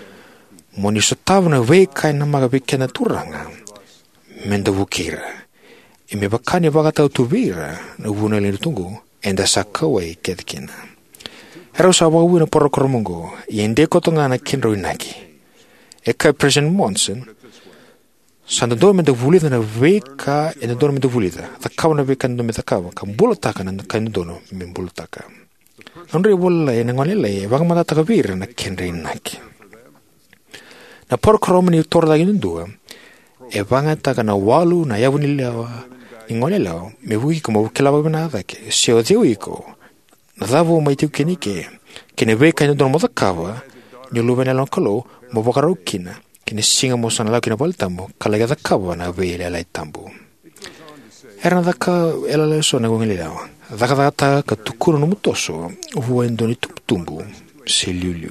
mo ni sotava na veika e namaka vei keda na Turaga me da vukei ira. E me vaka ni vakatau tu vei ira na vuniwai ni Lotu oqo, eda sa kauwai kece kina. Erau sa vakavouya na parokaramu oqo, ia e dei koto ga na kedrau inaki. E kaya President Monson, "Sa dodonu me da vulica na veika e dodonu me da vulica, cakava na veika e dodonu me cakava, ka bulataka na ka e dodonu me bulataka." Na nodra ivola lalai ena gone lalai e vakamatatataka vei ira na kedra inaki. Na parokaramu ni Torocake Yadudua e vakayagataka na walu na yavu ni lewa ni goneyalewa me vukei iko mo kila vakavinaka cake se o cei o iko, na cava o mai tiko kina ike, kei na veika e dodonu mo cakava ni o luvena yalewa na Kalou, mo vakarau kina ki na siga mo sa na lako ki na valetabu ka laki cakava na veiyalayalati tabu. Era na caka yalayala eso na goneyalewa, cakacakataka ka tukuna nomu toso vua e dua na itubutubu se iliuliu.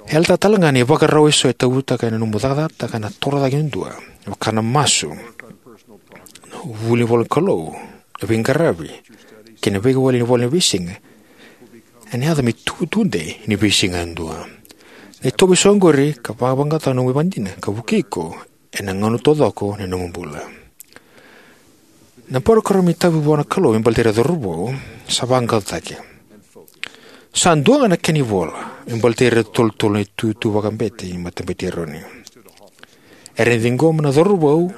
E yalataka tale ga na ivakarau eso e tautauvata ena nomu cakacakataka na Torocake Yadudua, vaka na masu, vuli ivolanikalou, veiqaravi, kei na veiwali ni ivola ni veisiga. Ena yaco me itubutubu dei ni veisiga yadua. Na itovo eso oqori ka vaqaqacotaka na nomu ivakadinadina ka vukei iko ena gauna taucoko ni nomu bula. Na parokaramu ni Itavi Vua na Kalou me baleti ira na cauravou sa vaqaqacotaki. Sa dua ga na kena ivola me baleti ira na tolutolu na itutu vakabete ni Matabete i Eroni. Era na ciqoma na cauravou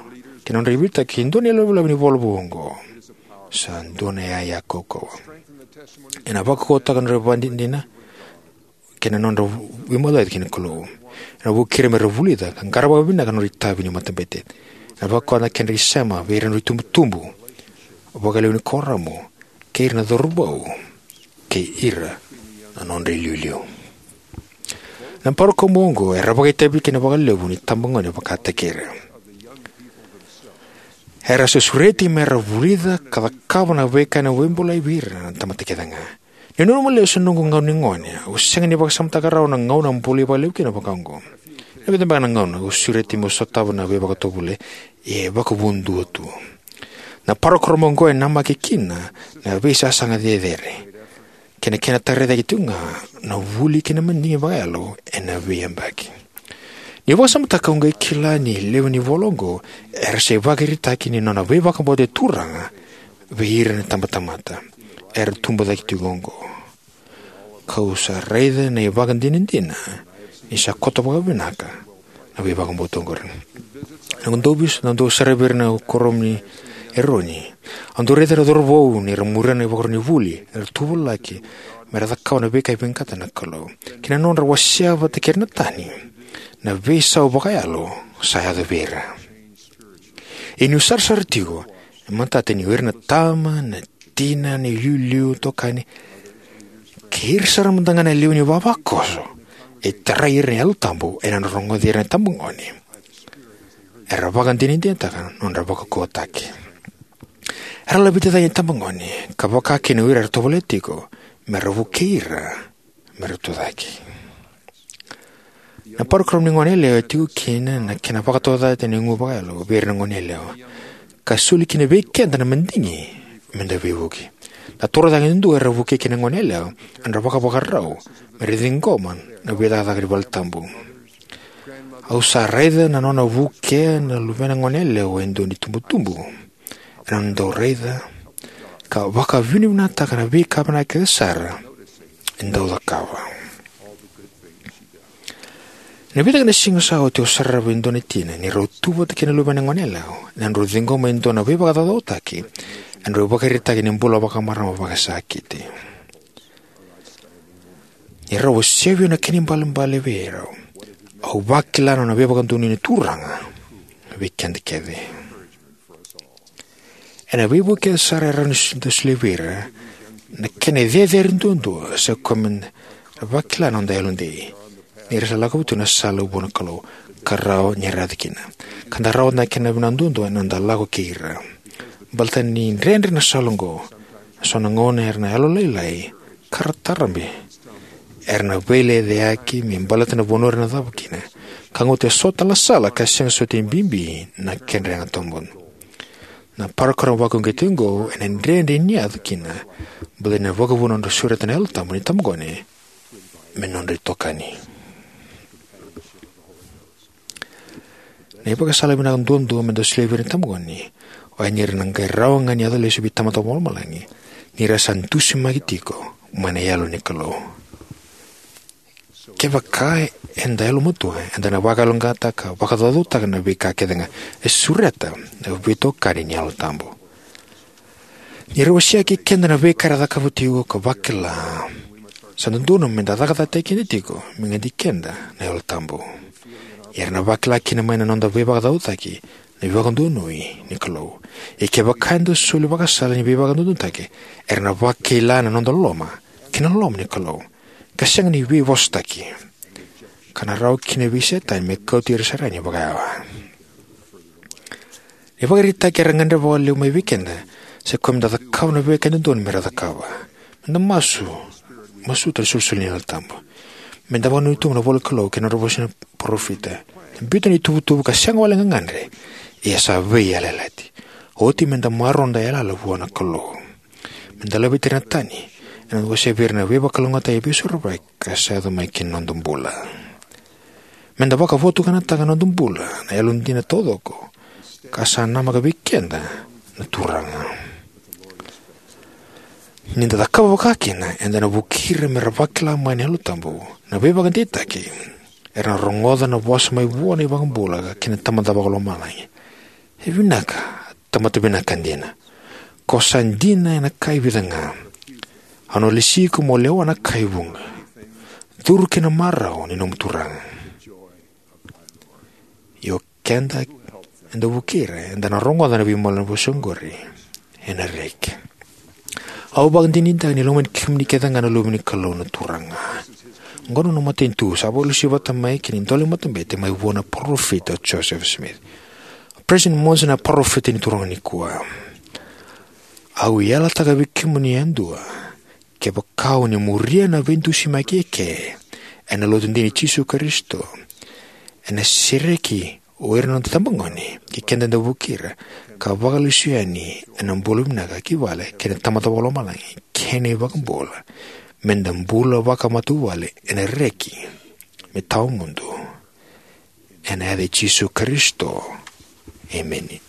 kei na nodra ivakaraitaki e dua na ilavelave ni ivola vou oqo. Sa dua na iyaya kaukauwa. Ena vakaukauwataka na nodra ivakadinadina kei na nodra veimauci ki na Kalou. Ena vukei ira me ra vulica ka qarava vakavinaka na nodra itavi ni matabete. Ena vakaukauwa na kedra isema vei ira na nodra itubutubu, vakalewe ni kuoramu, kei ira na cauravou, kei ira na nodra iliuliu. Na parokaramu oqo era vakaitavi kina vakalevu na itabagone vakataki ira. Era sa sureti me ra vulica ka cakava na veika ena vakabulai vei ira na tamata kece ga. Niu nanuma lesu na noqu gauna ni gone, au sega ni vakasamataka rawa na gauna au bolei vakalevu kina vaka oqo. Ena vica beka na gauna au sureti meu sotava na veivakatovolei, ia e vakavudua tu. Na parokaramu oqo e namaki kina na veisasaga cecere kei na kena tarai cake tiko ga na vuli kei na madigi vakayalo ena veiyabaki. Niu vakasamataka, au qai kila ni levu ni ivola oqo era sa ivakaraitaki ni nona veivakabauti na Turaga vei ira na itabatamata era tubu cake tiko oqo. Kau sa raica na ivakadinadina ni sa koto vakavinaka na veivakabauta oqori. Na noqu dau vis-, na noqu dau saravi ira na kuoramu ni Eroni, au dau raica na cauravou ni ra muria na ivakarau ni vuli era tuvalaki me ra cakava na veika e vinakata na Kalou, kei na nodra wasea vata kei ira na tani na veisau vakayalo sa yaco vei ira. Ia niu sarasara tiko, e matata ni o ira na tama, na tina, na iliuliu, itokani, kei ira sara mada ga na lewe ni ivavakoso e tarai ira na Yalo Tabu ena nodra rogoci ira na itabagone era vakadinadinataka na nodra vakaukauwataki. Era laveti cake na itabagone, ka vaka kina o ira era tovolea tiko me ra vukei ira me ra tucake. Na parokaramu ni goneyalewa e tiko kina na kena vakataucata ni gu vakayalo vei ira na goneyalewa, ka soli kina vei keda na madigi me da veivuke. Na toro cake duadua era vukei kina na goneyalewa, era vakavakarau me ra ciqoma na veicakacaka ni valetabu. Au sa raica na nona vukea na luvena goneyalewa e dua na itubutubu ena nona dau raica ka vakavinavinakataka na veika vinaka kece sara e dau cakava. Ena vica ga na siga sa oti, au sarava e dua na tina ni rau tu vata kei na luvena goneyalewa ena nodrau ciqoma e dua na veivakacaucautaki ena nodrau ivakaraitaki ni bula vakamarama vakasakiti. Ni rau wasea vei au na kena ibalebale vei rau, au vakila na nona veivakadonui na Turaga vei keda kece. Ena veivuke sara e rawa ni s-, da solia vei ira, na kena cecere duadua sa koya me da vakila na noda yalodei ni ra sa lako vata tu na sala vua na Kalou, ka rawa ni ra yaco kina. Ka da rawata na kena vinaka duadua ena noda lako kei ira. Baleta ni dredre na sala oqo, so na gauna era na yalolailai ka ra tarabe, era na veilecayaki me baleta na vanua era na cava kina, ka gauta eso tale na sala ka sega soti ni bibi na kedra yaga tawamudu. Na parokaramu vakauqeti oqo ena dredre ni yaco kina, baleta ni na vakavuna na nodra sureta na Yalo Tabu na itabagone me nodra itokani. Na ivakasala vinaka duadua me da solia vei ira na itabagone oya ni ra na qai rawa ga ni yaco lesu vei Tamada Vakalomalagi ni ra sa dusimaki tiko mai na Yalo ni Kalou. Kevaka eda yalomatua, eda na vakayaloqaqataka ka vakacaucautaka na veika kece ga e sureta na veitokani ni Yalo Tabu. Ni ra wasea kei keda na veika era cakava tiko ka vakila, sa dodonu me da cakacakataki keda tiko me gadi keda na Yalo Tabu. Ia era na vakila kina mai na noda veivakacaucaki na veivakadonui ni Kalou. Ia kevaka eda soli vakasala ni veivakadodonutaki, era na vakila na noda loloma kei na loloma ni Kalou, ka sega ni veivosotaki, ka na rawa kina vei Setani me kauti ira sara yani vakayawa. Na ivakaraitaki era gadreva vakalevu mai vei keda sa koya me da cakava na veika e dodonu me ra cakava. Me da masu, masuta na isolisoli ni Yalo Tabu. Me da vakanuinui tu ena ivolanikalou kei na nodra vosa na parofita. Biuta na ituvatuva ka sega wale ga ni gadre, ia sa veiyalayalati. Oti me da maroroya noda yalayala vua na Kalou. Me da laveti ira na tani ena noda wasea vei ira na veivakalougatataki e veisorovaki ka sa yaco mai ki na noda bula. Me da vakavotukanataka na noda bula na yalodina taucoko ka sa namaka vei keda na Turaga. Ni da cakava vakakina, eda na vukei ira me ra vakila mai na Yalo Tabu na veivakadeitaki era na rogoca na vosa mai vua na iVakabula kei na Tamada Vakalomalagi. E vinaka, tamata vinaka dina. Ko sa dina ena ka e vica ga. Au na lesi iko mo lewa na ka e vuqa. Curu ki na marau ni nomu Turaga. Io keda, eda vukei ira, eda na rogoca na veimaliwai ni vosa oqori ena reki. Au vakadinadinataka ni lomani kemuni kece ga na luve ni Kalou na Turaga. Oqo na noqu matanitu sa vakalesui vata mai kei na idola ni matabete mai vua na parofita o Joseph Smith. O President Monson na parofita ni Turaga nikua. Au yalataka vei kemuni yadua, kevaka o ni muria na veidusimaki eke ena Lotu dina i Jisu Karisito, ena sereki o ira na noda itabagone kei keda eda vukei ira, ka vakalesui yani ena bula vinaka ki vale kei na Tamada Vakalomalagi kei na iVakabula, me da bula vakamatavuvale ena reki me tawamudu. Ena yaca i Jisu Karisito. Emeni.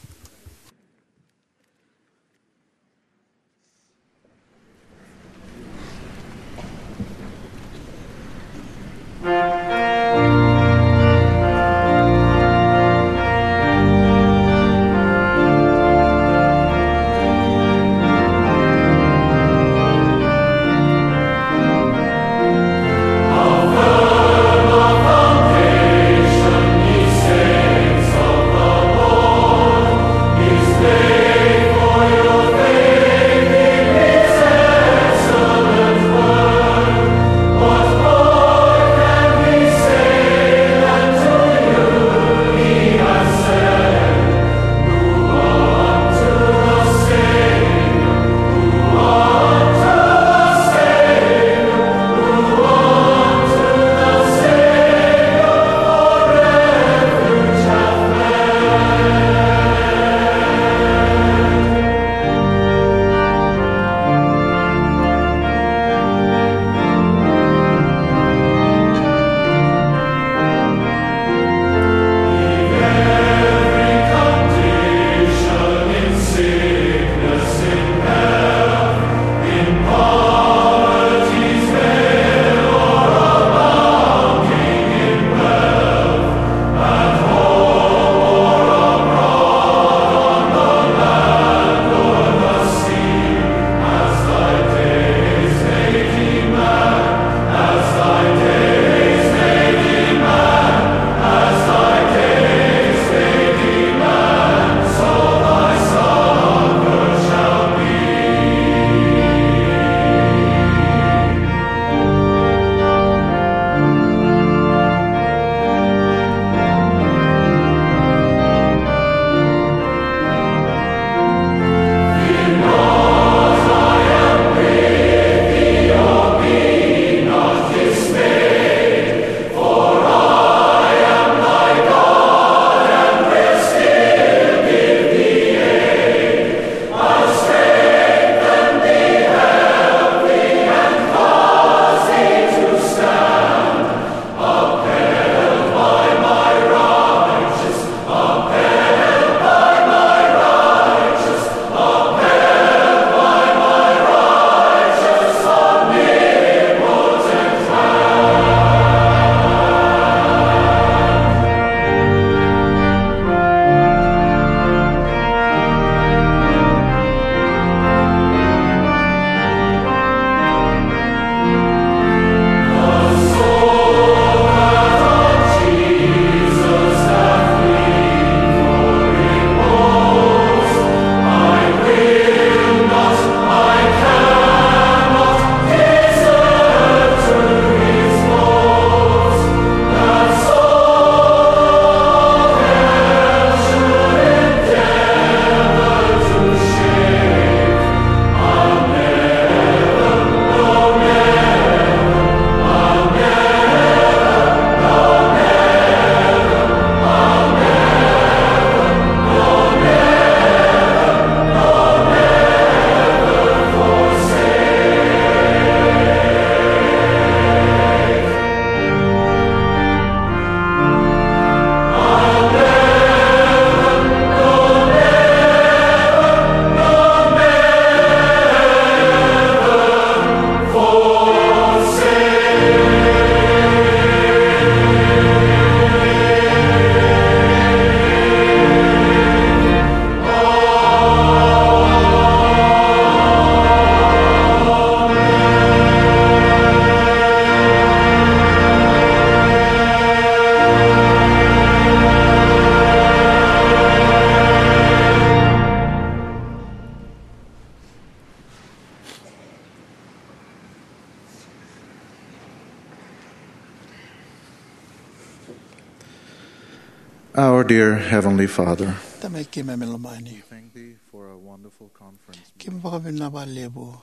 Our dear Heavenly Father, Tamai keimami lomani, thank thee for a wonderful conference. Keimami vakavinavinaka vakalevu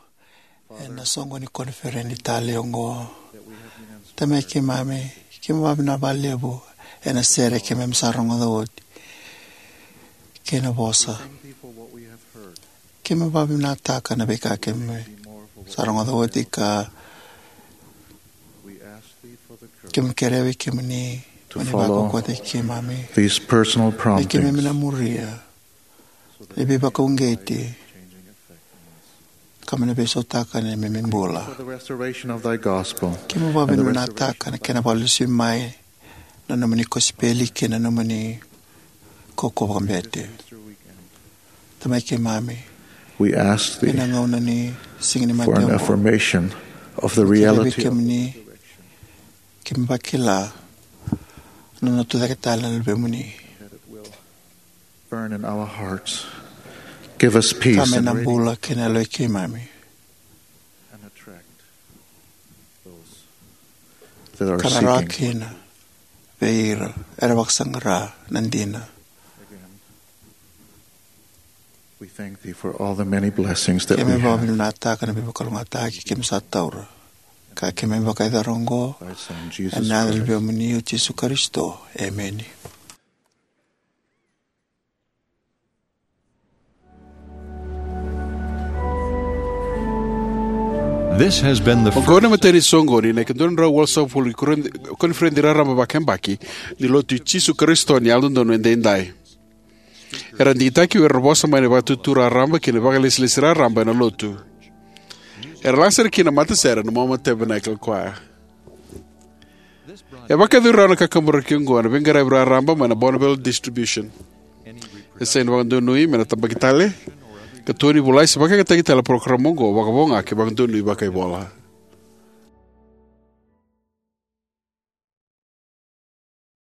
ena soqo ni koniferedi talei oqo. Tamai keimami, keimami vakavinavinaka vakalevu ena sere keimami sa rogoca oti kei na vosa. Thank thee for what we have heard. Keimami vakavinavinakataka na veika keimami sa rogoca oti ka keimami kerea vei kemuni mo ni vakaukauwataki keimami, me keimami na muria na veivakauqeti ka me na veisautaka na neimami bula. Keimami vakavinavinakataka na kena vakalesui mai na nomuni kosipeli kei na nomuni kaukauwa vakabete. Tamai keimami, ena gauna ni Siga ni Mate oqo, keimami kerea vei kemuni, keimami vakila na nona tucake tale na Luvemuni. Burn in our hearts. Give us peace. Ka me na bula kei na yaloi keimami. Ka me rawa kina vei ira era vakasaqara na dina. We thank thee for all the many blessings that we have. Keimami vakavinavinakataka na veivakalougatataki keimami sa taura. Ka keimami vakayacora oqo ena yaca ni Luvemuni o Jisu Karisito. Emeni. This has been the Oqo na imatai ni soqoni ena ika dua na drau walusagavulu ni koniferedi raraba vakayabaki ni Lotu i Jisu Karisito ni Yalododonu Edaidai. Era digitaki o ira na vosa mai na Vakaitutu Raraba kei na Vakailesilesi Raraba ena Lotu. Era laga sara kina na matasere na Mauna Tabernacle Choir. E vakayacori rawa na kakaburaki oqo ena veiqaravi raraba mai na Bonneville Distribution. E sega ni vakadonui me na tabaki tale, ka tokoni volai se vakayagataki tale na parokaramu oqo vakavoga kei vakadonui vakaivola.